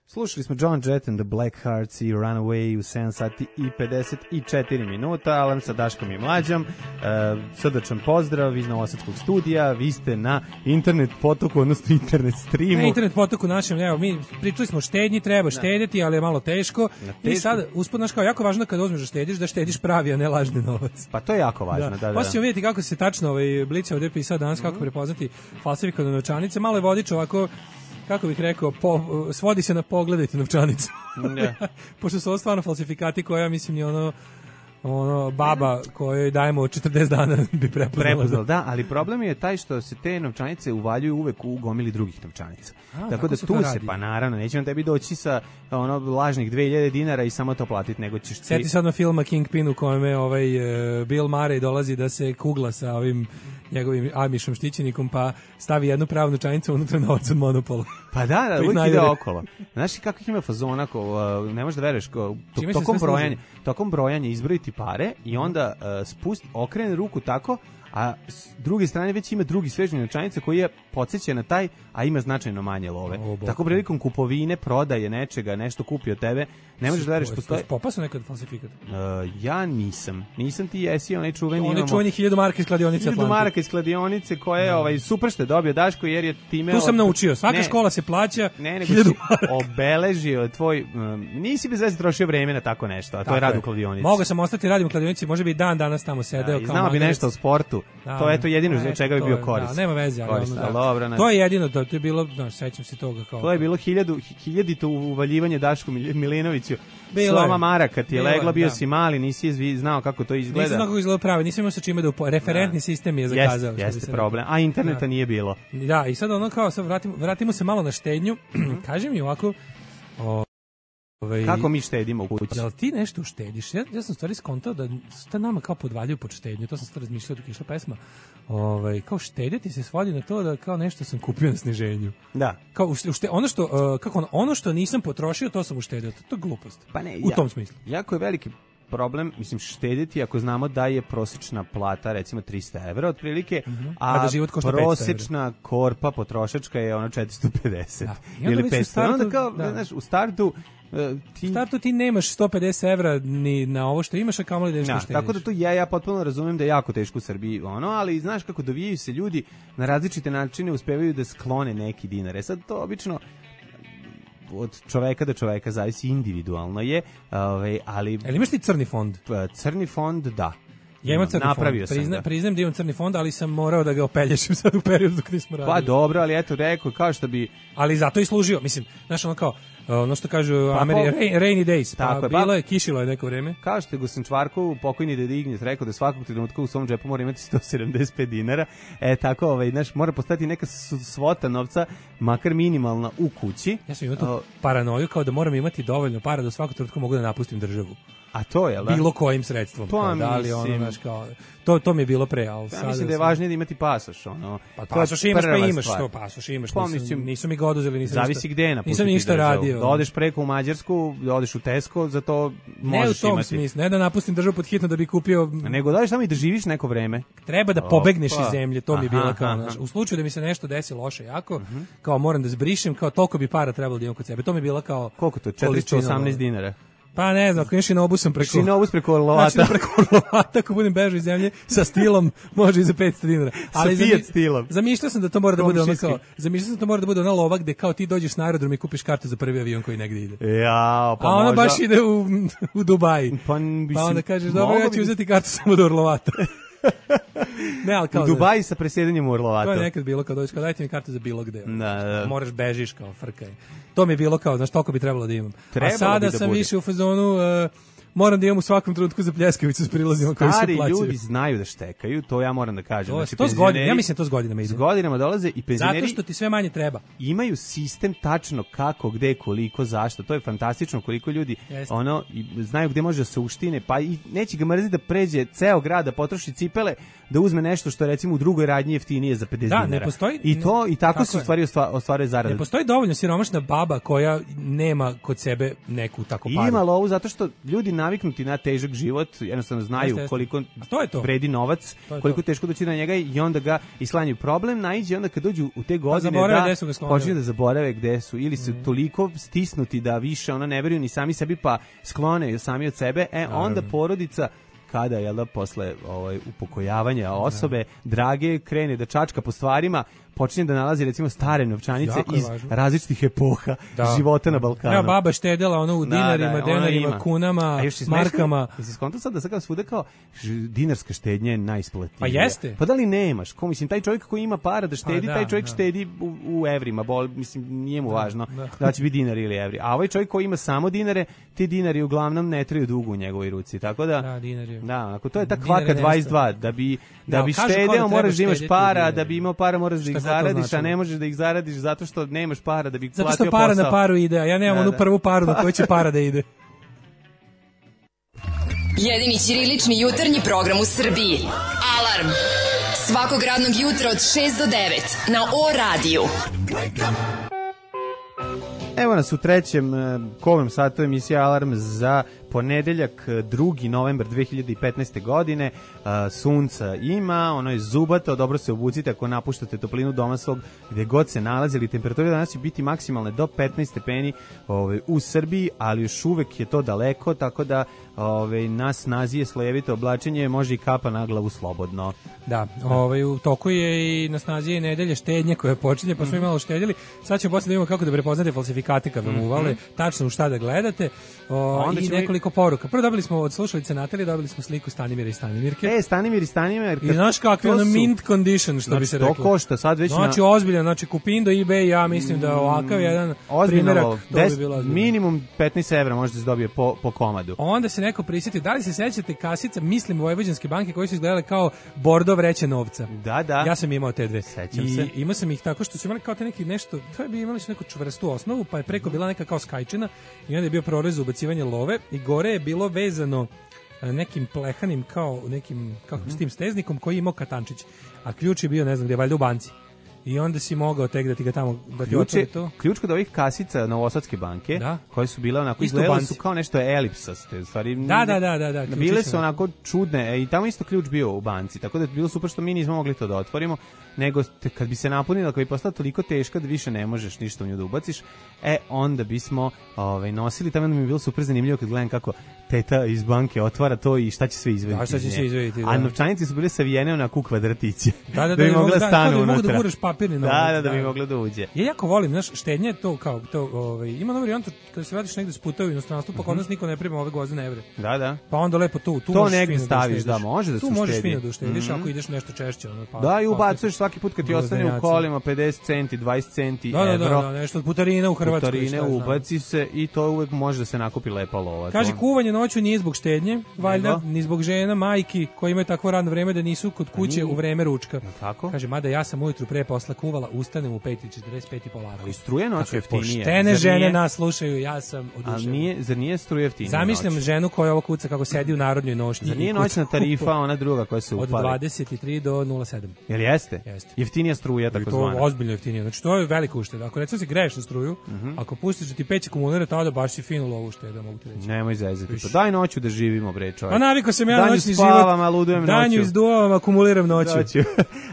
Slušali smo John Jett and the Blackhearts i Runaway u sedam sati i pedeset četiri minuta. Alarm sa Daškom i Mlađom. Uh, srdačan pozdrav iz Novosadskog studija. Vi ste na internet potoku, odnosno internet streamu. Na internet potoku našem, evo, mi pričali smo štednji, treba štediti, ali je malo teško. I sad, uspod naš kao, jako važno kada uzmeš da štediš, da štediš pravi, a ne lažni novac. Pa to je jako važno, da, da. da. Hoćemo vidjeti kako se tačno ovaj Blic ovdje pisao danas, kako prepoznati falsifikovane novčanice. Malo je vodič ovako, kako bih rekao, po, svodi se na pogledajte novčanicu. Yeah. Pošto su ovo stvarno falsifikati koja, mislim, je ono, ono baba kojoj dajemo četrdeset dana bi prepoznala. Prepoznala, da, ali problem je taj što se te novčanice uvaljuju uvek u gomili drugih novčanica. A, tako da tu se, pa naravno, neće vam tebi doći sa ono lažnih dve hiljade dinara i samo to platiti, nego ćeš ti... Sjeti sad na filma Kingpin u kojem je ovaj, uh, Bill Murray dolazi da se kugla sa ovim njegovim amišom štićenikom, pa stavi jednu pravu novčanicu unutra novac od Monopola. Pa da, da, uvijek ide okolo. Znaš kako ih ima fazona, ko, uh, ne možeš da veruješ, ko, to, tokom, brojanja, tokom brojanja izbrojiti pare i onda uh, spust, okrene ruku tako, a s druge strane već ima drugi svežnji novčanica koji je podsjeća na taj, a ima značajno manje love. O, tako prilikom kupovine, prodaje nečega, nešto kupi od tebe, ne možeš da veriš postoje... Popasao nekad falsifikat? Uh, ja nisam. Nisam ti jesi, onaj čuveni... Onaj čuveni hiljadu maraka iz kladionice Hiljadu maraka iz kladionice koje je ovaj, super što je dobio Daško jer je time... Tu sam naučio, svaka ne, škola se plaća ne, nego hiljadu maraka. Obeležio tvoj... Um, nisi bez veze trošio vreme na tako nešto, a to tako je rad u kladionici. Mogao sam ostati radim u kladionici, može bi dan danas tamo sedeo. Da, znamo bi nešto o sportu. Da, to je to jedino za čega bi bio korist. Da, nema veze, ali korist, ono, da. Dobro, to je jedino, to, to je bilo, no, sećam se toga kao. To je bilo hiljadu, hiljadito uvaljivanje Dašku Milinoviću. Sloma maraka ti je legla, bio da. si mali, nisi znao kako to izgleda. Nisam znao kako izgleda pravi, nisam imao sa čime da upo... referentni da. sistem je zakazao. Jeste, jeste problem, a interneta da. nije bilo. Da, i sad ono kao, sad vratimo, vratimo se malo na štednju, kaži mi ovako... O... Ove, kako mi štedimo u kući? Jel ti nešto uštediš? Ja, ja sam stvari skontao da šta nama kao podvaljuju pod štednju, to sam stvari razmišljao dok je išla pesma. Ove, kao štediti se svodi na to da kao nešto sam kupio na sniženju. Da. Kao ušte, ono što uh, kako ono, ono što nisam potrošio, to sam uštedio. To, to je glupost. Pa ne, u ja, tom smislu. Jako je veliki problem, mislim, štediti ako znamo da je prosječna plata recimo trista evra otprilike, mm-hmm. a, a da život košta prosječna korpa potrošačka je ono četiristo pedeset da. Ili petsto. Onda kao, da. znaš, u startu Ti... U startu ti nemaš sto pedeset evra ni na ovo što imaš, a kamoli da nešto štediš. Tako da to ja, ja potpuno razumijem da je jako teško u Srbiji, ono, ali znaš kako dovijaju se ljudi na različite načine, uspevaju da sklone neki dinar. E sad to obično od čoveka do čoveka zavisi, individualno je, ovaj, ali... Ali imaš ti crni fond? Crni fond, da. Ja imam crni Napravio fond, Prizna, da. priznam da imam crni fond, ali sam morao da ga opelješim sad u periodu dok nismo radili. Pa dobro, ali eto, rekao, kao što bi... Ali zato i služio, mislim, znaš ono kao, ono što kažu pa, Ameri, po... rain, rainy days, pa je, bilo pa, je, kišilo je neko vreme. Kao što je Gosan Čvarkov, pokojni Deda Ignjec, rekao da svakog trenutka u svom džepu mora imati sto sedamdeset pet dinara, e tako, ovaj, znaš, mora postati neka svota novca, makar minimalna u kući. Ja sam imao tu o... paranoju kao da moram imati dovoljno para da svakog trenutka mogu da napustim državu. A to je, da? Bilo kojim sredstvom. Pa, kao, da li ono, znaš, kao, to, to mi je bilo pre, ali ja sada... mislim da je važnije da imati pasoš, ono. Pa pasoš imaš, pa imaš to, pasoš imaš, pa, nisam, mislim, nisu mi ga oduzeli, nisam zavisi ništa, gde nisam ništa radio. Da odeš preko u Mađarsku, da odeš u Tesco, za to možeš imati. Ne u tom imati. smislu, ne da napustim državu pod hitno da bi kupio... Nego da odeš tamo i da živiš neko vreme. Treba da pobegneš iz zemlje, to mi je bilo kao, znaš, u slučaju da mi se nešto desi loše jako, uh-huh. kao moram da zbrišem, kao toliko bi para trebalo da imam kod sebe. To mi je bilo kao... Koliko to? četiristo osamnaest dinara. Pa ne znam, ako ideš i na obusam preko... Šinobus preko Orlovata. Znači preko Orlovata, ako budem bežao iz zemlje, sa stilom može i za petsto dinara. Ali sa Fiat stilom. Zamišljao sam da to mora da bude ono kao... Zamišljao sam da to mora da bude ona lova gde kao ti dođeš na aerodrom i kupiš kartu za prvi avion koji negde ide. Ja, pa a ona možda... baš ide u, u Dubaji. Pa, mislim, pa onda kažeš, dobro, ja ću uzeti kartu samo do Orlovata. Ne, ali kao u Dubaji sa presjedanjem u Orlovato. To je nekad bilo kao dođeš, kao dajte mi kartu za bilo gde. Da, da. Moraš bežiš kao frkaj. To mi je bilo kao, znaš, toliko bi trebalo da imam. Trebalo A sada bi da sam bude. više u fazonu... Uh, moram da imam u svakom trenutku za pljeskavicu s prilazima koji se Stari plaćaju. ljudi znaju da štekaju, to ja moram da kažem. To, Znači, to s godinama, ja mislim to s godinama ide. S godinama dolaze i penzioneri... Zato što ti sve manje treba. Imaju sistem tačno kako, gde, koliko, zašto. To je fantastično koliko ljudi Jeste. ono i znaju gde može da se uštine, pa i neće ga mrziti da pređe ceo grad, da potroši cipele, da uzme nešto što recimo u drugoj radnji jeftinije za pedeset Da, dinara. ne postoji- I to i tako, Tako se u je. stvari ostva- ostvaruje zarada. Ne postoji dovoljno siromašna baba koja nema kod sebe neku tako paru. Ima lovu zato što ljudi naviknuti na težak život, jednostavno znaju Jeste, jeste. koliko A to je to. vredi novac, To je koliko to. teško doći na njega i onda ga islanjaju. Problem naiđe onda kad dođu u te godine zaborave da gde su ga sklonili. počinju da zaborave gde su ili su toliko stisnuti da više ona ne veruju ni sami sebi pa sklone sami od sebe, e onda porodica kada je da posle ovaj upokojavanja osobe drage krene da čačka po stvarima, počinje da nalazi recimo stare novčanice Jako je iz važno. različitih epoha Da. života na Balkanu. Evo, baba štedela ono u Da, dinarima, da, ona denarima, ima. kunama, A još je smešno, markama. Jesi skontao sad da sad kao svuda kao ž- dinarska štednja je najisplativija. Pa jeste. Pa da li nemaš? Ko mislim taj čovjek koji ima para da štedi, Pa da, taj čovjek da. štedi u, u evrima, bol mislim nije mu važno da. da. će biti dinari ili evri. A ovaj čovjek koji ima samo dinare, ti dinari uglavnom ne traju dugo u njegovoj ruci. Tako da Da, dinari. Da, onako to je ta Dinari kvaka nestaju. dvadeset dva da bi da, Da, bi kažu kao da štedeo treba moraš da imaš štedjeti para, dinari. da bi imao para moraš da Šta ih god to zaradiš, a značilo. ne možeš da ih zaradiš zato što nemaš para da bi Zato platio što para posao. na paru ide, a ja nemam Da, onu da. prvu paru na koju će para da ide. Jedini ćirilični jutarnji program u Srbiji. Alarm! Svakog radnog jutra od šest do devet na O radiju. Evo nas u trećem eh, kovnom satu emisije Alarm za ponedeljak, drugi novembar dve hiljade petnaeste. godine. Uh, sunca ima, ono je zubato, dobro se obucite ako napuštate toplinu doma svog gde god se nalazili. Temperatura danas će biti maksimalne do petnaest stepeni ovaj, u Srbiji, ali još uvek je to daleko, tako da ovaj, na snazi je slojevito oblačenje, može i kapa na glavu slobodno. Da, ovaj, u toku je i na snazi je nedelje štednje koja počinje, pa smo imalo štedjeli. Sad ćemo posle da vidimo kako da prepoznate falsifikate kad vam uvale, tačno u šta da gledate. O, Onda I ćemo nekoliko poruka. Prvo dobili smo od slušalice Natalije, dobili smo sliku Stanimira i Stanimirke. E, Stanimir i Stanimir. I znaš kakvi to ono su- mint condition, što Znači, bi se to reklo. košta sad već na- Znači, ozbiljan, znači Kupindo, eBay, ja mislim da ovakav jedan primjerak, Ozbiljno, to bi bilo ozbiljno. minimum petnaest evra možete se dobije po, po komadu. Onda se neko prisjeti, da li se sećate kasica, mislim, Vojvođanske banke koji su izgledale kao bordo vreće novca. Da, da. Ja sam imao te dve. Sećam I se. imao sam ih tako što su imali kao te neki nešto, to je bi imali su neku čvrstu osnovu, pa je preko bila neka kao skajčina i onda je bio prorez za ubacivanje love i gore je bilo vezano e, nekim plehanim kao nekim kako s tim steznikom koji je imao katančić, a ključ je bio ne znam gdje, valjda u banci. I onda si mogao tek da ti ga tamo da ti Ključ, otvori je, to. ključ kod ovih kasica Novosadske banke, Da. koje su bile onako, Isto izgledale banci. su kao nešto elipsaste, u stvari. Da, da, da, da, da, ključići Bile su su onako čudne, e, i tamo isto ključ bio u banci, tako da je bilo super što mi nismo mogli to da otvorimo, nego te, kad bi se napunila, kad bi postala toliko teška da više ne možeš ništa u nju da ubaciš, e, onda bismo ovaj, nosili, tamo onda mi je bilo super zanimljivo kad gledam kako teta iz banke otvara to i šta će sve izvediti. Da, šta će iz nje. sve izvediti, da. A novčanice su bile savijene onako u kvadratiće. Da, da, bi da, mogla da, stanu da, da, mogu da unutra. guraš papirni Da, novac, da, da, da. bi mogla da uđe. Ja jako volim, znaš, štednje je to kao, to, ovaj, ima na varijantu kada se vratiš negde s puta u inostranstvu, pa kod nas niko ne prima ove gvozdene evre. Da, da. Pa onda lepo tu, tu To možeš negde fino staviš, uštediš. da, može da se Tu možeš uštedi. fino da uštediš Mhm. ako ideš nešto češće. Ono, pa, Da, i pa- ubacuješ svaki put kad ti ostane u Gvozdenjaci. kolima pedeset centi, dvadeset centi, Da, da, da, evro. da, nešto od putarine u Hrvatskoj. Putarine šta ja znam. ubaci se i to uvek može da se nakupi lepa lova. Kaže, To- kuvanje noću nije zbog štednje, valjda, Nego? ni zbog žena, majki koji imaju takvo radno vreme da nisu kod kuće nije. u vreme ručka. Tako? Kaže, mada ja sam ujutru pre posla kuvala, ustanem u pet i četrdeset pet i polako. Ali struje noću Dakle, jeftinije. Poštene Zar žene nije? nas slušaju, ja sam Ali oduševljen. nije, zar nije struje jeftinije Zamišljam noću? ženu koja ovo kuca kako sedi u narodnoj nošnji. Zar i nije kuca noćna tarifa kupo- ona druga koja se Od upali? dvadeset tri do nula sedam. Jel jeste? Jeste. Jeftinija struja, I tako to zvana. ozbiljno jeftinije. Znači to je velika ušteda. Ako recimo se greješ na struju, ako pustiš da ti peći akumulira, tada baš si finu lovu ušteda, mogu ti reći. Nemoj zezati. Pa daj noću da živimo, bre, čovjek. Pa navikao sam ja na Danju noćni spavam, život. a ludujem Danju noću. izduvavam, akumuliram noću. Noću.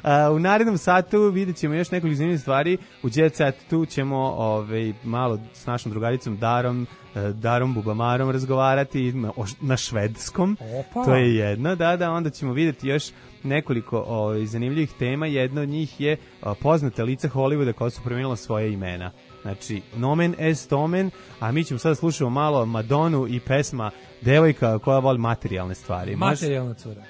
A, u narednom satu vidjet ćemo još nekoliko zanimljivih stvari. U Jet Set tu ćemo ovaj, malo s našom drugaricom Darom, eh, Darom Bubamarom razgovarati na, o- na švedskom. Opa. To je jedno, da, da, onda ćemo vidjeti još nekoliko ovaj, zanimljivih tema. Jedna od njih je a, poznata lica Hollywooda koja su promijenila svoje imena. Znači, nomen est omen, a mi ćemo sada slušati malo Madonu i pesma Devojka koja voli materijalne stvari. Može? Materijalna cura.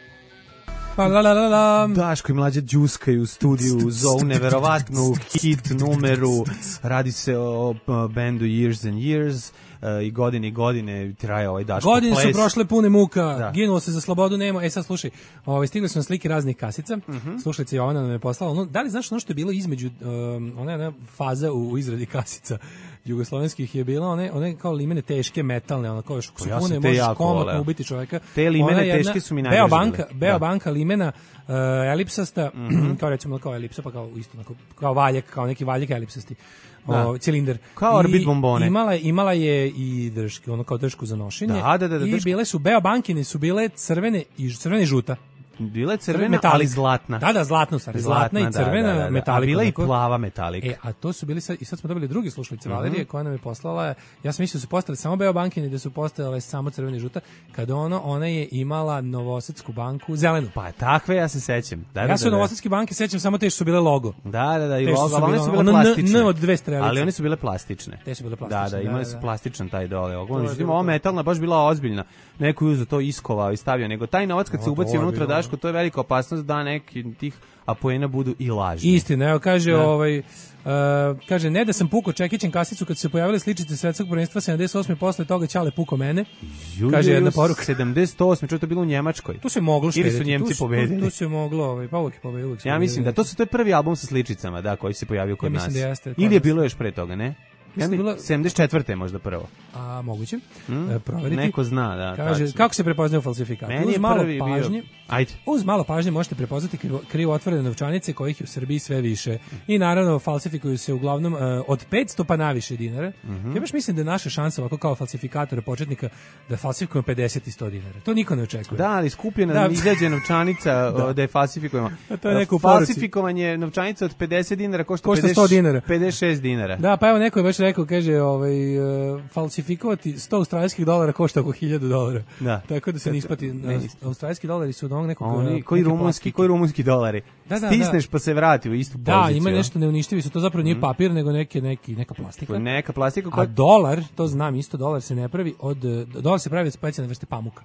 Pa la la la la. Daško i Mlađa đuskaju u studiju za ovu neverovatnu hit numeru. Radi se o bendu Years and Years. Uh, i godine i godine traje ovaj Daško godine ples. Godine su prošle pune muka, da. Ginulo se za slobodu nema. E sad slušaj, ovaj, stigli su na slike raznih kasica, uh-huh. slušajte, Jovana nam je poslala, ono, da li znaš ono što je bilo između, um, ona, ona faza u, u izradi kasica jugoslovenskih je bila, one, one kao limene teške, metalne, ono kao još su ja pune, možeš komotno ubiti čoveka. Te limene jedna, teške su mi najdraže. Beobanka, Beobanka limena, uh, elipsasta, uh-huh. kao recimo kao elipsa, pa kao isto, kao, kao valjak, kao neki valjak elipsasti. O, cilindar. Kao orbit bombone. Imala, imala je i držke, ono kao držku za nošenje. Da, da, da, da, I držku. bile su Beobankine, su bile crvene i crvene i žuta. Bila je crvena, ali zlatna. Da, da, zlatno, stvari. Zlatna, zlatna i crvena da, da, da. metalika. A bila i tako. plava metalika. E, a to su bili sad, i sad smo dobili drugi slušalice uh-huh. Valerije, koja nam je poslala, ja sam mislio da su postale samo Beobankine, da su postale samo crvene i žuta, kada ono, ona je imala Novosadsku banku, zelenu. Pa takve ja se sećam. Da, ja da, se da, od Novosadske banke sećam samo te što su bile logo. Da, da, da, i te logo, ali one su bile ono plastične. N od dve strelice. Ali one su bile plastične. Te su bile plastične. Da, da, imali su da, da. plastičan taj dole. Međutim, ova metalna baš bila ozbiljna. Neko je uzeo to, iskovao i stavio, nego taj novac kad se ubaci unutra, Daško, to je velika opasnost da neki tih apoena budu i lažni. Istina, evo kaže, da. ovaj, uh, kaže, ne da sam pukao čekićem kasicu kad su se pojavile sličice svetskog prvenstva sedamdeset osme posle toga Ćale pukao mene. Ju, kaže jedna poruka. sedamdeset osme Čo je to bilo u Njemačkoj? Tu se moglo štediti. Ili su Njemci tu, pobedili? Tu, tu se moglo, ovaj, pa uvijek pobedili. Ja mislim da to su to je prvi album sa sličicama, da, koji se pojavio kod ja nas. Da jeste, ili je bilo još pre toga, ne? Ja mi, bila... sedamdeset četvrte možda prvo. A, moguće. Hmm? E, proveriti. Neko zna, da. Kaže, tačno. kako se prepoznaju falsifikati? Meni uz je malo prvi pažnje, bio... Ajde. Uz malo pažnje možete prepoznati krivo, krivo otvorene novčanice kojih je u Srbiji sve više. I naravno falsifikuju se uglavnom uh, od petsto pa naviše dinara. Mm-hmm. Ja baš mislim da je naša šansa ovako kao falsifikatora početnika da falsifikujemo pedeset i sto dinara. To niko ne očekuje. Da, ali skupljena da izađe novčanica da. da je falsifikujemo. A to je neko falsifikovanje novčanica od pedeset dinara košta, košta pedeset, sto dinara. pedeset šest dinara. Da, pa evo neko je baš rekao, kaže, ovaj, uh, falsifikovati sto australijskih dolara košta oko hiljadu dolara. Da. Tako da se ne isplati. Australijski dolari su od onog nekog... Oni, koji rumunski, koji rumunski dolari. Da, da, Stisneš da. pa se vrati u istu poziciju. Da, ima nešto neuništivi su. To zapravo nije papir, nego neke, neki, neka plastika. Neka plastika koja... A dolar, to znam isto, dolar se ne pravi od... Dolar se pravi od specijalne vrste pamuka.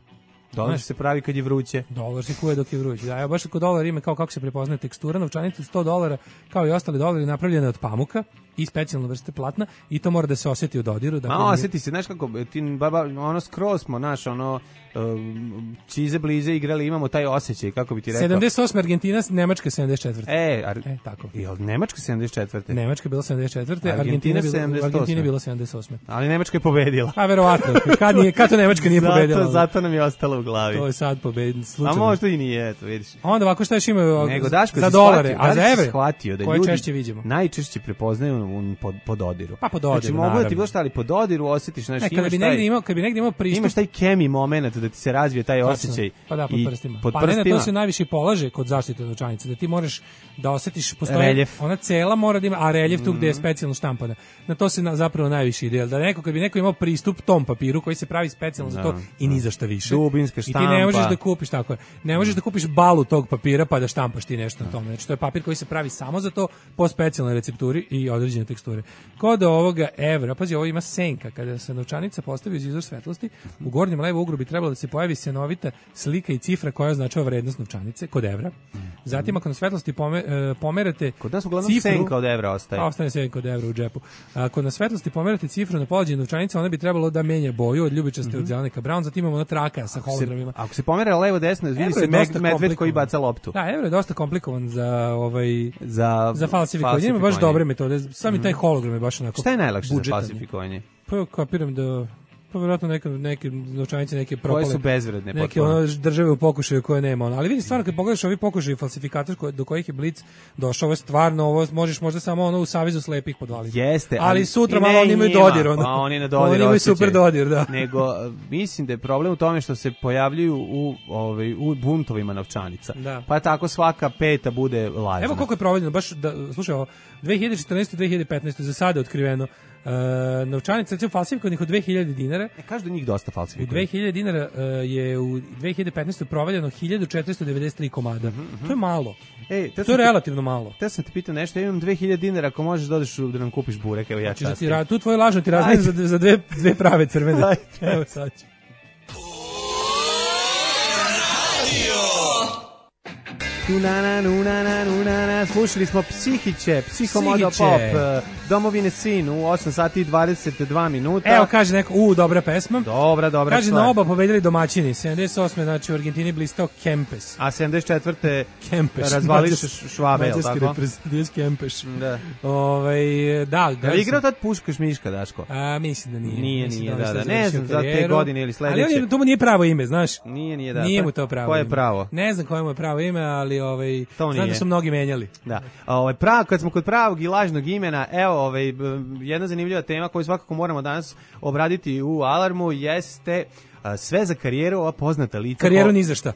Dolar se pravi kad je vruće. Dolar se kuje dok je vruće. Da, ja baš kod dolara ima kao kako se prepoznaje tekstura, novčanica sto dolara, kao i ostali dolari napravljene od pamuka i specijalne vrste platna i to mora da se osjeti u dodiru. Da Ma, osjeti se, znaš kako, ti, baba, ono skroz smo, naš, ono, um, čize blize igrali, imamo taj osjećaj, kako bi ti rekao. sedamdeset osme Argentina, Nemačka sedamdeset četvrte E, ar... e tako. I od Nemačka sedamdeset četvrte Nemačka je bila sedamdeset četvrte Argentina, Argentina, Argentina je bila sedamdeset osme Ali Nemačka je pobedila. A verovatno, kad, nije, kad to Nemačka nije zato, pobedila? Zato nam je ostalo u glavi. To je sad pobedin, slučajno. A možda i nije, eto, vidiš. Onda ovako šta još imaju Nego, Daško, za dolare, shvatio, a za evre, shvatio da koje ljudi češće vidimo? Najčešće prepoznaju pod, pod dodiru. Pa pod dodiru, znači, mogu da ti bilo šta, ali pod dodiru osjetiš, znaš, ne, imaš bi taj... Imao, kad bi negdje imao pristup... Imaš taj kemi moment da ti se razvije taj osjećaj. Pa da, pod prstima. Pod pa prstima. ne, to se najviše polaže kod zaštite novčanice, da ti možeš da osjetiš, postoje... Reljef. Ona cela mora da ima, a reljef tu mm. gde je specijalno štampana. Na to se na, zapravo najviše ide. Da neko, kad bi neko imao pristup tom papiru koji se pravi specijalno za to da, i ni za šta više. Dubinska štampa. I ti ne možeš da kupiš tako je. Ne možeš da kupiš balu tog papira pa da štampaš ti nešto na tome. Znači to je papir koji se pravi samo za to po specijalnoj recepturi i određene teksture. Kod ovoga evra, pazi, ovo ima senka. Kada se novčanica postavi uz izvor svetlosti, u gornjem levom uglu bi trebalo da se pojavi senovita slika i cifra koja označava vrednost novčanice kod evra. Zatim ako na svetlosti pome, pomerate kod nas uglavnom cifru, senka od evra ostaje. A ostane senka od evra u džepu. Ako na svetlosti pomerate cifru na polađenju novčanice, ona bi trebalo da menja boju od ljubičaste mm-hmm. od zelene ka brown, zatim imamo ona traka sa hologramima. Ako se pomera levo desno, vidi se med, medved koji baca loptu. Da, evro je dosta komplikovan za ovaj za za falsifikovanje. Ima baš dobre metode. Sami mm-hmm. taj hologram je baš onako. Šta je najlakše za falsifikovanje? Pa kapiram da pa vjerojatno neke neke novčanice neke propale. Koje su bezvredne neke ono države u pokušaju koje nema ono. Ali vidi stvarno kad pogledaš ovi pokušaji falsifikator koje, do kojih je Blic došao, ovo je stvarno ovo možeš možda samo ono u savezu slepih podvaliti. Jeste, ali, ali sutra malo oni imaju dodir ono. Pa oni na dodir. Oni imaju super dodir, da. Nego mislim da je problem u tome što se pojavljuju u ovaj u buntovima novčanica. Da. Pa tako svaka peta bude lažna. Evo koliko je provedeno baš da slušaj ovo dve hiljade četrnaeste dve hiljade petnaeste za sada otkriveno. Uh, novčanica recimo falsifikovanih od dve hiljade dinara. E, kažu da njih dosta falsifikuje. U dve hiljade dinara uh, je u dve hiljade petnaeste provaljeno hiljadu četiristo devedeset tri komada. Uh-huh, uh-huh. To je malo. Ej, to je relativno malo. Te sam te pitao nešto, ja imam dve hiljade dinara, ako možeš da odeš da nam kupiš burek, evo ja častim. Znači, tu tvoje lažno ti razmeni za, za dve, dve prave crvene. Evo sad ću. Tunana, nunana, nunana. Slušali smo Psihiće, Psihomodo Pop, Domovine sin u osam sati i dvadeset dva minuta. Evo kaže neko, u, dobra pesma. Dobra, dobra kaže, stvar. na oba pobedili domaćini. sedamdeset osme znači u Argentini blistao Kempes. A sedamdeset četvrte Kempeš. razvališ Švabe, jel tako? Mađarski Kempeš. Da. Ovaj, da. Da li igrao tad Puškaš Miška, Daško? A, mislim da nije. Nije, mislim nije, da, da, da. da Ne znam, za te godine ili sledeće. Ali on je, to mu nije pravo ime, znaš? Nije, nije, da. Nije mu to pravo Koje je ime. pravo? Ne znam koje mu je pravo ime, ali ovaj, to znam da su mnogi menjali. Da. Ovaj, prav, kad smo kod pravog i lažnog imena, evo, ovaj, jedna zanimljiva tema koju svakako moramo danas obraditi u Alarmu jeste a, sve za karijeru, ova poznata lica. Karijeru ni za šta.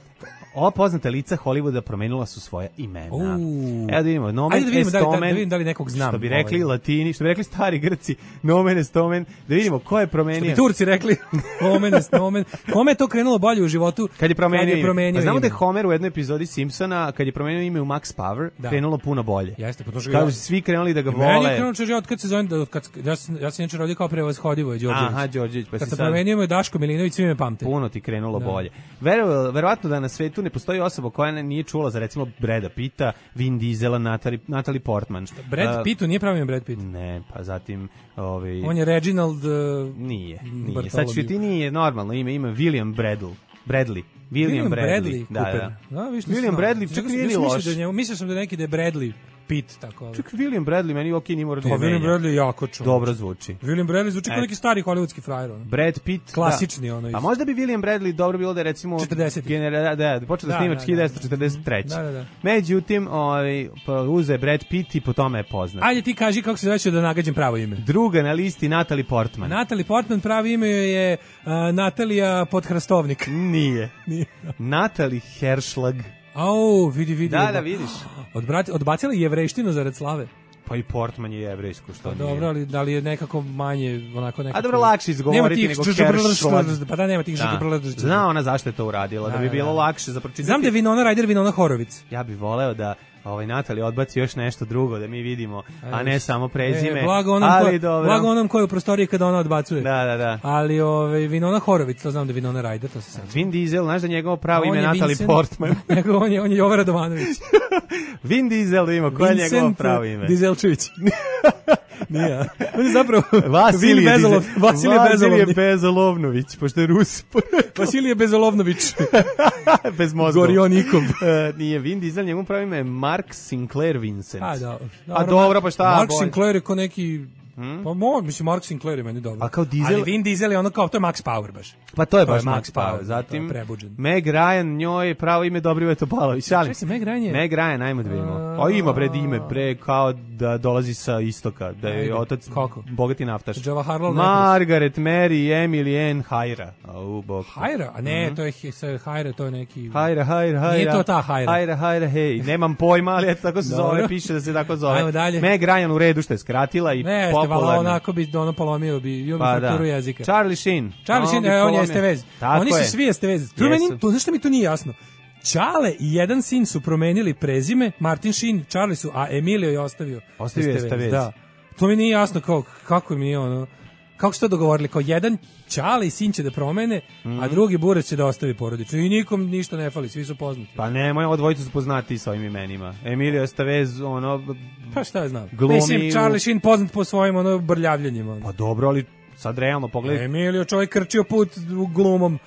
Ova poznata lica Hollywooda promenila su svoja imena. Uh. Evo da vidimo, nomen Ajde da vidimo, est omen, da, da, da vidim da li nekog znam. Što bi rekli ovaj. Latini, što bi rekli stari Grci, nomen est omen, da vidimo ko je promenio. Što bi Turci rekli, omen est omen. Kome je to krenulo bolje u životu? Kad je promenio, kad je promenio ime. Pa znamo ime. da je Homer u jednoj epizodi Simpsona, kad je promenio ime u Max Power, da. krenulo puno bolje. Jeste, pa to što kažu svi krenuli da ga vole. Meni je krenulo čeže od kad se zove, od kad, ja sam, ja sam inače rodio kao prevozhodivo je Đorđević. Aha, Đorđević. Pa kad se promenio ime Daško Milinović, svi me pamte. Puno ti krenulo da. bolje. Vero, verovatno da na svetu ne postoji osoba koja nije čula za recimo Brada Pitta, Vin Diesela, Natalie, Natalie Portman. Brad uh, Pittu nije pravi ime Brad Pitt. Ne, pa zatim ovaj on je Reginald uh, nije, nije. Sad što ti nije normalno ime, ima William Bradley. Bradley. William, William Bradley. Bradley da, da. da viš, William Bradley čak nije ni loš. Da mislio sam da neki da je Bradley Pitt tako. Čak William Bradley meni okej, nije mora da. William Bradley jako čovjek. Dobro zvuči. William Bradley zvuči kao neki stari hollywoodski frajer. Brad Pitt, klasični da. Ono. A možda bi William Bradley dobro bilo da recimo četrdeset genera da, da počeo da, da snima hiljadu devetsto četrdeset treće. Da, da, da. Međutim, ovaj pa uze Brad Pitt i po tome je poznat. Ajde ti kaži kako se zove da nagađam pravo ime. Druga na listi Natalie Portman. Natalie Portman pravi ime je uh, Natalija Podhrastovnik. Nije. Nije. Natalie Herschlag. Au, vidi, vidi. Da, da, vidiš. Odbrati, odbacila jevrejštinu zarad slave. Pa i Portman je jevrejsko, što pa nije. Dobro, ali da li je nekako manje, onako nekako... A dobro, lakše izgovoriti nego Herschlag. Pa da, nema tih žbrlšlag. Zna ona zašto je to uradila, da, da bi bilo da. lakše za pročitati. Znam da je Winona Ryder, Winona Horovic. Ja bih voleo da ovaj Natalie odbaci još nešto drugo da mi vidimo, a ne samo prezime. E, blago onom ali ko, blago onom ko je u prostoriji kada ona odbacuje. Da, da, da. Ali ovaj Winona Horovic, to znam da je Winona Ryder, to se sećam. Vin Diesel, znaš da njegovo pravo ime Natalie Vincent, Portman. Nego on je on je Jovan Radovanović. Vin Diesel ima, koje je njegovo pravo ime? Dieselčević. Nije. On je zapravo Vasilije Bezolov, Vasilije Bezolovni. Vasilije Bezolovnović, pošto je Rus. Vasilije Bezolovnović. Bez mozgova. Gorionikov. Uh, nije Vin Diesel, njegov pravo ime je Mark Sinclair Vincent. A, da. A dobro, pa šta? Mark Sinclair je ko neki... Hmm? Pa mo, mislim, Mark Sinclair je meni dobro. A kao Diesel... Ali Vin Diesel je ono kao, to je Max Power baš. Pa to je to baš je Max, Max Power. Power. Zatim, prebuđen. Meg Ryan, njoj pravo ime Dobrivoje Topalović. Šalim se, Meg Ryan je... Meg Ryan, ajmo da vidimo. A, a ima bre ime, bre, kao da dolazi sa istoka, da je otac kako? Bogati naftaš. Harlow Margaret, Mary, Emily, Ann, Hajra. Au, bog. Hajra? A ne, mm-hmm. to je Hajra, to je neki... Hajra, Hajra, Hajra. Nije to ta Hajra. Hajra, Hajra, hej. Nemam pojma, ali eto tako se zove, piše da se tako zove. Ajmo dalje. Meg Ryan u redu što je skratila i ne, popularna. Ne, onako bi ono polomio bi, bio bi pa fakturu da. jezika. Charlie Sheen. Charlie Sheen, e, on je Estevez. Oni su je. svi Estevez. To meni, to zašto mi to nije jasno. Čale i jedan sin su promenili prezime, Martin Sheen, Charlie su, a Emilio je ostavio. Ostavio Estevez. Da. To mi nije jasno kao, kako mi je ono, kako su to dogovorili, kao jedan Čale i sin će da promene, mm. a drugi Burac će da ostavi porodično. I nikom ništa ne fali, svi su poznati. Pa ne, moja odvojica su poznati s ovim imenima. Emilio Estevez, ono... Pa šta je znam. Glumi... Mislim, Charlie Sheen poznat po svojim ono brljavljenjima. Ono. Pa dobro, ali sad realno pogledaj. Emilio čovjek krčio put u glumom.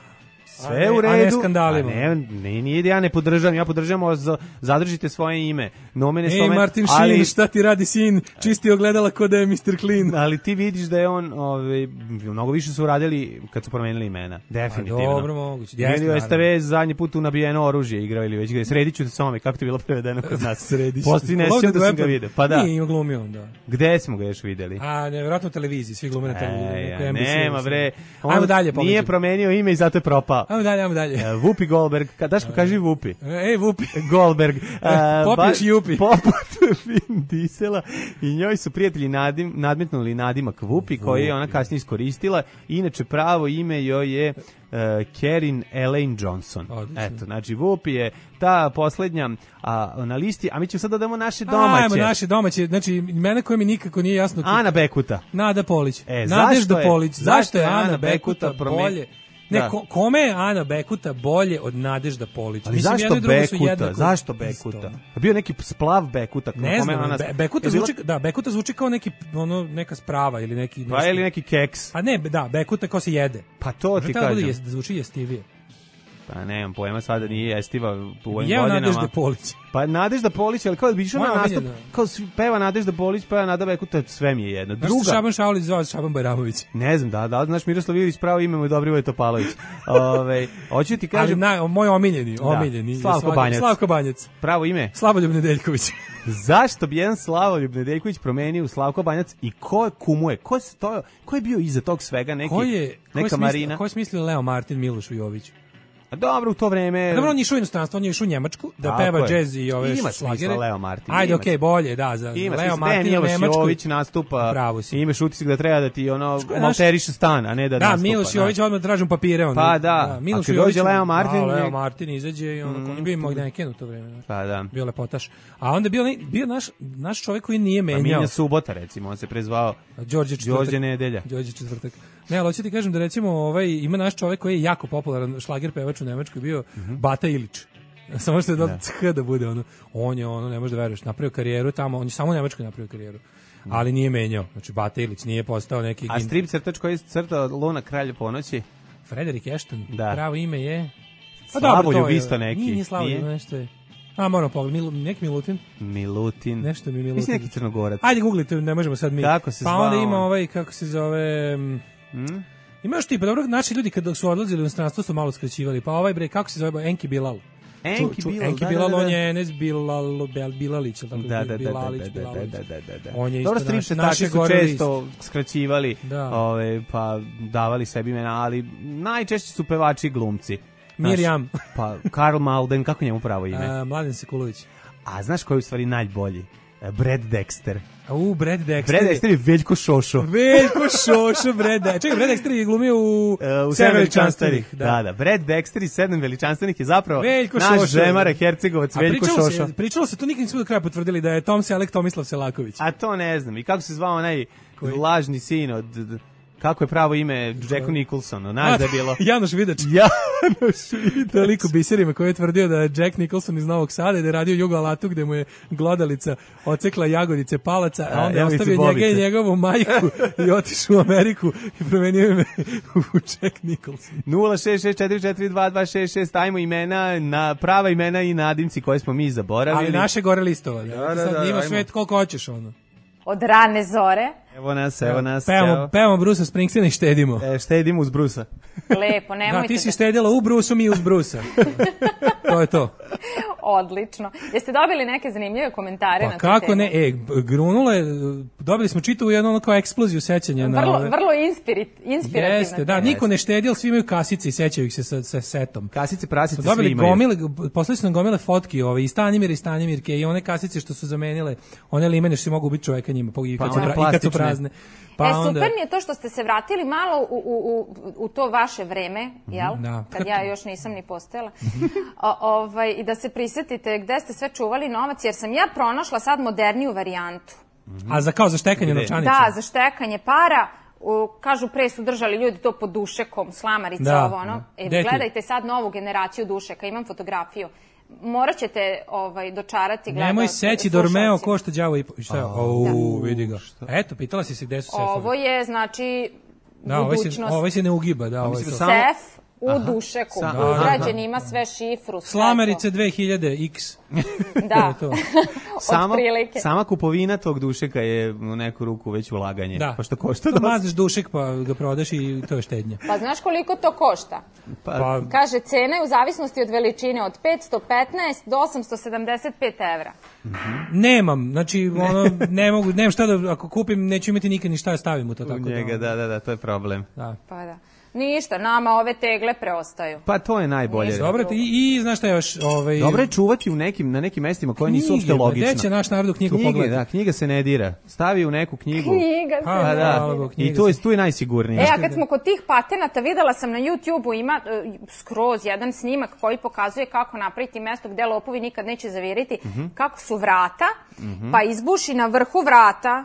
Sve u redu. A ne skandalima. A ne, ne, nije da ja ne podržavam, ja podržavam, zadržite svoje ime. Nomen Ej, Martin Sheen, ali, šta ti radi sin? Čisti ogledala ko da je mister Clean. Ali ti vidiš da je on, ovaj, mnogo više su uradili kad su promenili imena. Definitivno. A dobro, moguće. Emilio Estevez zadnji put u nabijeno oružje igrao ili već gdje. Sredit ću te sa ome, kako ti je bilo prevedeno kod nas? Sredić. Postoji ne sjećam da sam ga vidio. Pa da. Nije ima glumio on, da. Gde smo ga još videli? A, nevjerojatno u televiziji, svi glume na televiziji. E, nema bre. Ajmo dalje, pomeđu. Nije promenio ime i zato je propao. Ajmo dalje, ajmo dalje. Whoopi Goldberg, Daško, kaži Whoopi. Ej, Whoopi. Goldberg. Popiš Jupi. Poput Vin Diesela i njoj su prijatelji nadim, nadmetnuli nadimak Whoopi, koji je ona kasnije iskoristila. Inače, pravo ime joj je uh, Kerin Elaine Johnson. Odlično. Eto, znači Whoopi je ta poslednja a, na listi, a mi ćemo sad da damo naše domaće. Ajmo naše domaće, znači mene koje mi nikako nije jasno. Ana Bekuta. Nada Polić. E, Nadežda zašto je, Polić. Zašto je Ana Bekuta, Bekuta bolje? Ne, da. ko, kome je Ana Bekuta bolje od Nadežda Polić? Ali Mislim, zašto Bekuta? Jednako... Zašto Bekuta? Bio neki splav Bekuta. Ne kome znam, ona... Be, Bekuta, bila... zvuči, da, Bekuta zvuči kao neki, ono, neka sprava ili neki... Nešto... Pa ili neki keks. A ne, da, Bekuta kao se jede. Pa to ti kažem. Može da zvuči jestivije. Pa nemam pojma, sada nije jestiva u ovim Jeo godinama. Nadežda Polić. Pa Nadežda Polić, ali kao da bi išao na nastup, kao peva Nadežda Polić, peva Nada Bekuta, sve mi je jedno. Druga. Druga. Znaš Šaban Šaulić zvao Šaban Bajramović? Ne znam, da, da, znaš Miroslav Ilić, pravo ime mu je Dobrivoje Topalović. Ove, hoću ti kažem... Ali na, moj omiljeni, omiljeni. Da, Slavko Banjac. Slavko Banjac. Pravo ime? Slavoljub Nedeljković. Zašto bi jedan Slavoljub Nedeljković promenio u Slavko Banjac i ko kumuje? Ko, to, ko je bio iza tog svega? Neki, ko je, neka ko je Marina? Smislio, ko je smislio Leo Martin Milošu Joviću? A dobro, u to vreme... Dobro, on je išao u inostranstvo, on je išao u Njemačku da tako peva je. džez i ove ima šlagere. Leo Martin. Ajde, okej, okay, bolje, da, za ima Leo Martin u Njemačku. Jović nastupa, pravo si. Imaš utisak da treba da ti ono malteriše stan, a ne da, da nastupa. Da, Miloš Jović odmah tražim papire. On, pa da, da a kad dođe Leo Martin... Da, Leo Martin izađe i on, mm, on je bio imao Neken u to vreme. Pa da. Bio lepotaš. A onda bio, bio naš, naš čovjek koji nije menjao. Pa Minja Subota, recimo, on se prezvao Đorđe Četvrtak. Đorđe Nedelja. Đorđe Četvrtak. Ne, ali hoću ti kažem da recimo ovaj, ima naš čovjek koji je jako popularan šlager pevač u Nemačkoj bio mm-hmm. Bata Ilić. Samo što je da ch da bude ono. On je ono, ne možeš da veruješ, napravio karijeru tamo, on je samo u Nemačkoj napravio karijeru. Ali nije menjao. Znači Bata Ilić nije postao neki... A strip crtač koji je crtao Luna Kralja ponoći? Frederik Ashton. Da. Pravo ime je... Pa Slavoljub isto neki. Nije, nije Slavoljub, nešto je. A, moram pogledati, Mil, neki Milutin. Milutin. Nešto mi Milutin. Mislim neki Crnogorac. Ajde, googlite, ne možemo sad mi. Kako se pa zvao? onda ima ovaj, kako se zove... Hmm? Ima još tipa, dobro, naši ljudi kada su odlazili u inostranstvo su malo skraćivali. Pa ovaj bre, kako se zove, Enki Bilal. Enki Bilal, Enki da, Bilal, da, da. on je Enes Bilal, Bel, Bilalić, tako da, da, Bilalić, da, da, Bilalić. da, da, da, da. On je dobro, isto naš, stripčetaši su često skraćivali, da. ove, pa davali sebi imena, ali najčešće su pevači i glumci. Mirjam. Pa Karl Malden, kako njemu pravo ime? A, Mladen Sekulović. A znaš koji je u stvari najbolji? Brad Dexter. U, Brad Dexter. Brad Dexter je Veljko Šošo. Veljko Šošo, Brad Dexter. Čekaj, Brad Dexter je glumio u, uh, u Sedam veličanstvenih. Da. da, da. Brad Dexter i Sedam veličanstvenih je zapravo Veljko naš Šošo, Žemara Hercegovac, Veljko pričalo Šošo. Se, pričalo se, to nikad nismo do kraja potvrdili da je Tom Selek Tomislav Selaković. A to ne znam. I kako se zvao onaj koji? Lažni sin od... Kako je pravo ime Jacku Nicholsonu? Znaš da je bilo? Janoš Vidač. Janoš Vidač. To je lik u biserima koji je tvrdio da je Jack Nicholson iz Novog Sada i da je radio u Jugo Alatu gde mu je glodalica ocekla jagodice palaca, a onda je ostavio njega i njegovu majku i otišao u Ameriku i promenio ime u Jack Nicholson. nula šest šest četiri četiri dva dva šest šest, ajmo imena, na prava imena i nadimci koje smo mi zaboravili. Ali naše gore listova. Da, da, da, sad imaš sve koliko hoćeš ono. Od rane zore. Evo nas, evo nas. Pevamo, pevamo Brusa Springsteena i štedimo. E, štedimo uz Brusa. Lepo, nemojte. Da, ti si štedila u Brusu, mi uz Brusa. To je to. Odlično. Jeste dobili neke zanimljive komentare pa na tu kako temu? ne, e, grunulo je, dobili smo čitavu jednu ono kao eksploziju sećanja. Vrlo, na ove. vrlo inspirit, inspirativna. Jeste, da, niko ne štedi, ali svi imaju kasice i sećaju ih se sa, sa setom. Kasice, prasice, dobili svi imaju. Gomile, poslali su nam gomile fotki, ove, i Stanimir i Stanimirke, i one kasice što su zamenile, one limene što si mogu ubiti čoveka njima, i kad, pa su, pra, i kad su prazne. Pa e, super mi je to što ste se vratili malo u, u, u, u to vaše vreme, jel? Da. Kad ja još nisam ni postojala. o, ovaj, I da se prisetite gde ste sve čuvali novac, jer sam ja pronašla sad moderniju varijantu. A za kao za štekanje novčanica? Da, za štekanje para. U, kažu, pre su držali ljudi to pod dušekom, slamarica, da, ovo ono. Da. E, gledajte sad novu generaciju dušeka, imam fotografiju. Morat ćete ovaj, dočarati gledati. Nemoj seći Dormeo košta đavo i... Šta je? Au, vidi ga. Eto, pitala si se gde su sefovi. Ovo je, znači, da, budućnost. Da, ovo se ne ugiba, da, ovo je to. Sef u aha. Dušeku. Ugrađen ima sve šifru. Sve Slamerice dve hiljade X. Da, sama, sama kupovina tog dušeka je u neku ruku već ulaganje. Da. Pa što košta dosta. Mazneš dušek pa ga prodaš i to je štednja. Pa znaš koliko to košta? Pa, pa, kaže, cena je u zavisnosti od veličine od petsto petnaest do osamsto sedamdeset pet evra. Mm-hmm. Nemam, znači ono, ne mogu, nemam šta da, ako kupim, neću imati nikad ni šta da stavim u to. Tako u njega, da, da, da, to je problem. Da. Pa da. Ništa, nama ove tegle preostaju. Pa to je najbolje. Dobro, i, i znaš šta još? Ovaj... Dobro je čuvati u nekim, na nekim mestima koje nisu uopšte logične. Gde će naš narod u knjigu knjige, pogledati? Da, knjiga se ne dira. Stavi u neku knjigu. Knjiga se pa, ne da. dira. I tu je, tu je najsigurnije. E, a kad smo kod tih patenata, videla sam na YouTube-u ima uh, skroz jedan snimak koji pokazuje kako napraviti mesto gde lopovi nikad neće zaviriti, mm-hmm. kako su vrata, mm-hmm. pa izbuši na vrhu vrata.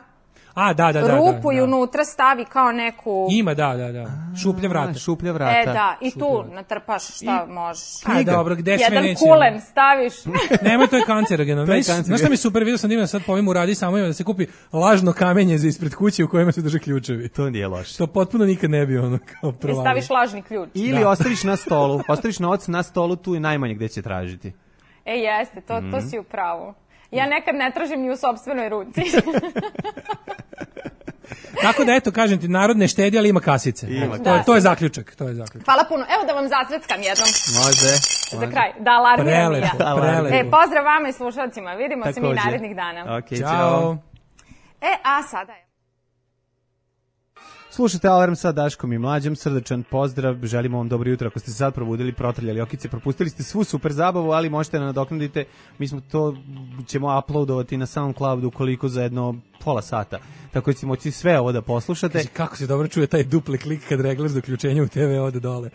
A, da, da, da, rupu da, i da. unutra stavi kao neku... Ima, da, da, da. Šuplja vrata. A, šuplja vrata. E, da, i šuplja tu vrata. natrpaš šta I... možeš. A, dobro, gde sve Jedan neće... kulen staviš. Nemoj, to je kancerogeno. To je kancerogeno. Znaš šta mi je super, vidio sam da ima sad po ovim uradi samo ima da se kupi lažno kamenje za ispred kuće u kojima se drže ključevi. To nije loše. To potpuno nikad ne bi ono kao provalio. I staviš lažni ključ. Ili da. Ostaviš na stolu. Ostaviš novac na stolu, tu je najmanje gde će tražiti. E, jeste, to, mm. to si u pravu. Ja nekad ne tražim ni u sopstvenoj ruci. Tako da, eto, kažem ti, narod ne štedi, ali ima kasice. Ima, to, da, je, to je zaključak, to je zaključak. Hvala puno. Evo da vam zacveckam jednom. Može. Za kraj. Da alarmiram i ja. Prelepo. E, pozdrav vama i slušalcima. Vidimo Takođe. se mi narednih dana. Ok, ćao. E, a sada je. Slušajte Alarm sa Daškom i Mlađom, srdačan pozdrav, želimo vam dobro jutro. Ako ste se sad probudili, protrljali okice, propustili ste svu super zabavu, ali možete nadoknaditi, mi smo to, ćemo uploadovati na SoundCloudu koliko za jedno pola sata. Tako ćete moći sve ovo da poslušate. Kaži, kako se dobro čuje taj dupli klik kad reglaš do uključenja u te ve ode dole.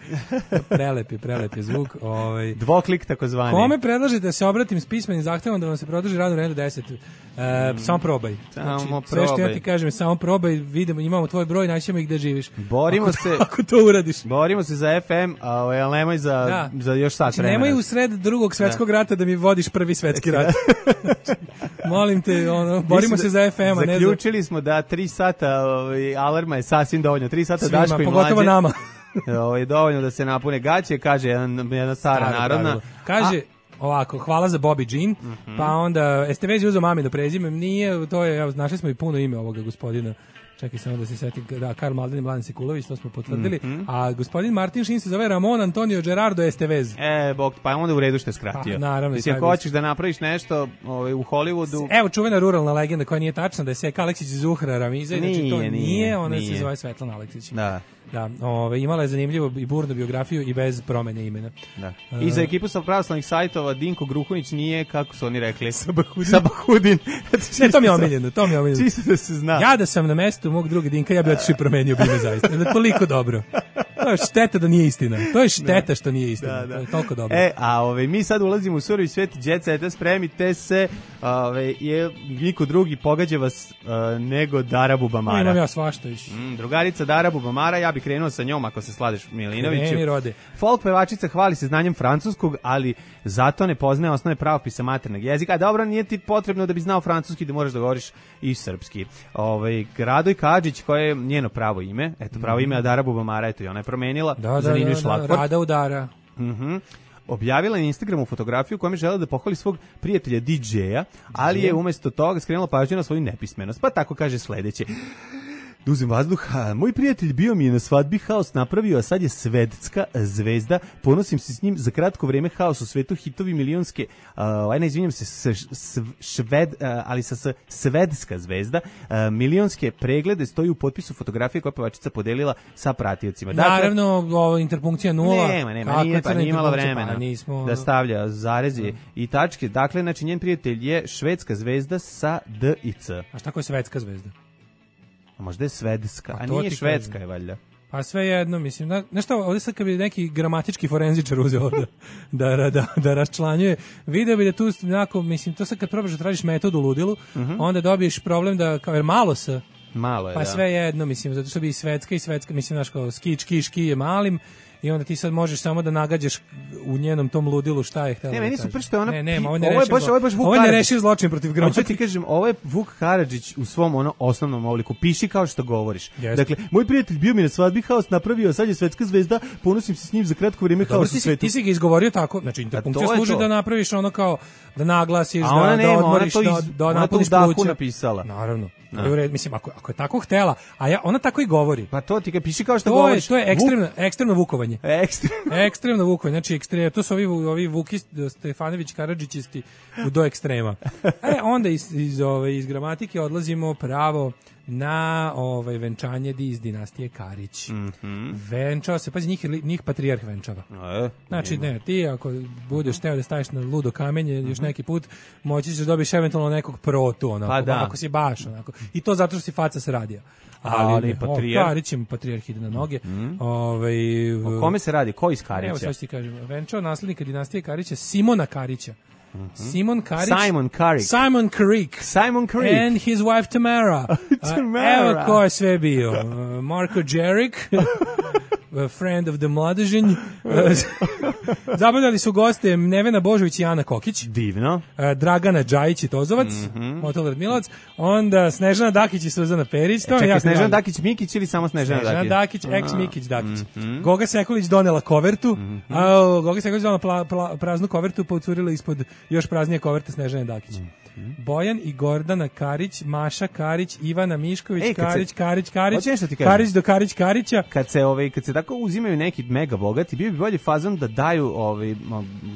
Prelepi, prelepi zvuk. Ovaj. Dvoklik takozvani. Kome predlažete da se obratim s pismenim zahtevom da vam se produži radno vreme do deset? E, mm. Samo probaj. Samo znači, probaj. Sve što ja ti kažem, samo probaj, vidimo, imamo tvoj broj, naćemo i gde živiš. Borimo ako, se. Ako to uradiš. Borimo se za ef em, ali nemoj za, da. za još sat vremena. Nemoj u sred drugog svetskog da. rata da mi vodiš prvi svetski rat. Molim te, ono, borimo se za ef em, a ne za... Zaključili smo da tri sata ovaj, alarma je sasvim dovoljno. tri sata Svima, Daško i Mlađe. Pogotovo nama. Ovo je dovoljno da se napune gaće, kaže jedan, jedna stara Staro narodna. Pravilo. Kaže, a, ovako, hvala za Bobby Jean, uh-huh. pa onda, jeste već uzeo mami da prezime, nije, to je, evo, našli smo i puno ime ovoga gospodina. Čekaj samo da se setim, da, Karl Malden i Mladen Sekulović, to smo potvrdili, mm-hmm. a gospodin Martin Šin se zove Ramon Antonio Gerardo Estevez. E, bog, pa onda u redu što je skratio. Pa, naravno. Mislim, ako hoćeš da napraviš nešto ovaj, u Hollywoodu... Evo, čuvena ruralna legenda koja nije tačna, da je Seka Aleksić iz Zuhra Ramiza, nije, znači to nije, nije ona nije. se zove Svetlana Aleksić. Da. Da, ove, imala je zanimljivu i burnu biografiju i bez promene imena. Da. I za ekipu sa pravoslavnih sajtova Dinko Gruhunić nije, kako su oni rekli, Sabahudin. Sabahudin. Ne, to mi je omiljeno, to mi je omiljeno. Čisto da se zna. Ja da sam na mestu mog druga Dinka, ja bih otišao i promenio bi ime zaista. Da je toliko dobro. To je šteta da nije istina. To je šteta da. što nije istina. Da, da. To je toliko dobro. E, a ove, mi sad ulazimo u surovi svet Jet Seta, spremite se, ove, je, niko drugi pogađa vas uh, nego Dara Bubamara. No, imam ja svašta iš. Mm, drugarica Dara Bubamara, ja bih krenuo sa njom ako se sladeš Milinoviću. Kreni rode. Folk pevačica hvali se znanjem francuskog, ali zato ne poznaje osnove pravopisa materneg jezika. A dobro, nije ti potrebno da bi znao francuski da moraš da govoriš i srpski. Ovaj Radoj Kadžić, koje je njeno pravo ime, eto pravo ime je Dara Bubamara, eto i ona je promenila. Da, zanimljiv da, da, da, Rada udara. Mhm. Objavila je na Instagramu fotografiju kojom je želela da pohvali svog prijatelja di džeja, ali je umesto toga skrenula pažnju na svoju nepismenost. Pa tako kaže sledeće. Da uzem vazduh, moj prijatelj bio mi je na svadbi, haos napravio, a sad je svetska zvezda, ponosim se s njim za kratko vreme, haos u svetu, hitovi milionske, uh, aj ne izvinjam se, s, s, šved, uh, ali sa s, svedska zvezda, uh, milionske preglede stoji u potpisu fotografije koja pevačica podelila sa pratiocima. Dakle, naravno, ovo, interpunkcija nula. Nema, nema, nije, pa nije imala vremena pa, nismo... da stavlja zarezi mm. i tačke. Dakle, znači, njen prijatelj je švedska zvezda sa D i C. A šta ko je svetska zvezda? A možda je svedska, a nije švedska je valjda. Pa sve jedno, mislim, na, nešto, ovdje sad kad bi neki gramatički forenzičar uzeo da, da, da, da raščlanjuje, video bi da tu, onako, mislim, to sad kad probaš da tražiš metodu u ludilu, uh-huh. onda dobiješ problem da, kao, jer malo se, malo je, pa da. sve jedno, mislim, zato što bi i svetska i svetska, mislim, znaš, kao, ski, ški, ški je malim, i onda ti sad možeš samo da nagađaš u njenom tom ludilu šta je htjela. Ne, meni su pršte ona. Ne, nema, ovo je baš, ovo je baš Vuk. Ovo je nerešiv zločin protiv gramatike. Hoću ti kažem, ovo je Vuk Karadžić u svom ono osnovnom obliku. Piši kao što govoriš. Yes. Dakle, moj prijatelj bio mi na svadbi, haos napravio, a sad je svetska zvezda, ponosim se s njim za kratko vrijeme, haos u svetu. Ti si ga izgovorio tako, znači interpunkcija služi da napraviš ono kao da naglasiš, a ona da, nema, da odmoriš, ona to iz, da, da napuniš pluća. Napisala. Naravno. No. Mislim, ako, ako je tako htela, a ja, ona tako i govori. Pa to ti ga piši kao što to govoriš. Je, to je ekstremno, Vuk... ekstremno vukovanje. Ekstremno. ekstremno vukovanje. Znači, ekstremno, to su ovi, ovi Vukist, Stefanović, Karadžićisti u do ekstrema. E, onda iz, iz, ove, iz gramatike odlazimo pravo na ovaj venčanje iz dinastije Karić. Mm-hmm. Venčao se, pazi, njih, njih patrijarh venčava. E, znači, ne, ti ako budeš teo da staviš na ludo kamenje mm-hmm. još neki put, moći ćeš da dobiješ eventualno nekog protu, onako, pa da. ako si baš, onako. I to zato što si faca se radija. Ali, ali patrijarh... Karić im patrijarh ide na noge. Mm-hmm. Ovaj, o kome se radi? Ko iz Karića? Evo, sad ti kažem. Venčao naslednika dinastije Karića, Simona Karića. Mm-hmm. Simon Karić. Simon Karić. Simon Karić. Simon Karić. And his wife Tamara. Tamara. Evo ko je sve bio. Uh, Marko Đerik. A friend of the Mladežinj. Zabavljali su goste Nevena Božović i Ana Kokić. Divno. Dragana Džajić i Tozovac, mm-hmm. Motel Radmilovac. Onda Snežana Dakić i Suzana Perić. To e, čekaj, Snežana drago. Dakić Mikić ili samo Snežana, Snežana Dakić? Dakić, ex Mikić Dakić. Mm-hmm. Goga Sekulić donela kovertu, mm-hmm. a Goga Sekulić donela pla, pla, praznu kovertu, pa ucurila ispod još praznije koverte Snežane Dakić. Mm-hmm. Bojan i Gordana Karić, Maša Karić, Ivana Mišković, Ej, Karić, se, Karić, Karić, Karić, Karić do Karić, Karića. Kad se, ovaj, kad se tako uzimaju neki mega bogati, bio bi bolji fazon da daju ovaj,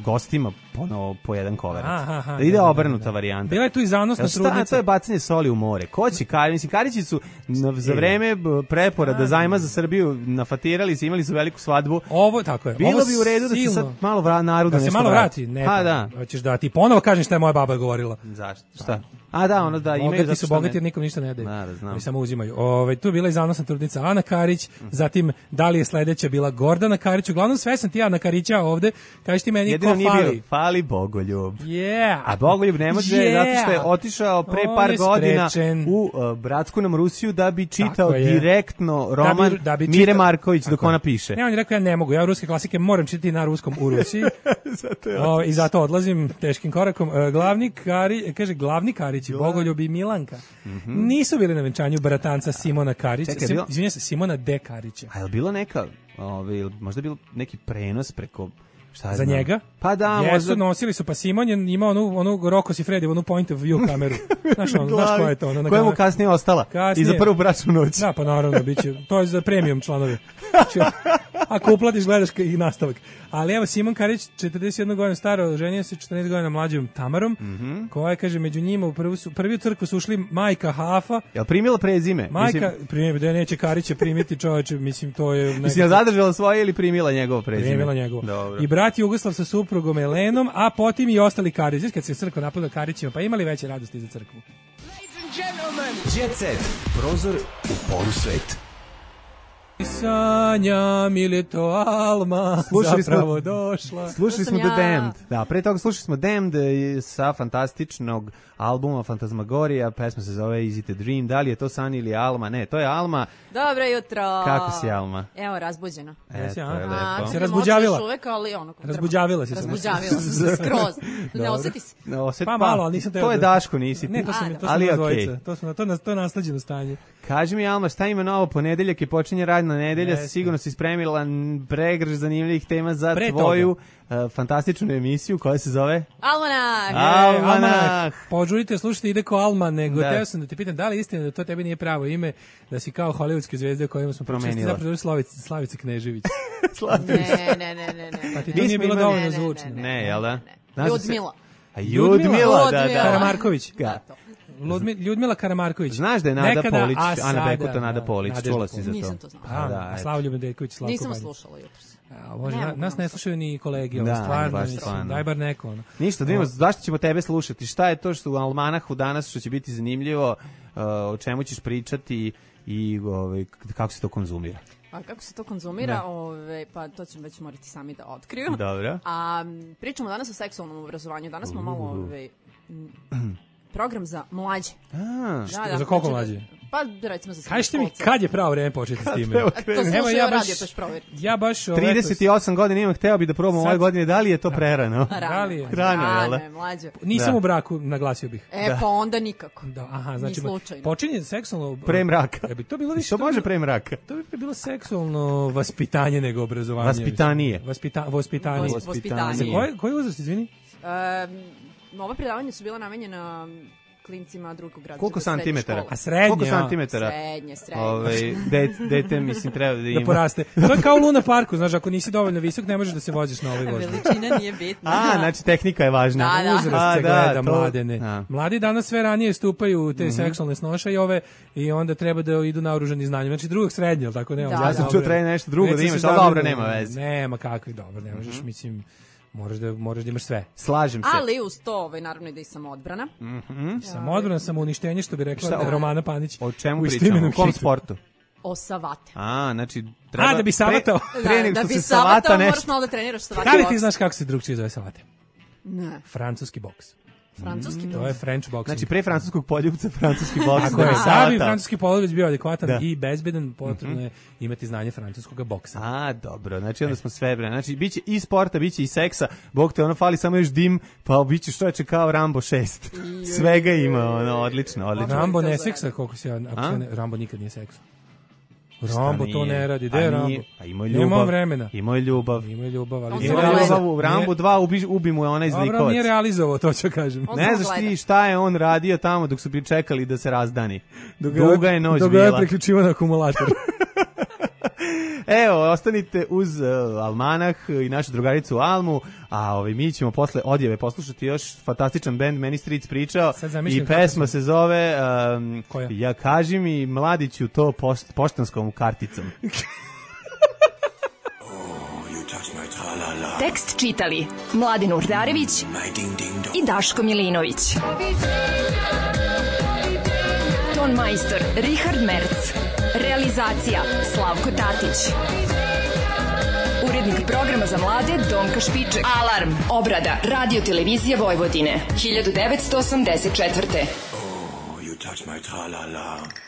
gostima ponovo po jedan kover. Da ide obrnuta varijanta. Bila je tu i zanosna trudnica. To je bacanje soli u more. Ko će Karić? Mislim, Karići su za vreme preporada zajma za Srbiju nafatirali se, imali su veliku svadbu. Ovo, tako je. Bilo ovo bi u redu silno. Da se sad malo vra, narodu da nešto se malo vrati. Ne, pa da. Hoćeš da ti ponovo kažem šta je moja baba govorila. Zašto? Šta? A da, ono da imaju bogati zato su bogati jer nikom ništa ne daju. Da, da znam. Oni samo uzimaju. Ove, tu je bila i zanosna trudnica Ana Karić, mm. zatim da li je sledeća bila Gordana Karić. Uglavnom sve sam ti Ana Karića ovde. Kažeš ti meni jedino ko fali? Bio, fali Bogoljub. Yeah. A Bogoljub ne može yeah. zato što je otišao pre par je godina u uh, bratsku nam Rusiju da bi čitao je. direktno roman da bi, da bi Mire čita... Marković dok ona piše. Ne, on je rekao ja ne mogu, ja ruske klasike moram čitati na ruskom u Rusiji. zato o, I zato odlazim teškim korakom. Uh, glavni Kari, kaže glavni Karić, Bogoljub i Milanka. Mm-hmm. Nisu bili na venčanju bratanca Simona Karića, Sim, bilo... izvinjam se, Simona D. Karića. A je li bilo neka, ovaj, možda je bilo neki prenos preko, šta je za znam? njega? Pa da, Jesu, možda... nosili su, pa Simon je imao onu, onu Rocco Siffredi, onu point of view kameru. Znaš, ono, znaš koja je to? Ona koja mu kasnije ostala? Kasnije. I za prvu bračnu noć. Da, pa naravno, bit će, to je za premium članovi. Ako uplatiš, gledaš i nastavak. Ali evo, Simon Karić, četrdeset jedna godina staro, ženio se četrnaest godina mlađom Tamarom, mm-hmm. koja je, kaže, među njima u prvu, su, prvi u crkvu su ušli majka Hafa. Jel primila prezime? Majka, mislim... primila, da neće Karića primiti čoveče, mislim, to je... Nekako... Mislim, je zadržala svoje ili primila njegovo prezime? Primila njegovo. Dobro. I brat Jugoslav sa suprugom Elenom, a potom i ostali Karić. Kad se crkva napada Karićima, pa imali veće radosti za crkvu. Ladies and gentlemen, Jet Set, prozor u poru sveta. Sanjam ili to Alma slušali zapravo smo, došla. Slušali smo ja. The Damned. Da, pre toga slušali smo Damned sa fantastičnog albuma Fantasmagorija, pesma se zove Is it a Dream. Da li je to San ili Alma? Ne, to je Alma. Dobro jutro. Kako si, Alma? Evo, razbuđena. E, to je lepo. A, se razbuđavila. Uvek, ali ono, razbuđavila si se. Razbuđavila se, skroz. Ne osjeti se. Ne osjeti, pa malo, ali nisam to je Daško, nisi ti. Ne, to sam, to ali sam okay. To su to, to je nasleđeno stanje. Kaži mi, Alma, šta ima novo? Ponedeljak je počinje radna nedelja, yes. Sigurno si spremila pregrš zanimljivih tema za Pre tvoju uh, fantastičnu emisiju koja se zove Almanah. E, Almanah. Požurite, slušajte, ide ko Alma, nego da. Teo sam da te pitam da li istina da to tebi nije pravo ime, da si kao hollywoodske zvezde o kojima smo promenili. Zapravo Slavica, Slavica Knežević. ne, ne, ne, ne, ne. Pa ti to nije bilo dovoljno zvučno. Ne, ne, jel da? Ljudmila. A Ljudmila, da, da. Karamarković. Da. Ljudmila Karamarković. Znaš da je Nada Nekada, Polić, a Ana Bekuta, Nada Polić, čula si za to. Nisam to znala. A, da, a Slavljub Nedeljković, Slavko Nisam slušala jutros. A, može, na, nas ne slušaju ni kolegi, ovo, da, stvarno, mislim, daj bar neko. Ono. Ništa, da vidimo, zašto ćemo tebe slušati? Šta je to što u Almanahu danas što će biti zanimljivo, uh, o čemu ćeš pričati i ovaj, kako se to konzumira? A kako se to konzumira, ove, pa to ćemo već morati sami da otkriju. Dobro. A pričamo danas o seksualnom obrazovanju. Danas smo malo ove, program za mlađe. A, da, da, za koliko mlađe? Pa recimo za srednje. Kažite mi kad je pravo vreme početi s time? To slušao ja radio, pa provjeri. Ja baš trideset osam godina imam, hteo bi da probam ove godine, da li je to prerano? Rano. Je? Rano, je mlađe. Nisam da. U braku, naglasio bih. E, da. Pa onda nikako. Da, aha, znači počinje seksualno pre mraka. Ja bi to bilo više. Što može pre mraka? To bi bilo seksualno vaspitanje nego obrazovanje. Vaspitanije. Vaspita, vaspitanje. Vaspitanje. Koji koji uzrast, izvini? Um, ova predavanja su bila namenjena klincima drugog grada. Koliko santimetara? A srednje? Koliko santimetara? Srednje, srednje. Ove, dete, dete, mislim, treba da ima. Da poraste. To je kao u Luna parku, znaš, ako nisi dovoljno visok, ne možeš da se voziš na ovoj vožnji. Veličina nije bitna. A, znači tehnika je važna. Da, da. Uzrast se gleda, da, mladene. Da. Mladi danas sve ranije stupaju u te mm-hmm. seksualne snošaje ove i onda treba da idu naoružani znanjem. Znači drugog srednje, tako ne? Da, ja sam čuo treba nešto drugo da imaš, ali dobro, nema veze. Nema kakvi, dobro, ne možeš, mislim... Moraš da, moraš da imaš sve. Slažem se. Ali uz to, ovaj, naravno i da i samoodbrana. Mm-hmm. Samoodbrana, samouništenje, što bi rekla šta, Romana Panić. O čemu pričamo? U kom sportu? O savate. A, znači... Treba, A, da bi savatao. Pre, pre da, nego da što bi se savata nešto. Moraš malo da treniraš savate. Da li ti znaš kako se drugčije zove savate? Ne. Francuski boks. Francuski mm, to je French boxing. Znači pre francuskog poljupca francuski boks. Ako je sabi francuski poljub bio adekvatan da. i bezbedan, potrebno je imati znanje francuskog boksa. A, dobro, znači onda smo sve bre. Znači biće i sporta, biće i seksa. Bog te ono fali samo još dim, pa biće što je kao Rambo šest. Svega ima, ono odlično, odlično. Rambo ne seksa, koliko se ja, ako se ne, Rambo nikad nije seksa. Rambo to ne radi, gde je Rambo? A ima ljubav. Nema vremena. Ima ljubav. Ima ljubav, ali ima ljubav u Rambo dva, ubi, ubi mu je onaj zlikovac. Dobro, nije realizovao, to ću kažem. Ne znaš ti šta je on radio tamo dok su pričekali da se razdani. Duga je noć bila. Dok ga je priključivo na akumulator. Evo, ostanite uz uh, Almanah i našu drugaricu Almu, a ovaj, mi ćemo posle odjave poslušati još fantastičan bend Many Streets pričao i pesma se zove um, Ja kaži mi mladiću to post, poštanskom karticom. Tekst čitali Mladin Urdarević i Daško Milinović. Ton majstor Richard Merc. Realizacija Slavko Tatić. Urednik programa za mlade Donka Špiček. Alarm. Obrada Radio Televizije Vojvodine. hiljadu devetsto osamdeset četvrte. Oh, you touch my tra-la-la.